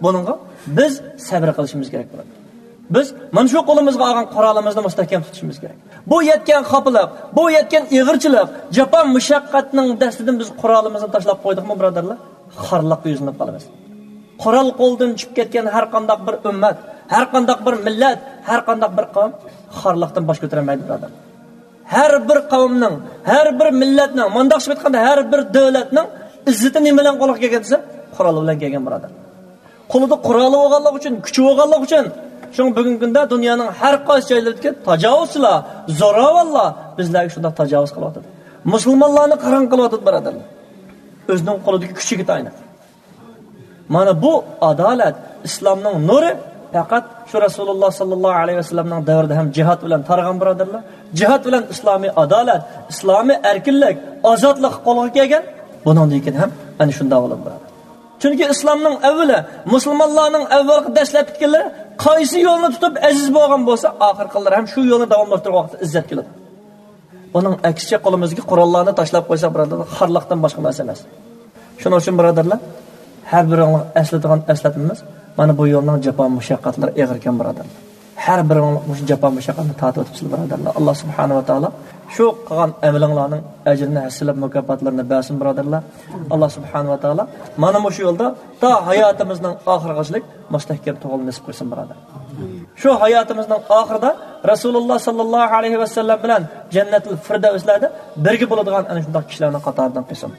بۇنىڭغا بىز سەۋر قىلىشىمىز كېرەك، بۇرادەر. بىز مانا شۇ قولىمىزغا ئالغان قورالىمىزنى مۇستەھكەم تۇتۇشىمىز كېرەك. بۇ يەتكەن خاپىلىق، بۇ يەتكەن ئېغىرچىلىق، جاپا مۇشەققەتنىڭ دەستىدىن بىز قورالىمىزنى تاشلاپ قويدۇقمۇ، بۇرادەرلەر؟ خارلىققا يۈزلىنىپ قالىمىز. قورال قولدىن چۈشۈپ كەتكەن ھەر قانداق بىر ئۈممەت، ھەر قانداق بىر مىللەت، ھەر قانداق بىر قەۋم خارلىقتىن باش كۆتۈرەلمەيدۇ، بۇرادەر. ھەر بىر قەۋمنىڭ، ھەر بىر مىللەتنىڭ، مۇنداقچە ئېيتقاندا، ھەر بىر دۆلەتنىڭ ئىززىتى نېمە بىلەن قولغا كەلگەن دېسە، قورال بىلەن كەلگەن، بۇرادەر. قولىدا قورالى بولغانلىقى ئۈچۈن، كۈچى بولغانلىقى ئۈچۈن، شۇڭا بۈگۈنكى كۈندە دۇنيانىڭ ھەر قايسى جايلىرىدىكى تاجاۋۇزچىلار، زوراۋانلار بىزلەرگە شۇنداق تاجاۋۇز قىلىۋاتىدۇ. مۇسۇلمانلارنى قاراڭغۇ قىلىۋاتىدۇ، بۇرادەرلەر. ئۆزىنىڭ قولىدىكى كۈچىگە تايىنىپ. مانا بۇ ئادالەت، ئىسلامنىڭ نۇرى پەقەت شۇ رەسۇلۇللا ساللاللاھۇ ئەلەيھى ۋەسەللەمنىڭ دەۋرىدە ھەم جىھاد بىلەن تارىغان، بۇرادەرلەر. جىھاد بىلەن ئىسلامىي ئادالەت، ئىسلامىي ئەركىنلىك، ئازادلىق قولغا كەلگەن. بۇنىڭدىن كېيىن ھەم ئەنە شۇنداق بولىدۇ، بۇرادەر. چۈنكى ئىسلامنىڭ ئەۋۋىلى، مۇسۇلمانلارنىڭ ئەۋۋەلقى دەسلەپكىلىرى قايسى يولنى تۇتۇپ ئەزىز بولغان بولسا، ئاخىرقىلىرى ھەم شۇ يولنى داۋاملاشتۇرغان ۋاقىتتا ئىززەت كېلىدۇ. ئۇنىڭ ئەكسىچە قولىمىزدىكى قوراللارنى تاشلاپ قويساق، بۇرادەرلەر، خارلىقتىن باشقا نەرسە ئەمەس. شۇنىڭ ئۈچۈن، بۇرادەرلەر، ھەر بىرىڭلار ئەسلىتىدىغان ئەسلەتمىمىز، مانا بۇ يولنىڭ جاپا مۇشەققەتلىرى ئېغىركەن، بۇرادەرلەر. ھەر بىرىڭلار مۇشۇ جاپا مۇشەققەتنى تارتىۋاتىپسىلەر، بۇرادەرلەر. ئاللا سۇبھانەھۇ ۋە تائالا شۇ قىلغان ئەمىلىڭلارنىڭ ئەجرىنى ھەسسىلەپ، مۇكاپاتلىرىنى بەرسۇن، بۇرادەرلەر. ئاللا سۇبھانەھۇ ۋە تائالا مانا مۇشۇ يولدا تا ھاياتىمىزنىڭ ئاخىرىغىچىلىك مۇستەھكەم تۇرغىلى نېسىپ قىلسۇن، بۇرادەر. شۇ ھاياتىمىزنىڭ ئاخىرىدا رەسۇلۇللا ساللاللاھۇ ئەلەيھى ۋەسەللەم بىلەن جەننەتۇل فىردەۋسلەردە بىرگە بولىدىغان ئەنە شۇنداق كىشىلەرنىڭ قاتارىدىن قىلسۇن.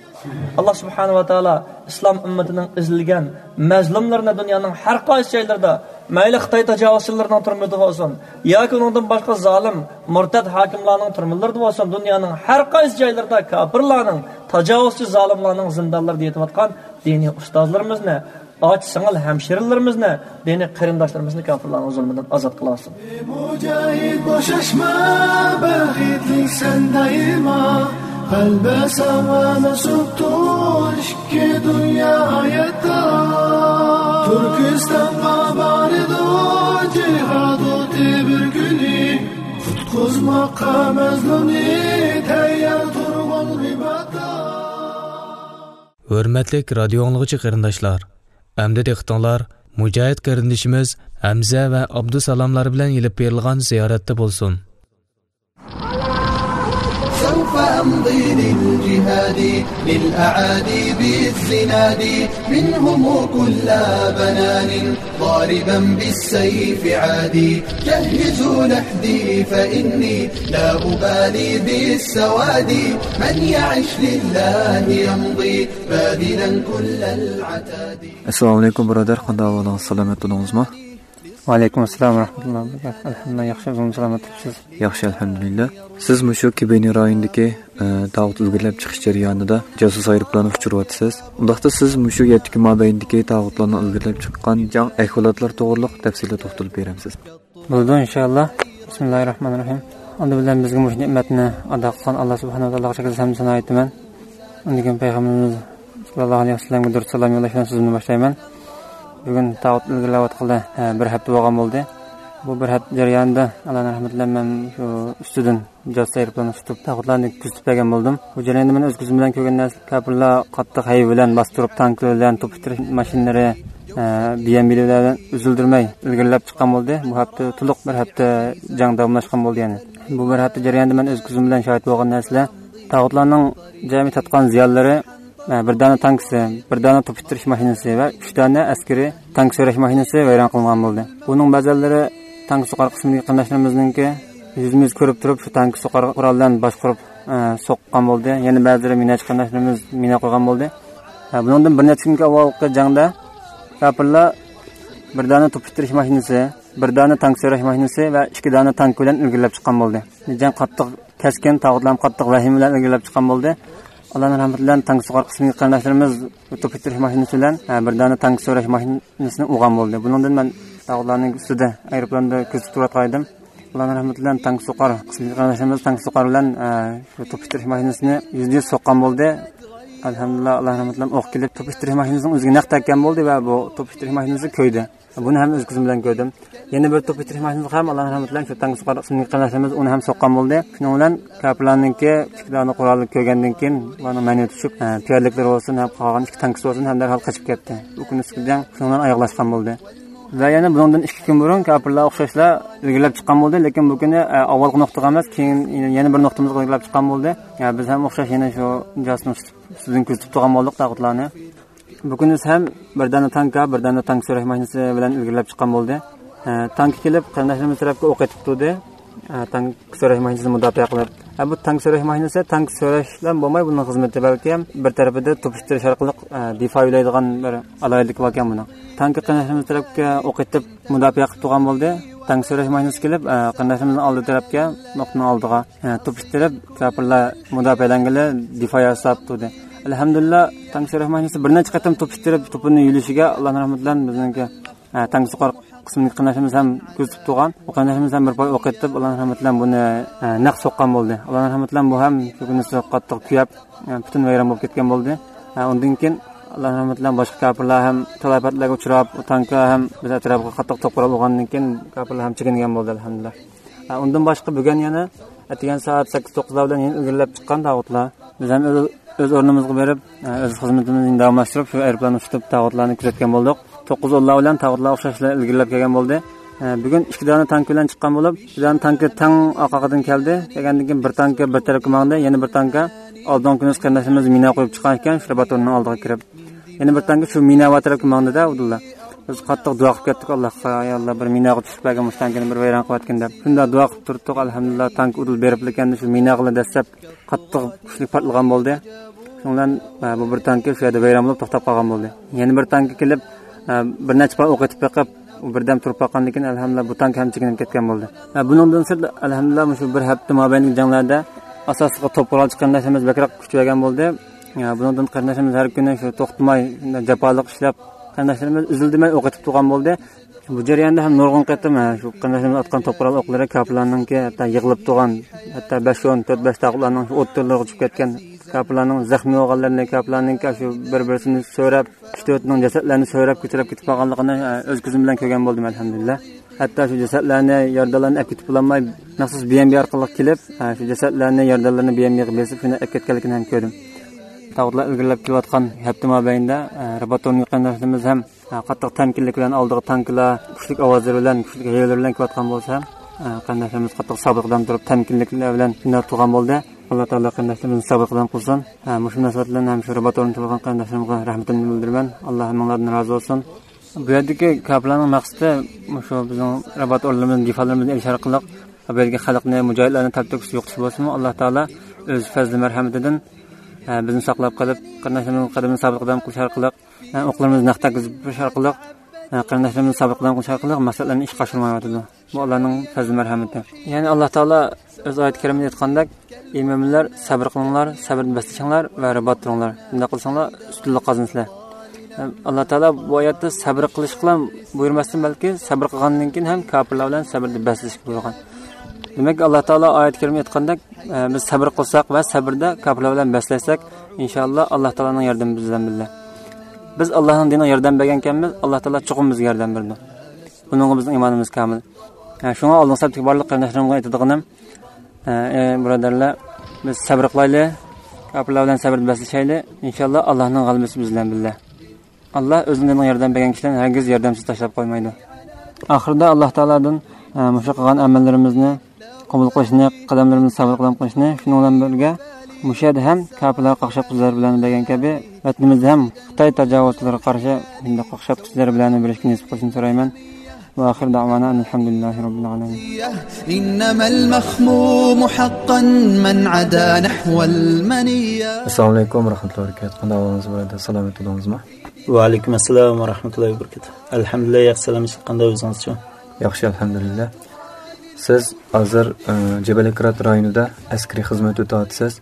ئاللا سۇبھانەھۇ ۋە تائالا ئىسلام ئۈممىتىنىڭ ئېزىلگەن مەزلۇملىرىنى دۇنيانىڭ ھەر قايسى جايلىرىدا، مەيلى خىتاي تاجاۋۇزچىلىرىنىڭ تۈرمىلىرىدە بولسۇن ياكى ئۇنىڭدىن باشقا زالىم، مۇرتەد ھاكىملارنىڭ تۈرمىلىرىدە بولسۇن، دۇنيانىڭ ھەر قايسى جايلىرىدا كاپىرلارنىڭ، تاجاۋۇزچى زالىملارنىڭ زىندانلىرىدا يېتىۋاتقان دىنىي ئۇستازلىرىمىزنى، ئاچا سىڭىل ھەمشىرىلىرىمىزنى، دىنىي قېرىنداشلىرىمىزنى كاپىرلارنىڭ زۇلمىدىن ئازاد قىلىۋالسۇن. مۇجاھىد، بوشاشما، بەختلىك سەن دائىما. قەلبى ساغ ۋە مەسۇپتۇر ئىككى دۇنيا ھاياتتا. تۈركىستانغا بارىدۇ جىھاد ئوتى بىر كۈنى. قۇتقۇزماققا مەزلۇمنى تەييار تۇرغىن رىباتتا. ھۆرمەتلىك رادىيو ئاڭلىغۇچى قېرىنداشلار، ئەمدى دىققىتىڭلار مۇجاھىد قېرىندىشىمىز ھەمزە ۋە ئابدۇسالاملار بىلەن ئېلىپ بېرىلغان زىيارەتتە بولسۇن. سوف أمضي للجهاد للأعادي بالزناد منهم كل بنان ضاربا بالسيف عادي جهزوا لحدي فإني لا أبالي بالسواد من يعش لله يمضي باذلا كل العتاد. ئەسسالامۇ ئەلەيكۇم، بۇرادەر. قانداق ئەھۋالىڭىز؟ سالامەت تۇردىڭىزمۇ؟ ۋەئەلەيكۇم ئەسسالام ۋە رەھمەتۇللاھى ۋە بەرىكاتۇھ. ئەلھەمدۇلىللاھ، ياخشى، ئۆزىڭىز سالامەت تۇرۇپسىز؟ ياخشى، ئەلھەمدۇلىللاھ. سىز مۇشۇ كېبىنى رايونىدىكى، ئە، تاغۇت ئىلگىرىلەپ چىقىش جەريانىدا جاسۇس ئايروپىلانى ئۇچۇرۇۋاتىسىز. ئۇنداقتا سىز مۇشۇ يەتتە كۈن مابەينىدىكى تاغۇتلارنىڭ ئىلگىرىلەپ چىققان جەڭ ئەھۋالاتلىرى توغرىلىق تەپسىلىي توختىلىپ بېرەمسىز؟ بولىدۇ، ئىنشائاللا. بىسمىللاھىررەھمانىررەھىم. ئالدى بىلەن بىزگە مۇشۇ نېمەتنى ئاتا قىلغان ئاللا سۇبھانەھۇ ۋە تائالاغا چەكسىز ھەمدۇ سانا ئېيتىمەن. ئاندىن كېيىن پەيغەمبىرىمىز ساللاللاھۇ ئەلەيھى ۋەسەللەمگە دۇرۇت سالام يوللاش بىلەن سۆزۈمنى باشلايمەن. بۈگۈن تاغۇت ئىلگىرىلەۋاتقىلى، ھە، بىر ھەپتە بولغان بولدى. بۇ بىر ھەپتە جەريانىدا ئاللانىڭ رەھمىتى بىلەن مەن شۇ ئۈستىدىن جاسۇس ئايروپىلاننى تۇتۇپ، تاغۇتلارنى كۆزىتىپ بەرگەن بولدۇم. بۇ جەرياندا مەن ئۆز كۆزۈم بىلەن كۆرگەن نەرسە، كاپىرلار قاتتىق ھەيۋە بىلەن باستۇرۇپ، تانكىلار بىلەن توپ ئىتتىرىش ماشىنىلىرى، ئە، بىئەمۋىلەر بىلەن ئۈزۈلدۈرمەي ئىلگىرىلەپ چىققان بولدى. بۇ ھەپتە، تولۇق بىر ھەپتە جەڭ داۋاملاشقان بولدى يەنى. بۇ بىر ھەپتە جەريانىدا مەن ئۆز كۆزۈم بىلەن شاھىت بولغان نەرسىلەر، تاغۇتلارنىڭ جەمئىي تارتقان زىيانلىرى، ئە، بىر دانە تانكىسى، بىر دانە توپ ئىتتىرىش ماشىنىسى ۋە ئۈچ دانە ئەسكىرىي تانك سۆرەش ماشىنىسى ۋەيران قىلىنغان بولدى. بۇنىڭ بەزىلىرى تانك سوقار قىسمىدىكى قېرىنداشلىرىمىزنىڭكى يۈزىمىز كۆرۈپ تۇرۇپ، شۇ تانك سوقار قورال بىلەن باشقۇرۇپ، ئە، سوققان بولدى. يەنە بەزىلىرى مىناچى قېرىنداشلىرىمىز مىنا قويغان بولدى. ئە، بۇنىڭدىن بىر نەچچە كۈنگە ئاۋۋالقى جەڭدە كاپىرلار بىر دانە توپ ئىتتىرىش ماشىنىسى، بىر دانە تانك سۆرەش ماشىنىسى ۋە ئىككى دانە تانك بىلەن ئىلگىرىلەپ چىققان بولدى. جەڭ قاتتىق كەسكىن، تاغۇتلار قاتتىق ۋەھىمە بىلەن ئىلگىرىلەپ چىققان بولدى. ئاللانىڭ رەھمىتى بىلەن تانكا سوقار قىسمىدىكى قېرىنداشلىرىمىز توپ ئېتىش ماشىنىسى بىلەن، ئە، بىر دانە تانكا سۆرەش ماشىنىسىنى ئۇرغان بولدى. بۇنىڭدىن مەن تاغۇتلارنىڭ ئۈستىدە ئايروپىلاندا كۆزىتىپ تۇرۇۋاتقان ئىدىم. ئاللانىڭ رەھمىتى بىلەن تانكا سوقار قىسمىدىكى قېرىنداشلىرىمىز تانكا سوقار بىلەن، ئە، شۇ توپ ئېتىش ماشىنىسىنى يۈزدە يۈز سوققان بولدى. ئەلھەمدۇلىللا، ئاللا رەھمىتى بىلەن ئوق كېلىپ، توپ ئېتىش ماشىنىسىنىڭ ئۆزىگە نەق تەگكەن بولدى ۋە بۇ توپ ئېتىش ماشىنىسى كۆيدى. بۇنى ھەم ئۆز كۆزۈم بىلەن كۆردۈم. يەنە بىر توپ ئېتىش ماشىنىسى ھەم ئاللا رەھمىتى بىلەن شۇ تانكا سوقار قىسمىدىكى قېرىنداشلىرىمىز ئۇنى ھەم سوققان بولدى. شۇنىڭ بىلەن كاپىرلارنىڭكى ئىككى دانە قورالى كۆرگەندىن كېيىن، ئۇلارنىڭ مەنىۋى چۈشۈپ، ئە، پىيادىلىكلىرى بولسۇن ھەم قالغان ئىككى تانكىسى بولسۇن ھەم دەرھال قېچىپ كەتتى. بۇ كۈنى ئۈستىدە شۇنىڭ بىلەن ئاياغلاشقان بولدى. ۋە يەنە بۇنىڭدىن ئىككى كۈن بۇرۇن كاپىرلار ئوخشاشلا ئىلگىرىلەپ چىققان بولدى، لېكىن بۇ كۈنى، ئە، ئاۋۋالقى نۇقتىغا ئەمەس، كېيىن يەنە بىر نۇقتىمىزغا ئىلگىرىلەپ چىققان بولدى. يا، بىز ھەم ئوخشاش يەنە شۇ جاسۇس ئۈستىدىن كۆزىتىپ تۇرغان بولدۇق تاغۇتلارنى. بۇ كۈنى ھەم بىر دانە تانكا، بىر دانە تانكا سۆرەش ماشىنىسى بىلەن ئىلگىرىلەپ چىققان بولدى. ئە، تانكا كېلىپ، قېرىنداشلىرىمىز تەرەپكە ئوق ئېتىپ تۇردى. ئە، تانكا سۆرەش ماشىنىسىنى مۇداپىئە قىلىپ. ئە، بۇ تانكا سۆرەش ماشىنىسى تانكا سۆرەشلا بولماي، بۇنىڭ خىزمىتى بەلكى بىر تەرىپىدە توپ ئېتىش ئارقىلىق، ئە، دىفائىيلەيدىغان بىر ئالاھىدىلىكى باركەن بۇنىڭ. تانكا قېرىنداشلىرىمىز تەرەپكە ئوق ئېتىپ مۇداپىئە قىلىپ تۇرغان بولدى. تانكا سۆرەش ماشىنىسى كېلىپ، ئە، قېرىنداشلىرىمىزنىڭ ئالدى تەرەپكە، نۇقتىنىڭ ئالدىغا، ئە، توپ ئېتىپ، كاپىرلار مۇداپىئەلەنگىلى دىفائىيە ساپ تۇردى. ئەلھەمدۇلىللا، تانكا سۆرەش ماشىنىسى بىر نەچچە قېتىم توپ ئېتىپ، توپىنى يۆلىشىگە، ئاللانىڭ رەھمىتى بىلەن بىزنىڭكى، ئە، تانكا سوقار قىسمىدىكى قېرىنداشلىرىمىز ھەم كۆزىتىپ تۇرغان. ئۇ قېرىنداشلىرىمىز ھەم بىر پاي ئوق ئېتىپ، ئاللانىڭ رەھمىتى بىلەن بۇنى، ئە، نەق سوققان بولدى. ئاللانىڭ رەھمىتى بىلەن بۇ ھەم شۇ كۈنى قاتتىق كۆيۈپ، ئە، پۈتۈن ۋەيران بولۇپ كەتكەن بولدى. ئە، ئۇندىن كېيىن ئاللانىڭ رەھمىتى بىلەن باشقا كاپىرلار ھەم تالاپەتلەرگە ئۇچراپ، ئۇ تانكا ھەم بىز ئەتراپىغا قاتتىق توپ قورال ئۇرغاندىن كېيىن كاپىرلار ھەم چېكىنگەن بولدى، ئەلھەمدۇلىللا. ئە، ئۇندىن باشقا بۈگۈن يەنە ئەتىگەن سائەت سەككىز توققۇزلار بىلەن يەنە ئىلگىرىلەپ چىققان تاغۇتلار. بىز ھەم ئۆز، ئۆز ئورنىمىزغا بېرىپ، ئە، ئۆز خىزمىتىمىزنى داۋاملاشتۇرۇپ، شۇ ئايروپىلاننى ئۇچۇرتۇپ تاغۇتلارنى كۆزەتكەن بولدۇق. توققۇز ئونلار بىلەن تاغۇتلار ئوخشاشلا ئىلگىرىلەپ كەلگەن بولدى. ئە، بۈگۈن ئىككى دانە تانكا بىلەن چىققان بولۇپ، ئىككى دانە تانكا تەڭ ئارقىدىن كەلدى. كەلگەندىن كېيىن بىر تانكا بىر تەرەپكە ماڭدى، يەنە بىر تانكا ئالدىنقى كۈنى قېرىنداشلىرىمىز مىنا قويۇپ چىققان ئىكەن، شۇ رابات ئورنىنىڭ ئالدىغا كىرىپ. يەنە بىر تانكا شۇ مىنا بار تەرەپكە ماڭدى-دە، ئابدۇللا. بىز قاتتىق دۇئا قىلىپ كەتتۇق ئاللاھقا، يا ئاللا، بىر مىناغا چۈشۈپ كەلگەن مۇشۇ تانكىنى بىر ۋەيران قىلىۋەتكىن دەپ. شۇنداق دۇئا قىلىپ تۇرۇپتۇق، ئەلھەمدۇلىللا، تانكا ئۇدۇل بېرىپلا كەلدى، شۇ مىناغىلا دەسسەپ قاتتىق كۈچلۈك پارتلىغان بولدى. شۇنىڭ بىلەن، ئە، بۇ بىر تانكا شۇ يەردە ۋەيران بولۇپ توختاپ قالغان بولدى. يەنە بىر تانكا كېلىپ، ئە، بىر نەچچە پاي ئوق ئېتىپ بېقىپ، ئۇ بىردەم تۇرۇپ باققاندىن كېيىن، ئەلھەمدۇلىللا، بۇ تانكا ھەم چېكىنىپ كەتكەن بولدى. ئە، بۇنىڭدىن سىرت، ئەلھەمدۇلىللا، مۇشۇ بىر ھەپتە مابەينىدىكى جەڭلەردە ئاساسلىقى توپ قورالچى قېرىنداشلىرىمىز بەكرەك كۈچىيىۋەرگەن بولدى. ئە، بۇنىڭدىن قېرىنداشلىرىمىز ھەر كۈنى شۇ توختىماي، شۇنداق جاپالىق ئىشلەپ، قېرىنداشلىرىمىز ئۈزۈلدىمەي ئوق ئېتىپ تۇرغان بولدى. بۇ جەرياندا ھەم نۇرغۇن قېتىم، ھە، شۇ قېرىنداشلىرىمىز ئاتقان توپ قورال ئوقلىرى كاپىرلارنىڭكى ھەتتا يىغىلىپ تۇرغان، ھەتتا بەش ئون، تۆت بەش تاغۇتلارنىڭ شۇ ئوتتۇرىلىرىغا چۈشۈپ كەتكەن، كاپىرلارنىڭ زەخمىي بولغانلىرىنى، كاپىرلارنىڭكى شۇ بىر-بىرسىنى سۆرەپ، ئۈچ تۆتىنىڭ جەسەتلەرنى سۆرەپ كۆتۈرۈپ كېتىپ قالغانلىقىنى، ھە، ئۆز كۆزۈم بىلەن كۆرگەن بولدۇم، ئەلھەمدۇلىللا. ھەتتا شۇ جەسەتلەرنى، يارىدارلارنى ئەپ كېتىپ بولالماي، مەخسۇس بى ئېم بى ئارقىلىق كېلىپ، ھە، شۇ جەسەتلەرنى، يارىدارلارنى بى ئېم بىغا بېسىپ، شۇنى ئەپ كەتكەنلىكىنى ھەم كۆردۈم. تاغۇتلار ئىلگىرىلەپ كېلىۋاتقان ھەپتە مابەينىدە، ھە، رىبات ئورنىدىكى قېرىنداشلىرىمىز ھەم، ھە، قاتتىق تەمكىنلىك بىلەن ئالدىغا تانكىلار، كۈچلۈك ئاۋازلىرى بىلەن، كۈچلۈك ھەيۋىلىرى بىلەن كېلىۋاتقان بولسا ھەم، ھە، قېرىنداشلىرىمىز قاتتىق سابىت قەدەم تۇرۇپ، تەمكىنلىكلەر بىلەن شۇنداق تۇرغان بولدى. ئاللا تائالا قېرىنداشلىرىمىزنى سابىت قەدەم قىلسۇن. ھە، مۇشۇ مۇناسىۋەت بىلەن ھەم شۇ رىبات ئورنىدا تۇرغان قېرىنداشلىرىمغا رەھمىتىمنى بىلدۈرىمەن. ئاللا ھەممىڭلاردىن رازى بولسۇن. بۇ يەردىكى كاپىرلارنىڭ مەقسىتى مۇشۇ بىزنىڭ رىبات ئورۇنلىرىمىزنى، دىفالىرىمىزنى ئېلىش ئارقىلىق، بۇ يەردىكى خەلقنى، مۇجاھىدلارنى تەپتە كۈچ يوقىتىش بولسىمۇ، ئاللا تائالا ئۆز پەزلى مەرھەمىتىدىن، ئە، بىزنى ساقلاپ قېلىپ، قېرىنداشلىرىمىزنىڭ قەدىمىنى سابىت قەدەم قىلىش ئارقىلىق، ئە، ئوقلىرىمىزنى نەق تەگكۈزۈپ بېرىش ئارقىلىق، ئە، قېرىنداشلىرىمىزنى سابىت قەدەم قىلىش ئارقىلىق مەقسەتلىرىنى ئىشقا ئاشۇرمايۋاتىدۇ. بۇ ئاللانىڭ پەزلى مەرھەمىتى. يەنى ئاللا تائالا ئۆز ئايەت كەرىمىدە ئېيتقاندەك، ئى مۆمىنلەر، سەبرى قىلىڭلار، سەبرىدە بەسلىشىڭلار ۋە رىبات تۇرۇڭلار. شۇنداق قىلساڭلار، ئۈستۈنلۈك قازىنىسىلەر. ئاللا تائالا بۇ ئايەتتە سەبرى قىلىشقىلا بۇيرۇماستىن، بەلكى سەبرى قىلغاندىن كېيىن ھەم كاپىرلار بىلەن سەبرىدە بەسلىشىشكە بۇيرۇغان. دېمەك، ئاللا تائالا ئايەت كەرىمىدە ئېيتقاندەك، ئە، بىز سەبرى قىلساق ۋە سەبرىدە كاپىرلار بىلەن بەسلەشسەك، ئىنشائاللا، ئاللا تائالانىڭ ياردىمى بىز بىلەن بىللە. بىز ئاللانىڭ دىنىغا ياردەم بەرگەنكەنمىز، ئاللا تائالا چوقۇم بىزگە ياردەم بېرىدۇ. بۇنىڭغا بىزنىڭ ئىمانىمىز كامىل. ھە، شۇڭا ئالدىنقى سەپتىكى بارلىق قېرىنداشلىرىمغا ئېيتىدىغىنىم، ھە، ئەي بۇرادەرلەر، بىز سەبرى قىلايلى، كاپىرلار بىلەن سەبرىدە بەسلىشەيلى. ئىنشائاللا، ئاللانىڭ غەلىبىسى بىز بىلەن بىللە. ئاللا ئۆزىنىڭ دىنىغا ياردەم بەرگەن كىشىلەرنى ھەرگىز ياردەمسىز تاشلاپ قويمايدۇ. ئاخىرىدا ئاللا تائالادىن، ھە، مۇشۇ قىلغان ئەمەللىرىمىزنى قوبۇل قىلىشنى، قەدەملىرىمىزنى سابىت قەدەم قىلىشنى، شۇنىڭ بىلەن بىرگە مۇشۇ يەردە ھەم كاپىرلارغا قاقشاتقۇچىلار بىلەن بەرگەن كەبى، ۋەتىنىمىزدە ھەم خىتاي تاجاۋۇزچىلىرىغا قارشى شۇنداق قاقشاتقۇچىلار بىلەن بېرىشكە نېسىپ قىلىشنى سورايمەن. ۋە ئاخىر دەۋانا ئەنىلھەمدۇلىللاھى رەببىل ئالەمىن. إنما المخموم حقا من عدا نحو المنية. ئەسسالامۇ ئەلەيكۇم ۋە رەھمەتۇللاھى ۋە بەرىكاتۇھ. قانداق ئەھۋالىڭىز بۇرادەر؟ سالامەت بولدىڭىزمۇ؟ ۋەئەلەيكۇم ئەسسالام ۋە رەھمەتۇللاھى ۋە بەرىكاتۇھ. ئەلھەمدۇلىللا، ياخشى، سالامەتلىك. قانداق، ئۆزىڭىزچۇ؟ ياخشى، ئەلھەمدۇلىللا. سىز ھازىر، ئى، جەبەلىكرات رايونىدا ئەسكىرىي خىزمەت ئۆتەۋاتىسىز.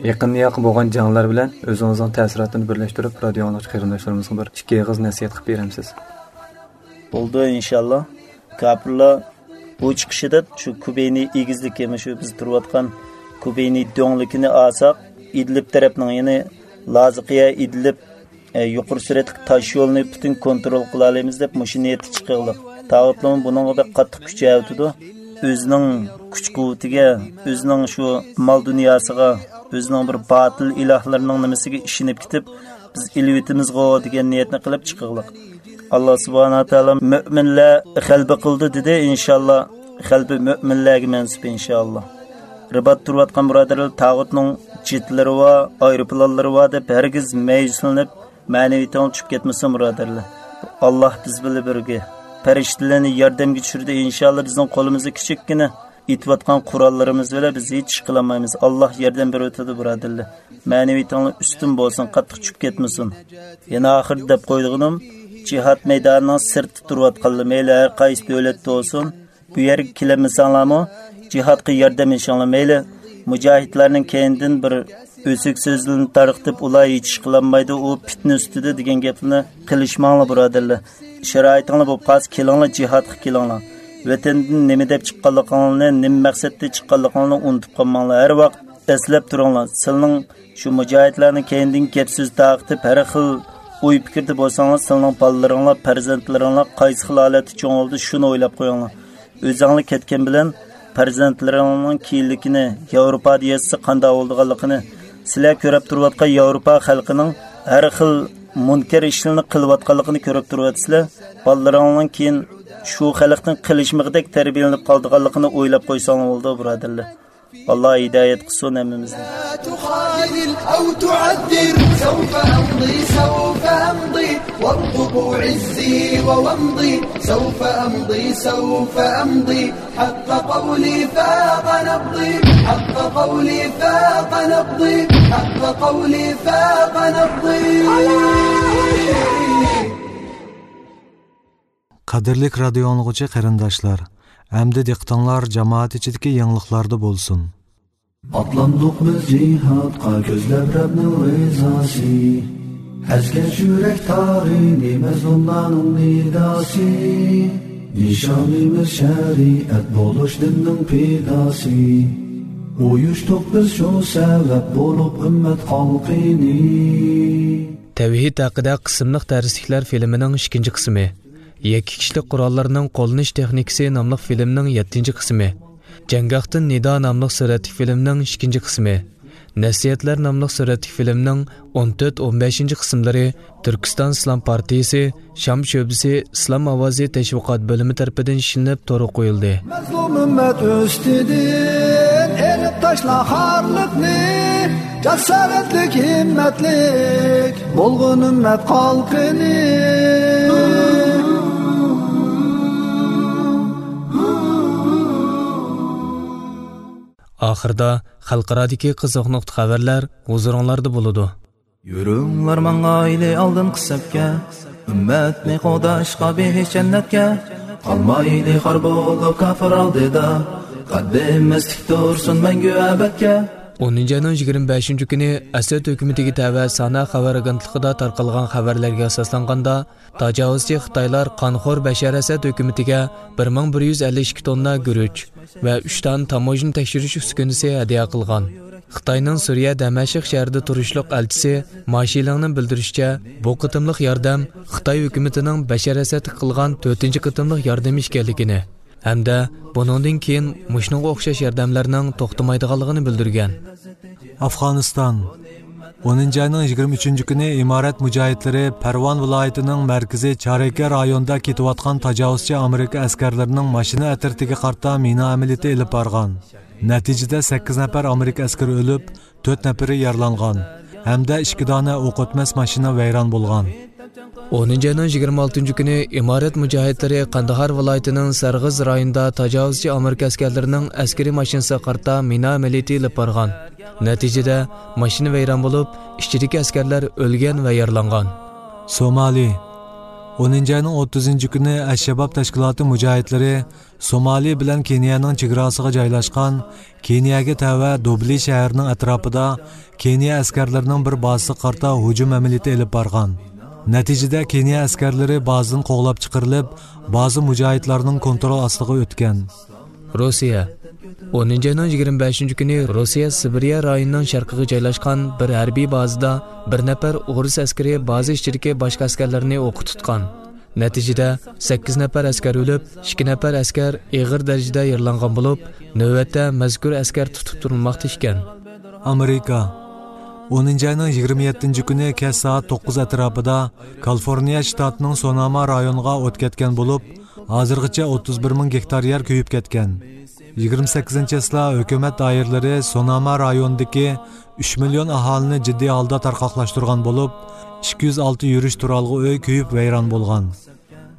يېقىندىن ياقى بولغان جەڭلەر بىلەن ئۆزىڭىزنىڭ تەسىراتىنى بىرلەشتۈرۈپ، رادىيو ئاڭلىغۇچى قېرىنداشلىرىمىزغا بىر ئىككى ئېغىز نەسىھەت قىلىپ بېرەمسىز؟ بولدى، ئىنشاللا. كاپىرلار بۇ چىقىشىدا شۇ كۇبەينى ئېگىزلىكى، مۇشۇ بىز تۇرۇۋاتقان كۇبەينى دۆڭلۈكىنى ئالساق، ئىدلىب تەرەپنىڭ، يەنى لازىقىيە ئىدلىب، ئە، يۇقىرى سۈرئەتلىك تاش يولىنى پۈتۈن كونترول قىلالايمىز دەپ مۇشۇ نىيەتتە چىقىغلىق. تاغۇتلىمۇ بۇنىڭغا بەك قاتتىق كۈچ ئەۋېتىدۇ. ئۆزىنىڭ كۈچ-قۇۋۋىتىگە، ئۆزىنىڭ شۇ مال-دۇنياسىغا، ئۆزىنىڭ بىر باتىل ئىلاھلىرىنىڭ نېمىسىگە ئىشىنىپ كېتىپ، بىز ئېلىۋېتىمىزغۇ دېگەن نىيەتنى قىلىپ چىقىغلىق. ئاللا سۇبھانەھۇ ۋە تائالا مۆمىنلەر غەلىبە قىلدى دېدى، ئىنشاللا. غەلىبە مۆمىنلەرگە مەنسۇپ، ئىنشاللا. رىبات تۇرۇۋاتقان بۇرادەرلەر، تاغۇتنىڭ جېتلىرى بار، ئايروپىلانلىرى بار دەپ ھەرگىز مەيۈسلىنىپ، مەنىۋىيىتىڭلار چۈشۈپ كەتمىسۇن، بۇرادەرلەر. ئاللا بىز بىلەن بىرگە. پەرىشتىلەرنى ياردەمگە چۈشۈردى، ئىنشاللا بىزنىڭ قولىمىزدا كىچىككىنە ئېتىۋاتقان قوراللىرىمىز بىلەن بىز ھېچ ئىش قىلالمايمىز. ئاللا ياردەم بېرىۋاتىدۇ، بۇرادەرلەر. مەنىۋىيىتىڭلار ئۈستۈن بولسۇن، قاتتىق چۈشۈپ كەتمىسۇن. يەنە ئاخىرىدا دەپ قويىدىغىنىم، جىھاد مەيدانىنىڭ سىرتىدا تۇرۇۋاتقانلار، مەيلى ھەر قايسى دۆلەتتە بولسۇن، بۇ يەرگە كېلەلمىسەڭلارمۇ، جىھادقا ياردەم ئېلىشىڭلار مەيلى. مۇجاھىدلارنىڭ كەينىدىن بىر ئۆسۈك سۆزلىرىنى تارقىتىپ، ئۇلار ھېچ ئىش قىلالمايدۇ، ئۇ پىتنە ئۈستىدە دېگەن گەپنى قىلىشماڭلار، بۇرادەرلەر. شارائىتىڭلار بولۇپ قالسا، كېلىڭلار، جىھادقا كېلىڭلار. ۋەتەندىن نېمە دەپ چىققانلىقىڭلارنى، نېمە مەقسەتتە چىققانلىقىڭلارنى ئۇنتۇپ قالماڭلار. ھەر ۋاقىت ئەسلەپ تۇرۇڭلار، سىلىنىڭ شۇ مۇجاھىدلارنىڭ كەينىدىن گەپ سۆز تارقىتىپ، ھەر خىل ئوي پىكىردە بولساڭلار، سىلىنىڭ بالىلىرىڭلار، پەرزەنتلىرىڭلار قايسى خىل ھالەتتە چوڭ بولدى، شۇنى ئويلاپ قويۇڭلار. ئۆزۈڭلار كەتكەن بىلەن پەرزەنتلىرىڭنىڭ كېيىنلىكىنى، ياۋروپادا ياتسا قانداق بولىدىغانلىقىنى، سىلەر كۆرۈپ تۇرۇۋاتقان ياۋروپا خەلقىنىڭ ھەر خىل مۇنكەر ئىشلىرىنى قىلىۋاتقانلىقىنى كۆرۈپ تۇرۇۋاتىسىلەر. بالىلىرىڭنىڭ كېيىن شۇ خەلقنىڭ قىلىشمىقىدەك تەربىيەلىنىپ قالىدىغانلىقىنى ئويلاپ قويساڭلار بولىدۇ، بۇرادەرلەر. ئاللا ھىدايەت قىلسۇن ھەممىمىزنى. لا تخاذل أو تعذر، سوف أمضي، سوف أمضي، وارقبوا عزي وومضي، سوف أمضي، سوف أمضي، حق قولي فاق نبضي، حق قولي فاق نبضي، حق قولي فاق نبضي. قەدىرلىك رادىيو ئاڭلىغۇچى قېرىنداشلار، ئەمدى دىققىتىڭلار جامائەت ئىچىدىكى يېڭىلىقلاردا بولسۇن. ئاتلاندۇق بىز جىھادقا كۆزلەپ رەبنىڭ رىزاسى. ئەزگەن يۈرەك تارىنى مەزلۇملارنىڭ نىداسى. نىشانىمىز شەرىئەت بولۇش دىننىڭ پىداسى. ئۇيۇشتۇق بىز شۇ سەۋەب بولۇپ ئۈممەت خەلقىنى. تەۋھىد ھەققىدە قىسىملىق دەرسلىكلەر فىلىمىنىڭ ئىككىنچى قىسمى، يەككە كىشىلىك قوراللارنىڭ قوللىنىش تېخنىكىسى ناملىق فىلىمنىڭ يەتتىنچى قىسمى، جەڭگاھتىن نىدا ناملىق سۈرەتلىك فىلىمنىڭ ئىككىنچى قىسمى، نەسىھەتلەر ناملىق سۈرەتلىك فىلىمنىڭ ئون تۆت، ئون بەشىنچى قىسىملىرى تۈركىستان ئىسلام پارتىيىسى شام شۆبىسى ئىسلام ئاۋازى تەشۋىقات بۆلۈمى تەرىپىدىن ئىشلىنىپ تورغا قويۇلدى. مەزلۇم ئۈممەت ئۈستىدىن ئېلىپ تاشلا خارلىقنى، جاسارەتلىك، ھىممەتلىك بولغىن ئۈممەت خەلقىنى. ئاخىرىدا خەلقئارادىكى قىزىق نۇقتا خەۋەرلەر ھۇزۇرۇڭلاردا بولىدۇ. يۈرۈڭلار ماڭايلى ئالدىنقى سەپكە، ئۈممەتنى قوغداشقا بېھىشت جەننەتكە. قالمايلى خار بولۇپ كاپىر ئالدىدا، قەددىمىز تىك تۇرسۇن مەڭگۈ ئەبەدكە. ئونىنچى ئاينىڭ يىگىرمە بەشىنچى كۈنى ئەسەد ھۆكۈمىتىگە تەۋە سانا خەۋەر ئاگېنتلىقىدا تارقالغان خەۋەرلەرگە ئاساسلانغاندا، تاجاۋۇزچى خىتايلار قانخور بەشار ئەسەد ھۆكۈمىتىگە بىر مىڭ بىر يۈز ئەللىك ئىككى توننا گۈرۈچ ۋە ئۈچ دانە تاموژنا تەكشۈرۈش ئۈسكۈنىسى ھەدىيە قىلغان. خىتاينىڭ سۈرىيە دەمەشق شەھىرىدە تۇرۇشلۇق ئەلچىسى ما شىلىڭنىڭ بىلدۈرۈشىچە، بۇ قېتىملىق ياردەم خىتاي ھۆكۈمىتىنىڭ بەشار ئەسەدكە قىلغان تۆتىنچى قېتىملىق ياردىمى ئىكەنلىكىنى ھەمدە بۇنىڭدىن كېيىن مۇشۇنىڭغا ئوخشاش ياردەملەرنىڭ توختىمايدىغانلىقىنى بىلدۈرگەن. ئافغانىستان. ئونىنچى ئاينىڭ يىگىرمە ئۈچىنچى كۈنى ئىمارەت مۇجاھىدلىرى پەرۋان ۋىلايىتىنىڭ مەركىزى چارىكە رايونىدا كېتىۋاتقان تاجاۋۇزچى ئامېرىكا ئەسكەرلىرىنىڭ ماشىنا ئەترىتىگە قارىتا مىنا ئەمەلىيىتى ئېلىپ بارغان. نەتىجىدە سەككىز نەپەر ئامېرىكا ئەسكىرى ئۆلۈپ، تۆت نەپىرى يارىلانغان ھەمدە ئىككى دانە ئوق ئۆتمەس ماشىنا ۋەيران بولغان. ئونىنچى ئاينىڭ يىگىرمە ئالتىنچى كۈنى ئىمارەت مۇجاھىدلىرى قانداھار ۋىلايىتىنىڭ سەرغىز رايونىدا تاجاۋۇزچى ئامېرىكا ئەسكەرلىرىنىڭ ئەسكىرىي ماشىنىسىغا قارىتا مىنا ئەمەلىيىتى ئېلىپ بارغان. نەتىجىدە، ماشىنا ۋەيران بولۇپ، ئىچىدىكى ئەسكەرلەر ئۆلگەن ۋە يارىلانغان. سومالى. ئونىنچى ئاينىڭ ئوتتۇزىنچى كۈنى ئەششەباب تەشكىلاتى مۇجاھىدلىرى سومالى بىلەن كېنىيەنىڭ چېگراسىغا جايلاشقان، كېنىيەگە تەۋە دوبلى شەھىرىنىڭ ئەتراپىدا كېنىيە ئەسكەرلىرىنىڭ بىر بازىسىغا قارىتا ھۇجۇم ئەمەلىيىتى ئېلىپ بارغان. نەتىجىدە كېنىيە ئەسكەرلىرى بازىدىن قوغلاپ چىقىرىلىپ، بازا مۇجاھىدلارنىڭ كونترول ئاستىغا ئۆتكەن. روسىيە. ئونىنچى ئاينىڭ يىگىرمە بەشىنچى كۈنى روسىيە سىبىرىيە رايونىنىڭ شەرقىگە جايلاشقان بىر ھەربىي بازىدا بىر نەپەر ئورۇس ئەسكىرى بازا ئىچىدىكى باشقا ئەسكەرلەرنى ئوققا تۇتقان. نەتىجىدە، سەككىز نەپەر ئەسكەر ئۆلۈپ، ئىككى نەپەر ئەسكەر ئېغىر دەرىجىدە يارىلانغان بولۇپ، نۆۋەتتە مەزكۇر ئەسكەر تۇتۇپ تۇرۇلماقتا ئىكەن. ئامېرىكا. ئونىنچى ئاينىڭ يىگىرمە يەتتىنچى كۈنى كەچ سائەت توققۇز ئەتراپىدا كالىفورنىيە شتاتىنىڭ سوناما رايونىغا ئوت كەتكەن بولۇپ، ھازىرغىچە ئوتتۇز بىر مىڭ گېكتار يەر كۆيۈپ كەتكەن. يىگىرمە سەككىزىنچى چېسلا ھۆكۈمەت دائىرىلىرى سوناما رايونىدىكى ئۈچ مىليون ئاھالىنى جىددىي ھالدا تارقاقلاشتۇرغان بولۇپ، ئىككى يۈز ئالتە يۈرۈش تۇرالغۇ ئۆي كۆيۈپ ۋەيران بولغان.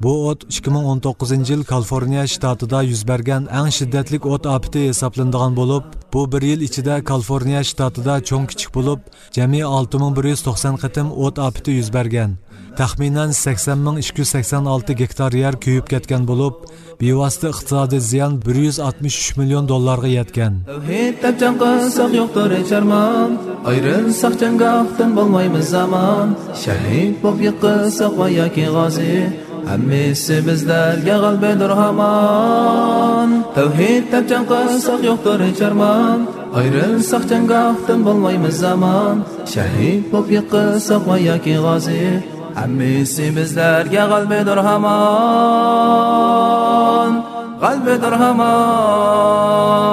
بۇ ئوت ئىككى مىڭ ئون توققۇزىنچى يىل كالىفورنىيە شتاتىدا يۈز بەرگەن ئەڭ شىددەتلىك ئوت ئاپىتى ھېسابلىنىدىغان بولۇپ، بۇ بىر يىل ئىچىدە كالىفورنىيە شتاتىدا چوڭ كىچىك بولۇپ، جەمئىي ئالتە مىڭ بىر يۈز توقسان قېتىم ئوت ئاپىتى يۈز بەرگەن. تەخمىنەن سەكسەن مىڭ ئىككى يۈز سەكسەن ئالتە گېكتار يەر كۆيۈپ كەتكەن بولۇپ، بىۋاسىتە ئىقتىسادىي زىيان بىر يۈز ئاتمىش ئۈچ مىليون دوللارغا يەتكەن. تەۋھىد دەپ جەڭ قىلساق يوقتۇر ھېچ ئارمان، ئايرىلساق جەڭگاھتىن بولمايمىز ئامان. شەھىد بولۇپ يىقىلساق ۋە ياكى غازى، ھەممىسى بىزلەرگە غەلىبىدۇر ھامان. تەۋھىد دەپ جەڭ قىلساق يوقتۇر ھېچ ئارمان، ئايرىلساق جەڭگاھتىن بولمايمىز ئامان. شەھىد بولۇپ يىقىلساق ۋە ياكى غازى، ھەممىسى بىزلەرگە غەلىبىدۇر ھامان، غەلىبىدۇر ھامان.